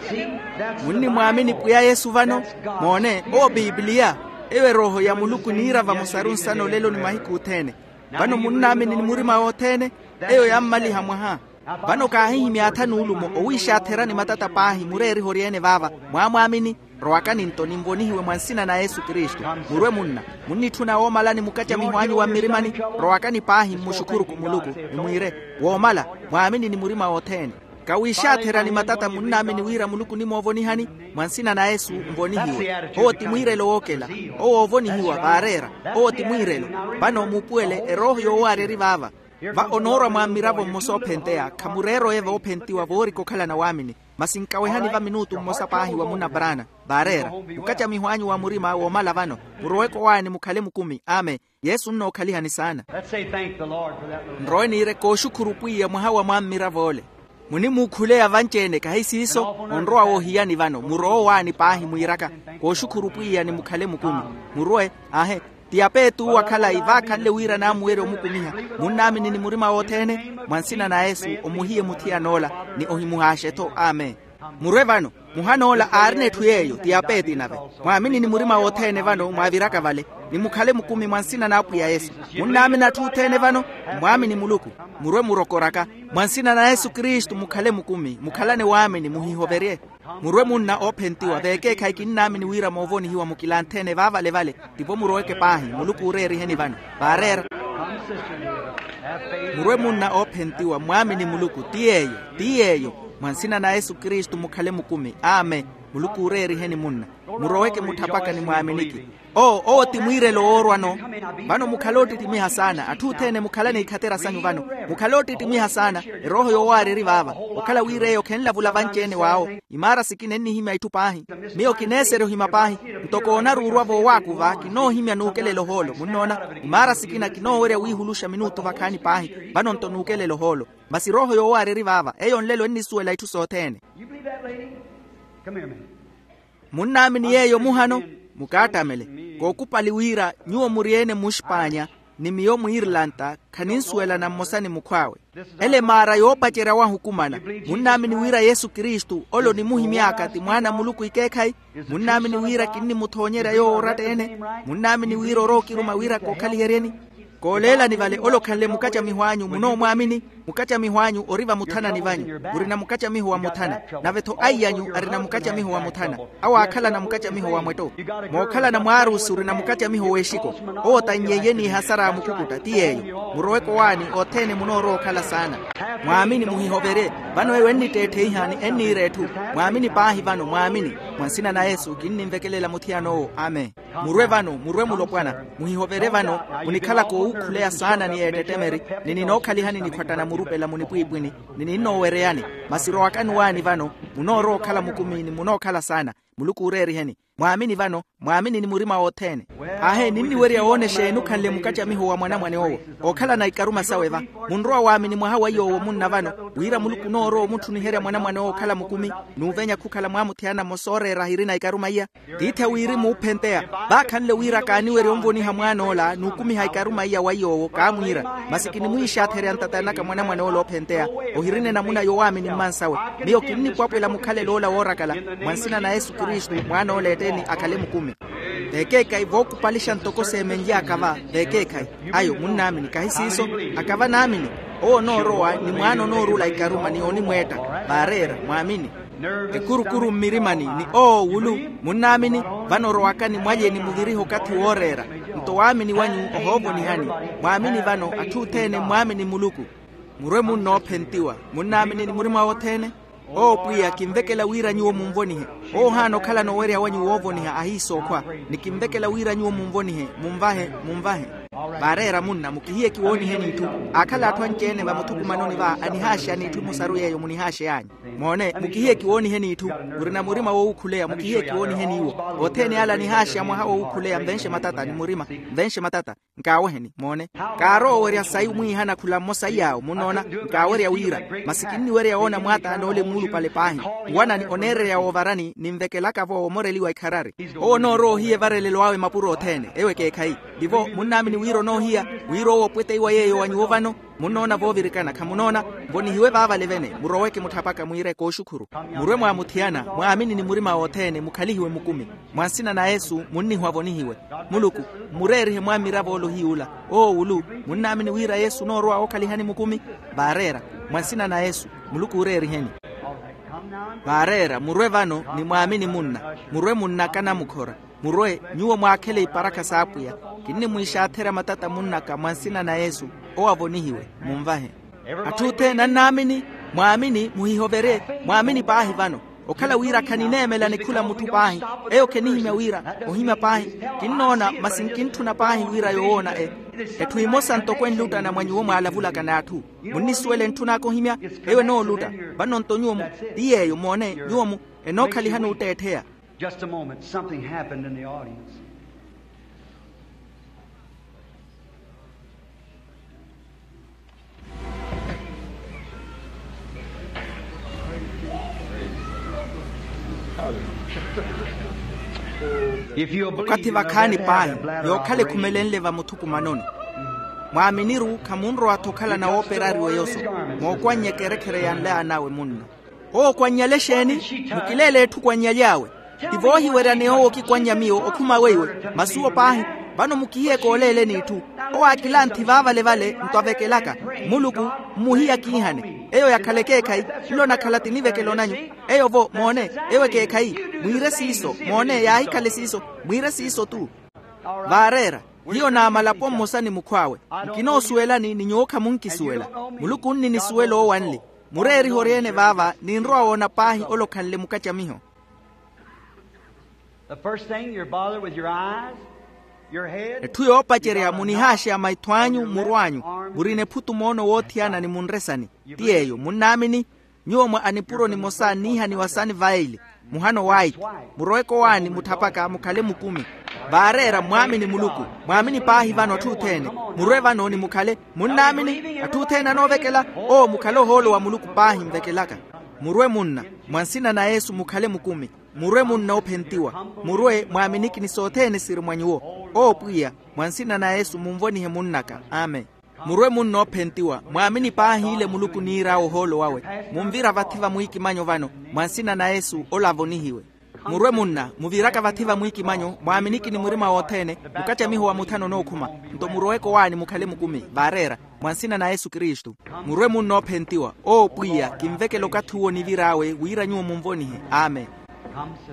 See, that's the munnimwaamini Bible. Pwiya yesu vano. That's God. Moone, owo pipiliya. Eyo erooho ya muluku eniira vamosaru nsana olelo ni mahiku othene. Vano munnaamini ni murima wothene. Eyo yammaliha mwaha. Vano kaahihimya atha n'ulumo owiixaatherani matata paahi mureeriha oryeene vaava. Mwaamwaamini. Rowakani nto ninvonihiwe mwa nsina na yesu kristu. Murwe munna, munnitthuna woomalani mukacamiho anyu wa mmirimani. Rowakani paahi mmuxukhuruku muluku, ni mwiire, woomala, mwaamini ni murima wothene. Kawiixaatherani matata munnaamini wira muluku onimoovonihani. Mwa nsina na yesu nvonihiwe. Owo ti mwiirelo wookela. Owo oovonihiwa vaareera. Owo ti mwiirelo. Vano muupuwele erooho yoowaarya eri vaava. Va onoorwa mwa mmiravo mmosa oophenteya khamureera oye voophentiwa voorika okhalana waamini. Masi nkawehani va minutu mmosa paahi wa munna brana. Vaareera, mukacamiho anyu wa murima woomala vano. Muroweke owaani mukhale mukumi. Amen. Yesu nnookhalihani saana. Let's say thank the Lord for that little nrowe niire kooxukhuru pwiya mwaha wa mwammirav'ole. Munimuukhuleya vanci-ene kahi siiso. Onrowa woohiyani vano murowe owaani paahi mwiiraka. Kooxukhuru pwiya ni mukhale mukumi. Murwe. Ahe. Ti apeetu owo akhalayi vaakhanle wira naamuwerya omukumiha. Munnaamini ni murima wothene. Mwa nsina na yesu omuhiye muthiyan'ola. Ni ohimuhaaxe-tho. Amen. Murwe vano. Muhan'ola aarina etthu yeeyo ti apeeti nave. Mwaamini ni murima wothene vano mwaaviraka vale. Ni mukhale mukumi mwa nsina n'apwiya yesu. Munnaamini atthu othene vano. Mmwaamini muluku. Murwe murokoraka. Mwa nsina na yesu kristu mukhale mukumi mukhalane waamini muhihoverye. Murwe munna oophentiwa veekeekhayi kinnaamini wira moovonihiwa mukilanthe-ene vaavalevale. Tivo muroweke paahi muluku uureeriheni vano. Vaareera. Murwe munna oophentiwa mwaamini muluku ti yeeyo. Ti yeeyo. Mwa nsina na yesu kristu mukhale mukumi. Amen. Muluku uureeriheni munna. Muroweke mutthapaka ni mwaaminiki. Oo owo ti mwiirelo woorwano. Vano mukhale oottittimiha saana atthu othene mukhalane ikhatera sanyu vano. Mukhale oottittimiha saana. Erooho yoowaarya eri vaava. Okhala wira eyo khenlavula vanci-ene w'awo. Imaara sikina ennihimya itthu paahi. Miyo kineeserya ohima paahi. Ntoko onaruurwa voowaakuva kinoohimya nuukelela ohoolo munnoona. Imaara sikina kinoowerya wiihuluxa minutu vakhaani paahi. Vano nto nuukelela ohoolo. Masi erooho yoowaarya eri vaava eyo nlelo ennisuwela itthu sothene. You believe that lady? Come here a minute. Munnaamini yeeyo muhano. Mukaattamele. Kookupali wira nyuwo muri-ene muxpaanya ni miyo muirlanta. Khaninsuwelana mmosa ni mukhw'awe. Ele maara yoopacerya wahukumana. Munnaamini wira yesu kristu ole onimuhimy'aka ti mwaana a muluku ikeekhayi. Munnaamini wira kinnimuthoonyerya yoowo oratta-ene. Munnaamini wira orowa okiruma wira kookhaliheryeni. Kooleelani vale ole okhanle mukacamiho anyu munoomwaamini. Mukacamiho anyu ori vamuthanani vanyu. Murina mukacamiho wa muthana. Nave-tho aiy'anyu arina mukacamiho wa muthana. Awo aakhalana mukacamiho wa mwetto. Mookhalana mwaarusi orina mukacamiho w'exiko. Owo tannyeiye n'ihasara a mukukutta ti yeeyo. Muroweke owaani othene munoorowa okhala saana. Mwaamini muhihoverye. Vano eyo ennitteettheiha ni enniira etthu. Mwaamini paahi vano mwaamini. Mwa nsina na yesu kinnimvekelela muthiyan'owo. Amen. Murwe vano murwe mulopwana. Muhihoverye vano. Munikhalaka oowuukhuleya saana ni eettettemeri. Ni ninookhalihani nikhwattana murupela munipwiipwini. Ni ninnoowereyani. Masi rowakani owaani vano. Munoorowa okhala mukumi ni munookhala saana. Muluku uureeriheni. Mwaamini vano. Mwaamini ni murima wothene. Ahe ninniwerya woona exeeni okhanle mukacamiho wa mwanamwane owo. Ookhalana ikaruma sawe va. Munrowa waamini mwaha wa iy'owo munna vano. Wira muluku onoorowa omuttuniherya mwanamwane owo okhala mukumi. N'uvenya khukhala mwaamuthiyana mmosa ooreera ahirina ikaruma iya. Tiithi a wirimu oophenteya. Vaakhanle wira kaaniwerya onvoniha mwaan'ola n'ukumiha ikaruma iya wa iy'owo kaamwiira. Masi kinimwiixatherya ntatani naka mwanamwane ole oophenteya. Ohirina enamuna yowaamini mmansawe. Miyo kinnipwapwela mukhalelo ola woorakala. Mwa nsina na yesu kristu mwaan'ola eteeni akhale mukumi. Veekeekhayi vookupalixa ntoko seemenly'aka va. Veekeekhayi. Ayo munnaamini kahi siiso. Akava naamini. Owo onoorowa ni mwaana onoorula ikaruma ni onimweetta. Vaareera mwaamini. Ekurukuru mmirimani ni owo wulu. Munnaamini. Vano orowaka ni mwalye ni muvirihe okathi wooreera. Nto waamini wanyu ohoovonihani. Mwaamini vano atthu othene mwaamini muluku. Murwe munna oophentiwa. Munnaamini ni murima wothene. Owo pwiya kinvekela wira nyuwo munvonihe. Owo ohaana okhalana owerya wanyu woovoniha ahiisookhwa. Ni kinvekela wira nyuwo munvonihe munvahe. Munvahe. Vaareera munna mukihiye kiwooniheni itthu. Aakhala atthu anci-ene vamuthukumanoni va anihaaxeyani itthu emosaru yeeyo munihaaxey'anyu. Moone mukihiye kiwooniheni itthu. Murina murima wowukhuleya mukihiye kiwooniheni iwo. Othene ala anihaaxeya mwaha wowukhuleya nvenxe matata ni murima. Nvenxe matata. Nkaaweheni moone. Kaarowa owerya sayi mwiihana khula mmosa iy'awo munnoona. Nkaawerya wira. Masi kinniwerya woona mwaataani ole muulupale paahi. Nwanani oneererya woovarani ninvekelaka-vo omoreliwa ikharari. Owo onoorowa ohiya evarelelo awe mapuro othene ewo ekeekhayi. Tivo munnaamini wira onoohiya wira owo opweteiwa yeeyo wa nyuwo vano. Munnoona voovirikana khamunoona? Mvonihiwe vaavale vene muroweke mutthapaka mwiire kooxukhuru. Murwe mwaamuthiyana mwaamini ni murima wothene mukhalihiwe mukumi. Mwa nsina na yesu munnihwa vonihiwe. Muluku mmureerihe mwammiravo ole ohiy'ula. Owo wulu munnaamini wira yesu onoorowa wookhalihani mukumi? Vaareera. Mwa nsina na yesu muluku ooreeriheni. Vaareera murwe vano ni mwaamini munna. Murwe munnaka namukhora. Murwe nyuwo mwaakhele iparakha s'apwiya. Kinnimwiixaatherya matata munnaka mwa nsina na yesu. Owo avonihiwe. Munvahe. Atthu othene annaamini. Mwaamini muhihoverye. Mwaamini paahi vano. Okhala wira khanineemela nikhula mutthu paahi. Eyo khenihimya wira ohimya paahi. Kinnoona masi nkintthuna paahi wira yoowoona e. Etthu emosa ntoko enluttana mwa nyuwo mwaalavulaka n'atthu. Munnisuwela entthun'aka ohimya. Eyo enoolutta. Vano nto nyuwo mu ti yeeyo moone nyuwo mu enookhalihani otteettheya. Just a moment something happened in the audience. Okathi vakhaani paahi yookhala ekhumelenle vamuthukumanoni. Mwaaminiru khamunrowa-tho okhala na wooperariwa eyoso. Mookwannyeke erekhere ya nlaan'awe munna. Owo okwannyale exeeni? Mukileele etthu okwannyalyawe. Ti voohiwerya ni owo okikwannya miyo okhuma weiwe. Masi owo paahi. Vano mukihiyeke oleele n'itthu. Owo aakilanthi vaavale-vale nto avekelaka. Muluku mmuhiya kiihane eyo yakhala ekeekhayi. Nlo nakhala ti nivekelo nanyu. Eyo-vo moone. Eyo ekeekhayi. Mwiire siiso moone yaahikhala esiiso. Mwiire siiso-tu. Vaareera. Hiyo naamalapo mmosa ni mukhw'awe. Nkinoosuwelani ni nyuwo khamunkisuwela. Muluku onnimisuwela owo anli. Mureerihe oryeene vaava ninrowa woona paahi ole okhanle mukacamiho. The first thing you're bothered with your eyes, your head. Etthu yoopacerya munihaaxeya maitho anyu murw'anyu. Murina ephutu moono woothiyana ni munresani. Ti yeeyo munnaamini? Nyuwo mwa anipuro nimosa anniihaniwa sani vaili. Muhano waiti. Muroweke owaani mutthapaka mukhale mukumi. Vaareera mwaamini muluku. Mwaamini paahi vano atthu othene. Murwe vano ni mukhale. Munnaamini? Atthu othene anoovekela. Owo mukhale ohoolo wa muluku paahi nvekelaka. Murwe munna. Mwa nsina na yesu mukhale mukumi. Murwe munna oophentiwa. Murwe mwaaminiki ni sothene siri mwa nyuwo. Owo pwiya. Mwa nsina na yesu munvonihe munnaka amen. Murwe munna oophentiwa mwaamini paahi ile muluku niir'awe ohoolo wawe. Munvira vathi va mwiikimanyo vano. Mwa nsina na yesu ola avonihiwe. Murwe munna muviraka vathi va mwiikimanyo mwaaminiki ni murima wothene. Mukacamiho wa muthano onookhuma. Nto muroweke owaani mukhale mukumi vaareera. Mwa nsina na yesu kristu. Murwe munna oophentiwa owo pwiya kinvekela okathi uwo nivir'awe wira nyuwo munvonihe. Amen.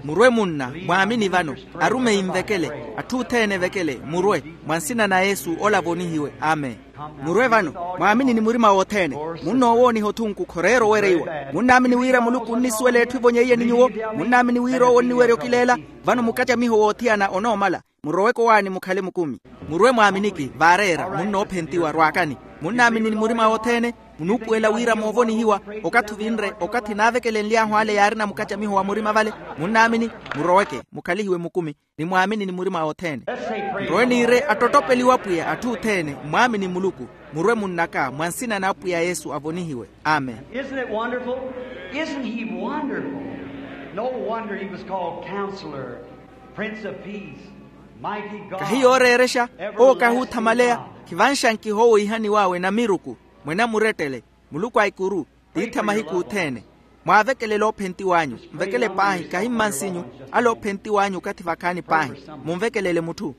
Murwe munna mwaamini vano. Arumeyi nvekele. Atthu othene evekele murwe. Mwa nsina na yesu ola avonihiwe amen. Murwe vano. Mwaamini ni murima wothene. Munnoowooniha othunku khoreera owereiwa. Munnaamini wira muluku onnisuwela etthu evonyeiye ni nyuwo? Munnaamini wira owo onniwerya okileela? Vano mukacamiho woothiyana onoomala. Muroweke owaani mukhale mukumi. Murwe mwaaminiki vaareera munnoophentiwa rwaakani. Munnaamini ni murima wothene. Munuupuwela wira moovonihiwa. Okathi ovinre okathi naavekelenly'ahu ale yaarina mukacamiho wa murima vale. Munnaamini? Muroweke mukhalihiwe mukumi. Ni mwaamini ni murima wothene. Nrowe niire attottopeliwa apwiya atthu othene mwaamini muluku. Murwe munnaka mwa nsina na apwiya yesu avonihiwe. Amen. Isn't it wonderful? Isn't he wonderful? No wonder he was called counselor, prince of peace, mighty god. Kahi yooreerexa. Owo kahi othamaleya. Khivanxankiha owo ihaniw'awe namiruku. Mwene amurettele. Muluku a ikuru. Tiithi a mahiku othene. Mwaavekelele oophentiw'anyu. Nvekele paahi kahi mmansinyu. Ale oophentiw'anyu okathi vakhaani paahi. Munvekelele mutthu.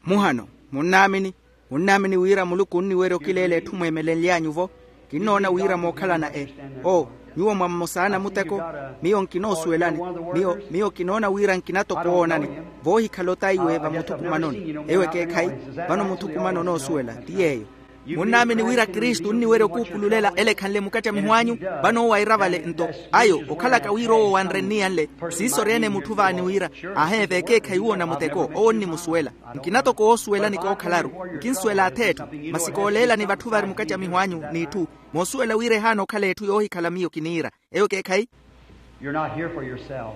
Muhano. Munnaamini? Munnaamini wira muluku onniwerya okileela etthu mweemelenly'anyu-vo? Kinnoona wira mookhalana e. Oo. Nyuwo mwa mmosa a namuteko. Miyo nkinoosuwelani. Miyo miyo kinoona wira nkina toko owoonani. Voohikhala otaiwe vamuthukumanoni. Eyo ekeekhayi. Vano muthukumano onoosuwela ti yeeyo. Munnaamini wira kristu onniwerya okuupululela ele ekhanle mukacamiho anyu. Vano owo aira vale nto ayo okhalaka wira owo wanrenniyanle. Siiso oryeene mutthu vaani wira aheeve ekeekhayi uwo namuteko owo onnimusuwela. Nkina toko woosuwelani kookhalaru. Nkinsuwela ath'etthu. Masi kooleelani vatthu vari mukacamiho anyu n'itthu. Moosuwela wira ehaana okhala etthu yoohikhala miyo kiniira. Eyo ekeekhayi. You're not here for yourself.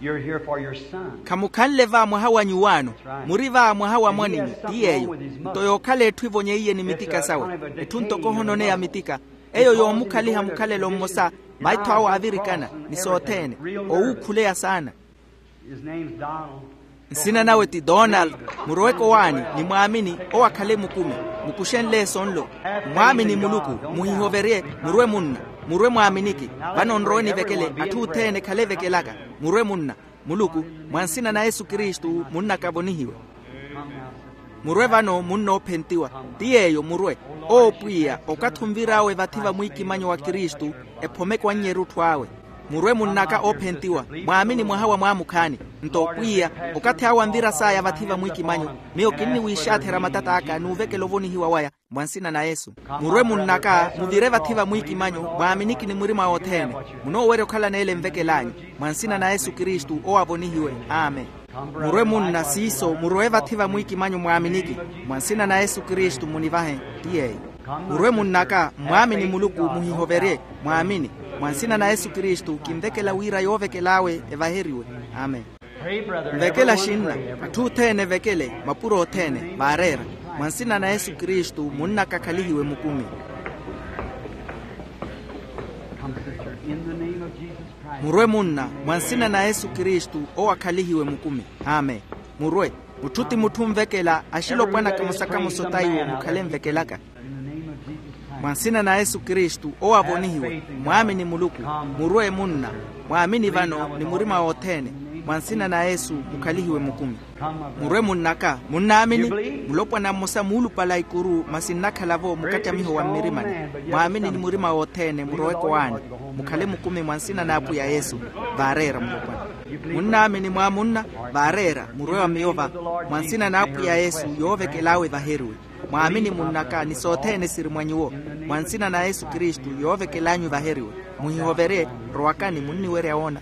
You're here for your son. Khamukhanle va mwaha wa nyuwaano. Muri va mwaha wa mwaninyu ti yeeyo. Nto yookhala etthu evonyeiye ni mitika sawe. Etthu ntoko ohononeya mitika. Eyo yoomukhaliha mukhalelo mmosa. Maitho awe aavirikana ni sothene. Owuukhuleya saana. His name's Donald. Nsina nawe ti donald. Muroweke owaani ni mwaamini owo akhale mukumi. Mukuxenle eso nlo. Mwaamini muluku. Muhihoverye. Murwe munna. Murwe mwaaminiki. Vano nrowe nivekele. Atthu othene ekhale evekelaka. Murwe munna. Muluku. Mwa nsina na yesu kristu munnaka avonihiwe. Murwe vano munna oophentiwa. Ti yeeyo murwe. Owo pwiya okathi onvir'awe vathi vamwiikimanyo wa kristu. Ephomeke wannya erutthu awe. Murwe munnaka oophentiwa. Mwaamini mwaha wa mwaamukhaani. Nto pwiya okathi awo anvira saaya vathi vamwiikimanyo. Miyo kinniwiixaatherya matat'aka n'uvekela ovonihiwa waya. Mwa nsina na yesu. Murwe munnaka muvire vathi vamwiikimanyo mwaaminiki ni murima wothene. Munoowerya okhalana ele nvekel'anyu. Mwa nsina na yesu kristu owo avonihiwe. Amen. Murwe munna siiso murowe vathi vamwiikimanyo mwaaminiki. Mwa nsina na yesu kristu munivahe. Ti yeeyo. Murwe munnaka mwaamini muluku muhihoverye. Mwaamini. Mwa nsina na yesu kristu kinvekela wira yoovekel'awe evaheriwe. Amen. Nvekela xinna. Atthu othene evekele mapuro othene vaareera. Mwa nsina na yesu kristu munnaka akhalihiwe mukumi. Murwe munna. Mwa nsina na yesu kristu owo akhalihiwe mukumi. Amen. Murwe. Mutthu ti mutthu onvekela axilopwana kamosa kamosa ota iwo mukhale nvekelaka. Mwa nsina na yesu kristu owo avonihiwe. Mwaamini muluku. Murwe munna. Mwaamini vano ni murima wothene. Mwa nsina na yesu mukhalihiwe mukumi. Murwe munnaka munnaamini. Mulopwana mmosa muulupala ikuru masi nnakhala-vo mukattamiho wa mmirimani. Mwaamini ni murima wothene muroweke owaani. Mukhale mukumi mwa nsina n'apwiya yesu. Vaareera mulopwana. Munnaamini mwaamunna. Vaareera murwe wa miyo va. Mwa nsina n'apwiya yesu yoovekel'awe evaheriwe. Mwaamini munnaka ni sothene siri mwa nyuwo. Mwa nsina na yesu kristu yoovekel'anyu evaheriwe. Muhihoverye. Rowakani munniwerya woona.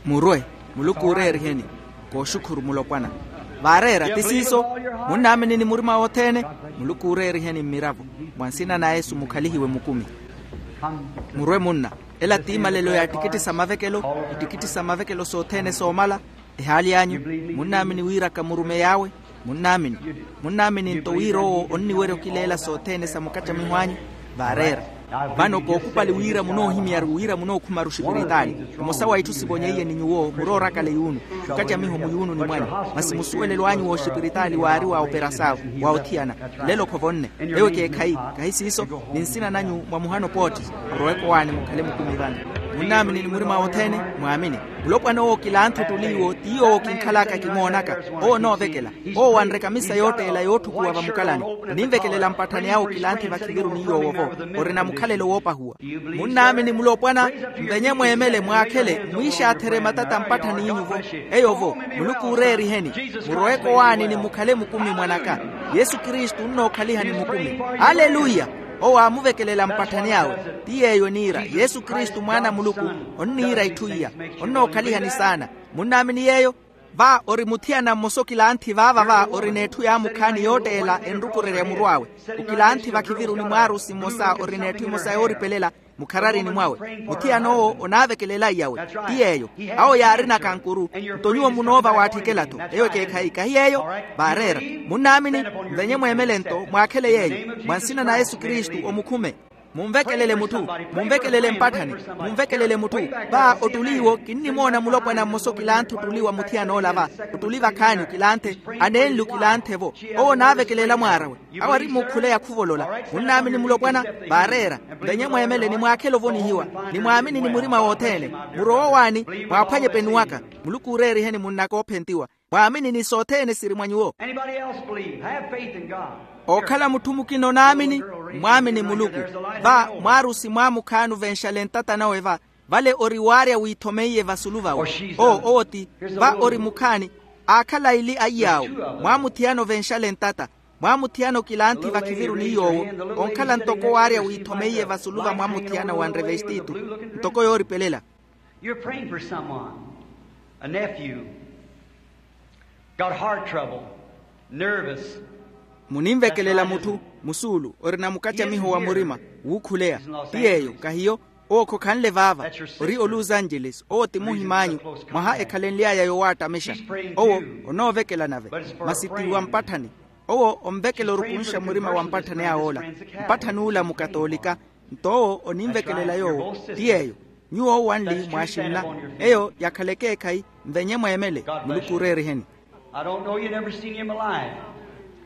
Murwe. Muluku uureeriheni. Kooxukhuru mulopwana. Vaareera ti siiso. Munnaamini ni murima wothene. Muluku uureeriheni mmiravo. Mwa nsina na yesu mukhalihiwe mukumi. Murwe munna. Ela ti imalelo ya attikitti sa mavekelo. Ittikitti sa mavekelo sothene soomala. Ehaali anyu. Munnaamini wiraka murumeyi awe? Munnaamini. Munnaamini nto wira owo onniwerya okileela sothene sa mukattamiho anyu. Vaareera. Vano kookupali wira munoohimyaru wira munookhuma-ru oxipiritaali. Mmosa wa itthu sivonyeiye ni nyuwo muroorakale yuunu. Mukattamiho muyuununi mwanyu. Masi musuwelelo anyu w'oxipiritaali waari wa operasao. Wa othiyana. Lelo khovonne. Eyo ekeekhayi. Kahi siiso. Ni nsina nanyu mwa muhano pootti. Muroweke owaani mukhale mukumi vano. Munnaamini ni murima wothene. Mwaamini. Mulopwana owo kilanthi ottuli iwo ti yoowo kinkhalaka kimoonaka. Owo onoovekela. Owo wanre kamisa yootteela yootthukuwa vamukalani. Oninvekelela mpatthani awe okilanthi vakhiviru ni yoowo-vo. Orina mukhalelo woopahuwa. Munnaamini mulopwana. Mvenye mweemele mwaakhele mwiixaatherye matata mpatthani inyu-vo. Eyo-vo. Muluku uureeriheni. Muroweke owaani ni mukhale mukumi mwanaka. Yesu kristu onnookhaliha ni mukumi. Aleluya. Owo aamuvekelela mpatthani awe. Ti yeeyo eniira yesu kristu mwaana a muluku. Onniira itthu iya. Onnookhalihani saana. Munnaamini yeeyo. Va ori muthiyana mmosa okilanthi vaava va orina etthu yaamukhaani yootteela enrukurerya muru awe. Okilanthi vakhiviruni mwaarusi mmosa orina etthu emosa yooripelela. Mukhararini mwawe. Muthiyana owo onaavekelela iyawe. Ti yeeyo. Awo yaarina kankuru. Nto nyuwo munoova waatthikela-tho. Eyo ekeekhayi kahi yeeyo. Vaareera. Munnaamini. Mvenye mweemele nto mwaakhele yeeyo. Mwa nsina na yesu kristu omukhume. Munvekelele mutthu. Munvekelele mpatthani. Munvekelele mutthu. Va ottuli iwo kinnimoona mulopwana mmosa okilanthi ottuli wa muthiyana ola va. Ottuli vakhaani okilanthe. Aneenli okilanthe-vo. Owo onaavekelela mwaarawe. Awo ari mukhule yakhuvolola. Munnaamini mulopwana. Vaareera. Mvenye mweemele ni mwaakhele ovonihiwa. Ni mwaamini ni murima wothene. Murowe owaani. Mwaaphwanye penuwaka. Muluku uureeriheni munnaka oophentiwa. Mwaamini ni sothene siri mwa nyuwo. Ookhala mutthu mukina onaamini. Mwaamini muluku. Va mwaarusi mwaamukhaani ovenxale ntata nawe va. Vale ori waarya wiithomeiye vasulu vawe. Owo owo ti. Va ori mukhaani. Aakhala aili aiy'awo. Mwaamuthiyana ovenxale ntata. Mwaamuthiyana okilanthi vakhiviru ni yoowo. Onkhala ntoko waarya wiithomeiye vasulu va mwaamuthiyana wanre vestitu. Ntoko yooripelela. You're praying for someone, a nephew, got heart trouble, nervous. Muninvekelela mutthu. Musuulu orina mukattamiho wa murima. Wuukhuleya. Ti yeeyo kahiyo. Owo khokhanle vaava. Ori oluza angeles owo ti muhim'anyu. Mwaha ekhalenly'aya yowaattamexa. Owo onoovekela nave. Masi ti wa mpatthani. Owo onvekela orukunxa murima wa mpatthani awe ola. Mpatthani ula mukatoolika. Nto owo oninvekelela yoowo. Ti yeeyo. Nyuwo owanli mwaaxinna. Eyo yakhala ekeekhayi. Nvenye mweemele. Muluku ooreeriheni. I don't know you never seen him alive.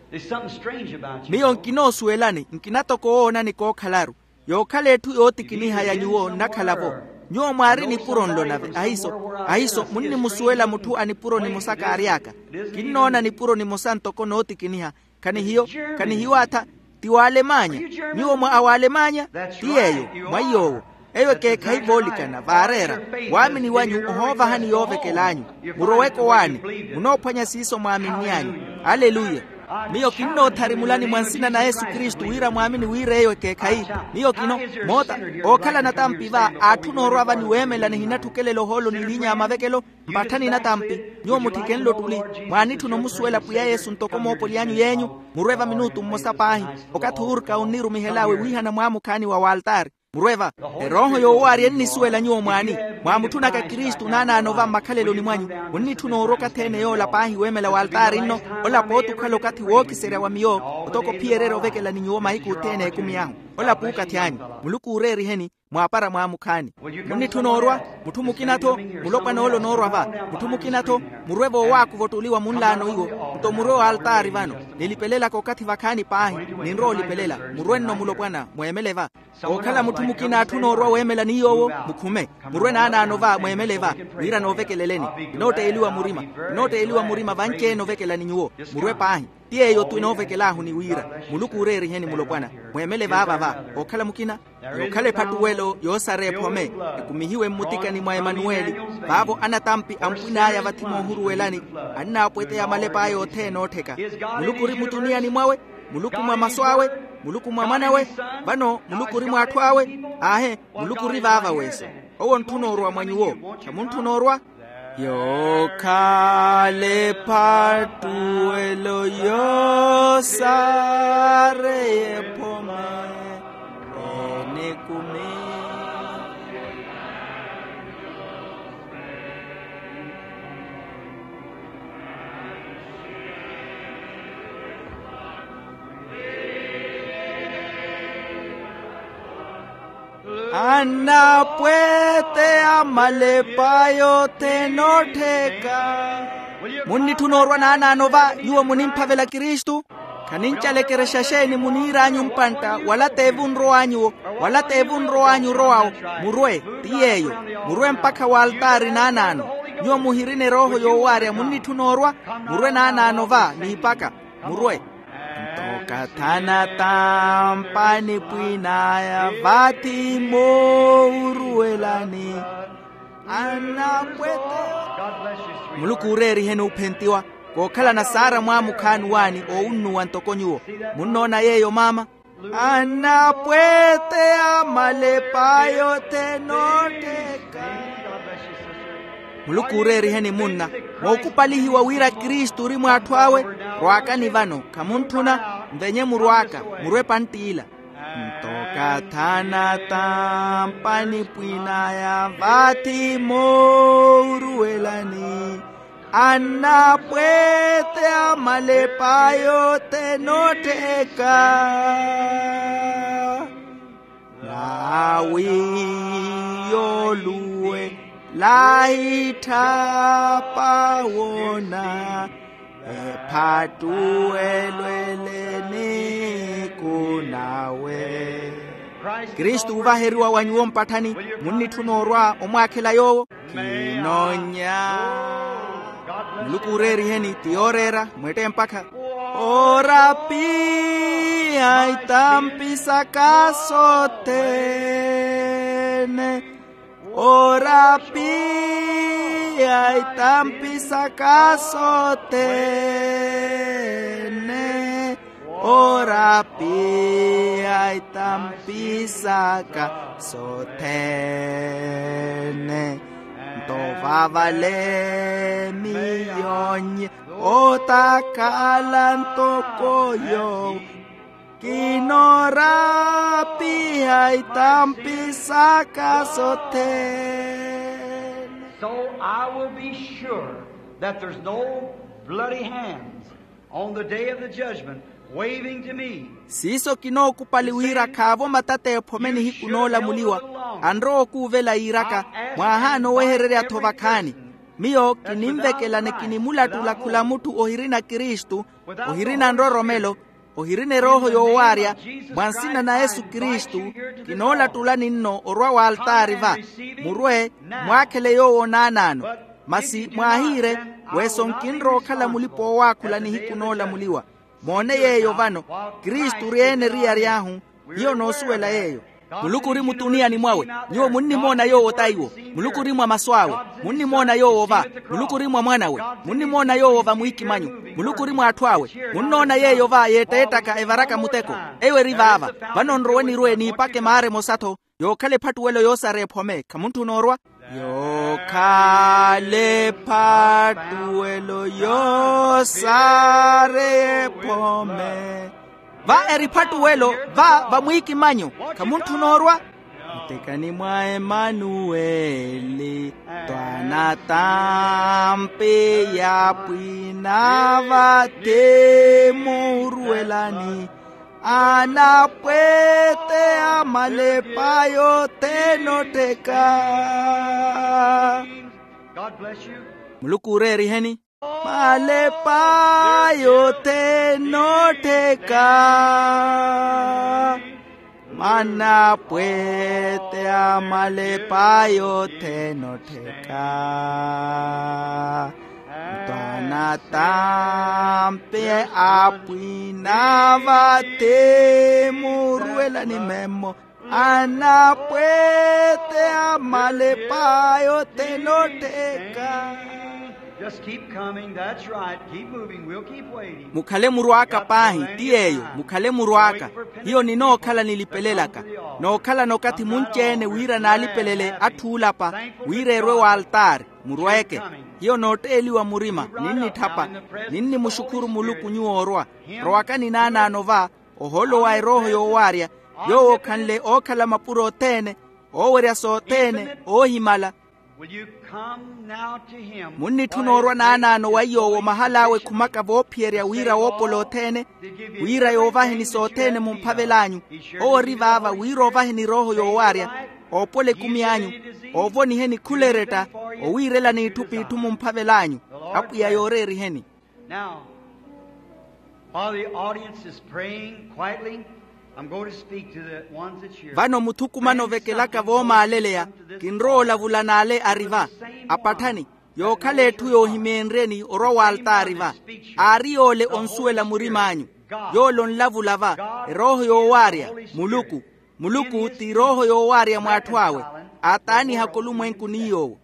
There's something strange about you. Miyo nkinoosuwelani nkinatoko woonani kookhalaru. Yookhala etthu yootikiniha ya nyuwo nnakhala-vo. Nyuwo mwaari nipuro nlo nave ahiiso. Ahiiso munnimusuwela mutthu a nipuro nimosa kaary'aka. Kinnoona nipuro nimosa ntoko nootikiniha. Khanihiyo. Khanihiyo atha. Ti waalemanya. Nyuwo mwa awaalemanya. Ti yeeyo. Mwa iy'owo. Eyo ekeekhayi voolikana vaareera. Waamini wanyu ohoovahani yoovekel'anyu. Muroweke owaani. Munoophwanya siiso mwaaminny'anyu. Aleluya. Miyo kinnootharimulani mwa nsina na yesu kristu wira mwaamini wira eyo ekeekhayi. Miyo kino moota. Ookhala natampi va aatthuna orwa va ni weemela nihinatthukelela ohoolo ni liinya ya mavekelo. Mpatthani natampi. Nyuwo mutthikenle ottuli. Mwaanitthuna omusuwela pwiya yesu ntoko moopoly'anyu yeenyu. Murwe va minutu mmosa paahi. Okathi uurka onnirumihel'awe wiihana mwaamukhaani wa waltaari. Murwe va. Erooho yoowaarya ennisuwela nyuwo mwaani. Mwaamutthunaka kristu naanaano va mmakhaleloni mwanyu. Munnitthuna orwa okathi-ene yoola paahi weemela waltaari nno. Ola pooti okhala okathi wookiserya wa miyo. Otoko ophiyererya ovekela ni nyuwo mahiku othene a ekumi ahu. Ola puukathi anyu. Muluku ooreeriheni. Mwaapara mwaamukhaani. Munnitthuna orwa. Mutthu mukina-tho. Mulopwana ole onoorwa va. Mutthu mukina-tho. Murwe voowaakuva ottuli wa munlaano iwo. Nto murwe waltaari vano. Nilipelelaka okathi vakhaani paahi. Ninrowa olipelela. Murwe nno mulopwana mweemele va. Ookhala mutthu mukina atthuna orwa weemela ni yoowo. Mukhume. Murwe naanaano va mweemele va. Wira noovekeleleni. Kinootteeliwa murima. Kinootteeliwa murima vanci-ene ovekela ni nyuwo. Murwe paahi. Ti yeeyo-tho enoovekel'ahu ni wira. Muluku ooreeriheni mulopwana. Mweemele vaava va. Ookhala mukina. Yookhala ephattuwelo yoosara ephome. Ekumihiwe mmutikani mwa emanuweli. Vaavo anatampi ampwin'aya vathi moohuruwelani. Annaapweteya malep'aya othene oottheka. Muluku ori mutuniyani mwawe. Muluku mwa masu awe. Muluku mwa mwan'awe. Vano muluku ori mw'atthu awe. Aahe. Muluku ori vaava weeso. Owo ontthuna orwa mwa nyuwo. Khamuntthuna orwa. Yookhala ephattuwelo yoosareye ephome. Enikumi. Anapweteya malepa yothene ottheka. Munnitthuna orwa naanaano va nyuwo munimphavela kristu. Khanincalekerexa xeeni muniir'anyu mpantta wala t'evu nrow'anyuwo. Wala t'evu nrow'anyu orow'awo. Murwe. Ti yeeyo. Murwe mpakha waltaari naanaano. Nyuwo muhirina erooho yoowaarya munnitthuna orwa. Murwe naanaano va niipaka. Murwe. Nto okathi anatampa nipwin'aya vathi moohuruwelani. Anapweteya. Muluku ooreeriheni ophentiwa. Kookhalana saara mwaamukhaani waani oowunnuwa ntoko nyuwo. Munnoona yeeyo maama. Anapweteya malepa yothene ottheka. Muluku ooreeriheni munna. Mookupalihiwa wira kristu ori mw'atthu awe. Rwaakani vano khamuntthuna. Nvenye murwaaka. Murwe pantt'ila. Nto okathi anatampa nipwin'aya vathi moohuruwelani. Anapweteya malepa yothene ottheka. Nawi yooluwela itthapa woona. Ephattuwelo ele eniku nawe. Kristu oovaheriwa wa nyuwo mpatthani. Munnitthuna orwa omwaakhela yoowo. Kinonya. Muluku ooreeriheni ti yooreera. Mwette mpakha. Oorapiha itampi saka sothene. Oorapiha itampi saka sothene. Oorapiha itampi saka sothene. Nto vavale miyo nye otakhala ntoko yoowo. Kinoorapiha itampi saka sothene. So I will be sure that there's no bloody hands On the day of the judgment, waving to me. Siiso kinookupali wira khaavo matata ephome nihiku noolamuliwa, anrowa okuuvela yiiraka, mwaahaana owehererya-tho vakhaani. Miyo kininvekelane kinimulattula khula mutthu ohirina kristu, ohirina nroromelo, ohirina erooho yoowaarya, mwa nsina na yesu kristu, kinoolattulani nno orwa w'altaari va. Murwe, mwaakhele yoowo naanaano. Masi mwaahiire, weeso nkinrowa okhala mulipa-oowaakhula nihiku noolamuliwa. Moone yeeyo vano, kristu ori-ene eriyari ahu. Hiyo noosuwela yeeyo. Muluku ori mutuniani mwawe. Nyuwo munnimoona yoowo t'aiwo. Muluku ori mwa masu awe. Munnimoona yoowo va. Muluku ori mwa mwan'awe. Munnimoona yoowo va mwiikimanyu. Muluku ori mwa atthu awe. Munnoona yeeyo va yeetteettaka evaraka muteko. Eyo eri vaava. Vano nrowe nirwe niipake maara emosa-tho. Yookhala ephattuwelo yoosara ephome khamuntthuna orwa. Yookhala ephattuwelo yoosara ephome. Va eri ephattuwelo va vamwiikimanyo. Khamuntthuna orwa. Mtekani mwa emanuweli. Twanattampi ya pwina vathi muurwelani. Anapwete a malepa yothene ottheka. Muluku ooreeriheni. Malepa yothene ottheka. Manapwete a malepa yothene ottheka. Twanattampi apwina vathi muurwelani memmo. Anapwete a malepa yothene ottheka. Just keep coming. That's right. Keep moving. We'll keep waiting. Mukhale murwaaka paahi ti yeeyo mukhale murwaaka. Hiyo ninookhala nilipelelaka. Nookhalana okathi munci-ene wira naalipelele atthu oolapa, wira erwe w'altaari. Murweeke. Hiyo nootteeliwa murima ninnitthapa. Ninnimuxukhuru muluku nyuwo orwa. Rowakani naanaano va. Ohoolo wa erooho yoowaarya. Yoowo okhanle ookhala mapuro othene, oowerya sothene oohimala. Munnitthuna orwa naanaano wa iyoowo mahal'awe ekhumaka voophiyerya wira woopola othene, wira yoovaheni sothene mumphavel'anyu. Owo ori vaava wira oovaheni erooho yoowaarya, oopola ekumi anyu, oovoniheni khula eretta, owiirelani itthu p'itthu mumphavel'anyu. Apwiya yooreeriheni. Now, while the audience is praying quietly, I'm going to speak to the ones that's here. Vano muthukumana ovekelaka voomaaleleya, kinrowa olavula n'ale ari va. Apatthani, yookhala etthu yoohimeenryeni orwa w'altaari va. Aari yoole onsuwela murim'anyu. Yoole onlavula va. Erooho yoowaarya. Muluku. Muluku ti erooho yoowaarya mw'atthu awe. Aataanihaka olumwenku ni yoowo.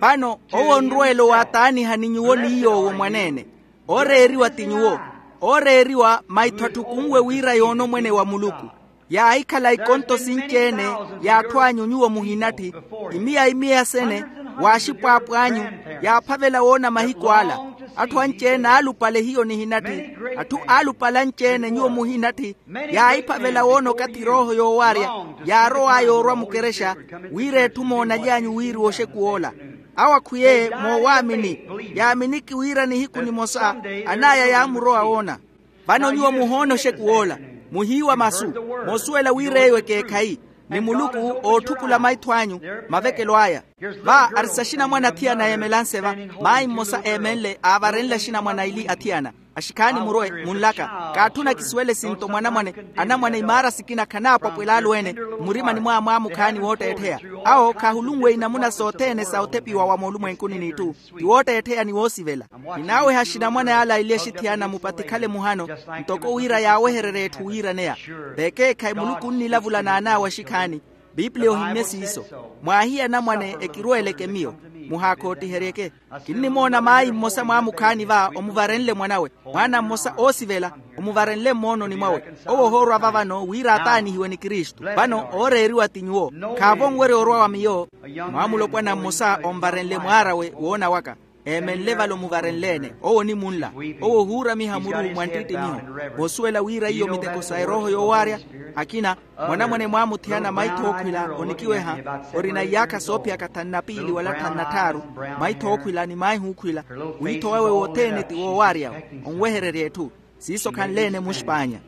Vano owo onrweela owaataanihani nyuwo ni yoowo mwaneene. Ooreeriwa ti nyuwo. Ooreeriwa maitho atthu khunwe wira yoona omwene wa muluku. Yaahikhala ikonto sinci-ene, y'atthu anyu nyuwo muhinatthi. Imiya imiya sene, w'axipwaapo anyu, yaaphavela woona mahiku ala. Atthu anci-ene aalupale hiyo nihinatthi. Atthu aalupale anci-ene nyuwo muhinatthi. Yaahiphavela woona okathi erooho yoowaarya, yaarow'aya orwa mukerexa, wira etthu moonaly'anyu wiiriwa oxekuw'ola. Awo akhwiye moowaamini, yaaminiki wira nihiku nimosa an'aya yaamurowa woona. Vano nyuwo muhoona oxekuw'ola, muhiiwa masu, moosuwela wira eyo ekeekhayi, ni muluku ootthukula maitho anyu. Mavekelo aya. Va ari saxinamwane athiyana eemelanse va. Maayi mmosa eemenle aavarenle axinamwane aili athiyana. Axikhaani murwe munlaka. Kaatthuna kisuwele sinto mwanamwane. Anamwane imaara sikina khanaapwapwela alweene. Mmurimani mwaa mwaamukhaani wootteettheya. Awo khaahulunwe inamuna sothene sa othepiwa wa moolumwenkuni n'itthu. Ti wootteettheya ni woosivela. Ninaaweha axinamwane ala aili axithiyana mupathi khale muhano. Ntoko wira yaawehererya etthu wiiraneya. Vekeekhayi muluku onnilavula n'an'awe axikhaani. Pipiliya ohimmye siiso. Mwaahiya anamwane ekirweeleke miyo. Muhaakhootiheryeke. Kinnimoona maayi mmosa mwaamukhaani va omuvarenle mwan'awe. Mwaana mmosa oosivela, omuvarenle mmoononi mwawe. Owo ohoorwa va vano wira ataanihiwe ni kristu. Vano ooreeriwa ti nyuwo. Khaavo onwerya orwa wa miyo. Mwaamulopwana mmosa onvarenle mwaar'awe woona waka. Eemenle vale omuvarenle-ene. Owo onimunla. Owo ohuuramiha muru mwa nttittimiho. Voosuwela wira iyo miteko sa erooho yoowaarya. Akina, mwanamwane mwaamuthiyana maitho ookhwila onikiweha. Orina iyaakha soophiyaka thanu na piili wala thanu na tthaaru. Maitho ookhwila ni maahi ookhwila. Wiitho wawe wothene ti woowaaryawe. Onwehererya etthu. Siiso khanle-ene muxpaanya.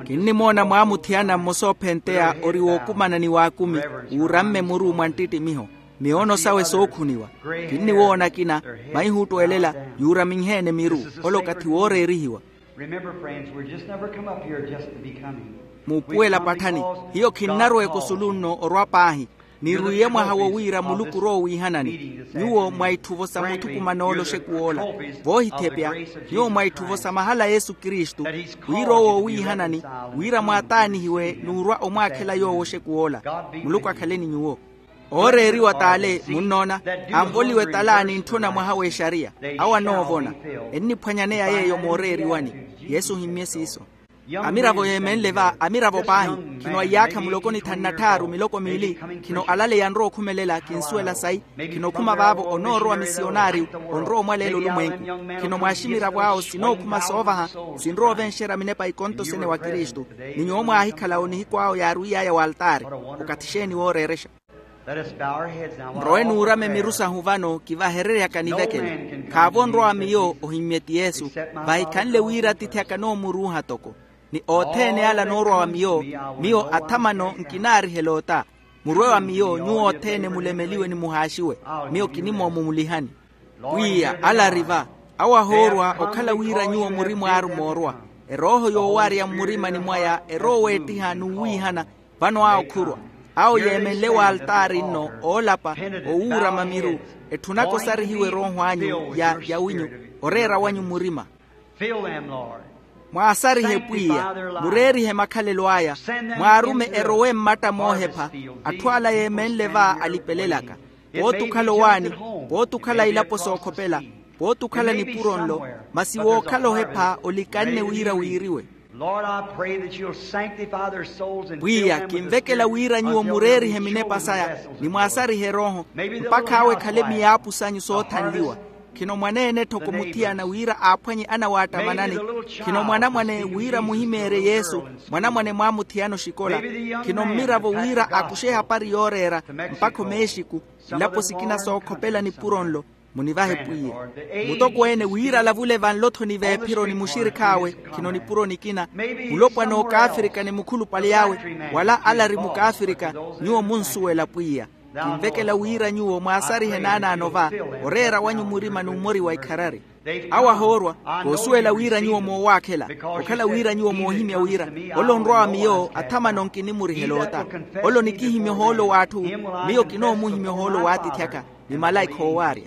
Kinnimoona mwaamuthiyana mmosa oophenteya ori wookumana ni waakumi. Wuuramme muru mwa nttittimiho. Miyoono sawe sookhuniwa. Kinniwoona akina. Maihuuttwelela. Yuuraminhe-ene miru. Ole okathi wooreerihiwa. Muupuwela patthani. Hiyo khinnarowa ekusulunno orwa paahi. Nirwiiye mwaha wo wira muluku orowa owiihanani. Nyuwo mwa itthuvo sa muthukumano ole oxekuw'ola. Voohithepya. Nyuwo mwa itthuvo sa mahala a yesu kristu. Wira owo owiihanani. Wira mwaataanihiwe n'urwa omwaakhela yoowo oxekuw'ola. Muluku akhale ni nyuwo. Ooreeriwa t'ale munnoona. Anvoliwe t'ale anintthuna mwaha w'exariya. Awo anoovona. Enniphwanyaneya yeeyo mooreeriwani. Yesu ohimmye siiso. Amiravo yeemenle va amiravo paahi. Khino a iyaakha mulokoni thanu na tthaaru miloko miili. Khino alaleya anrowa okhumelela kinsuwela sayi. Khino okhuma vaavo onoorowa misiyonaariyu. Onrowa omwaleela olumwenku. Khino mwaaximiravo awo sinookhuma soovaha. Sinrowa ovenxerya minepa ikonto sene wa kristu. Ni nyuwo mwaahikhala-wo nihiku awo yaarwiy'aya w'altaari. Okathi xeeni wooreerexa? Nrowe nuurame miru sahu vano kivahereryaka nivekele. Khaavo onrowa miyo ohimmye ti yesu. Vahikhanle wira atiithi aka noomuruuha toko. Ni othene ala anoorwa wa miyo. Miyo athamano nkinaarihela ota. Murwe wa miyo nyuwo othene mulemeliwe ni muhaaxiwe. Miyo kinimoomumulihani. Pwiya ala ari va. Awo ahoorwa okhala wira nyuwo muri mwaari moorwa. Erooho yoowaarya mmurimani mwaya erowa weettiha n'uwiihana. Vano awo khurwa. Awo yeemenle w'altaari nno oolapa. Owuurama miru. Etthunaka osarihiwa erooho anyu ya yawinyu. Oreera wanyu murima. Mwaasarihe pwiya. Mureerihe makhalelo aya. Mwaarume erowe mmatta moohepha. Atthu ala yeemenle va alipelelaka. Pooti okhala owaani. Pooti okhala ilapo sookhopela. Pooti okhala nipuro nlo. Masi wookhala ohepha olikanne wira wiiriwe. Pwiya kinvekela wira nyuwo mureerihe minepa saya. Ni mwaasarihe erooho. Mpakha awo ekhale miyaapu sanyu soothanliwa. Khino mwaneene tthoko muthiyana wira aaphwanye anawaattamanani. Khino mwanamwane wira muhimeerye yesu. Mwanamwane mwaamuthiyana oxikola. Khino mmiravo wira akuxe ehapari yooreera. Mpakha omeexiku. Nlapo sikina sookhopela nipuro nlo. Munivahe pwiya. Mutokweene wira alavule vanlo-tho ni veephiro ni muxirikhi awe. Khino nipuro nikina. Mulopwana ookaafirika ni mukhulupale awe. Wala ala ari mukaafirika. Nyuwo munsuwela pwiya. Kinvekela wira nyuwo mwaasarihe naanaano va. Oreera wanyu murima n'umori wa ikharari. Awo ahoorwa. Koosuwela wira nyuwo moowaakhela. Okhala wira nyuwo moohimya wira. Ole onrwa wa miyo athamano nkinimurihela ota. Ole onikihimya ohoolo w'atthu. Miyo kinoomuhimya ohoolo w'atiithi aka. Ni malaikha oowaarya.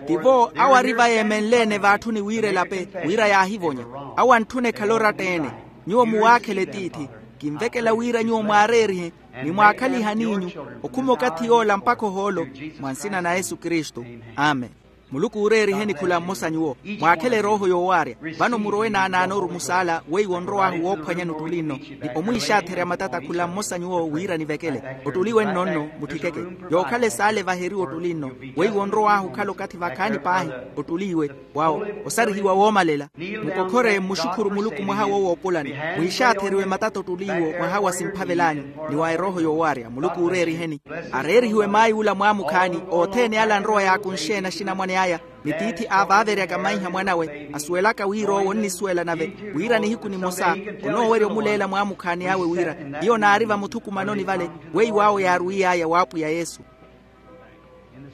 Tivo awo ari va yeemenle-ene v'atthuni wira elape. Wira yaahivonya. Awo antthuna ekhale oratta-ene. Nyuwo muwaakhele tiithi. Kinvekela wira nyuwo mwaareerihe. Ni mwaakhalihe aniinyu. Okhuma okathi yoola mpakha ohoolo. Mwa nsina na yesu kristu. Amen. Muluku uureeriheni khula mmosa nyuwo. Mwaakhele erooho yoowaarya. Vano murowe naanaano orumu saala weiwo onrow'ahu woophwanyani ottuli nno. Ni omwiixaatherya matata khula mmosa nyuwo wira nivekele. Ottuli wenno nno mutthikeke. Yookhala esaala evaheriwe ottuli nno. Weiwo onrow'ahu okhala okathi vakhaani paahi. Ottuli iwe. Wawo. Osarihiwa woomalela. Mukokhore mmuxukhuru muluku mwaha wo woopulani. Mwiixaatheriwe matata ottuli iwo mwaha wa simphavel'anyu. Ni wa erooho yoowaarya muluku uureeriheni. Areerihiwe maay'ula mwaamukhaani. Othene ala anrowa yaakunxeena axinamwane aya. Ni tiithi aavaaveryaka maiha mwan'awe asuwelaka wira owo onnisuwela nave. Wira nihiku nimosa onoowerya omuleela mwaamukhaani awe wira. Hiyo naari vamuthukumanoni vale. Weiwo awo yaarwiy'aya w'apwiya yesu.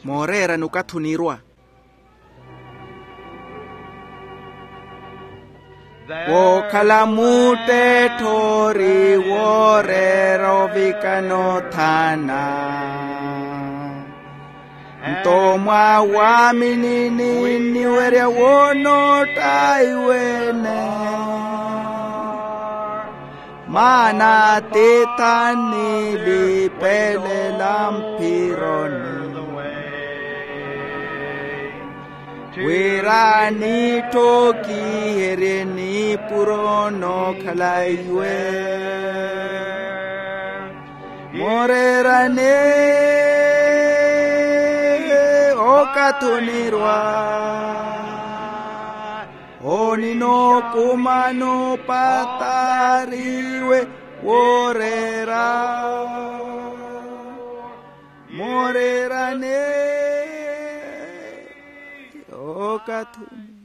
Mooreera ni okathi onirwa. Wookhala muttettho ori wooreera ovikana othana. Nto mwawaamini ninniwerya woonootta iweene. Maana atiithi annilipelela mphironi. Wira nitthokiherye nipuro nookhala iwe. Mooreerane. Kathunirwa oninokumano patariwe worera morerane okathuni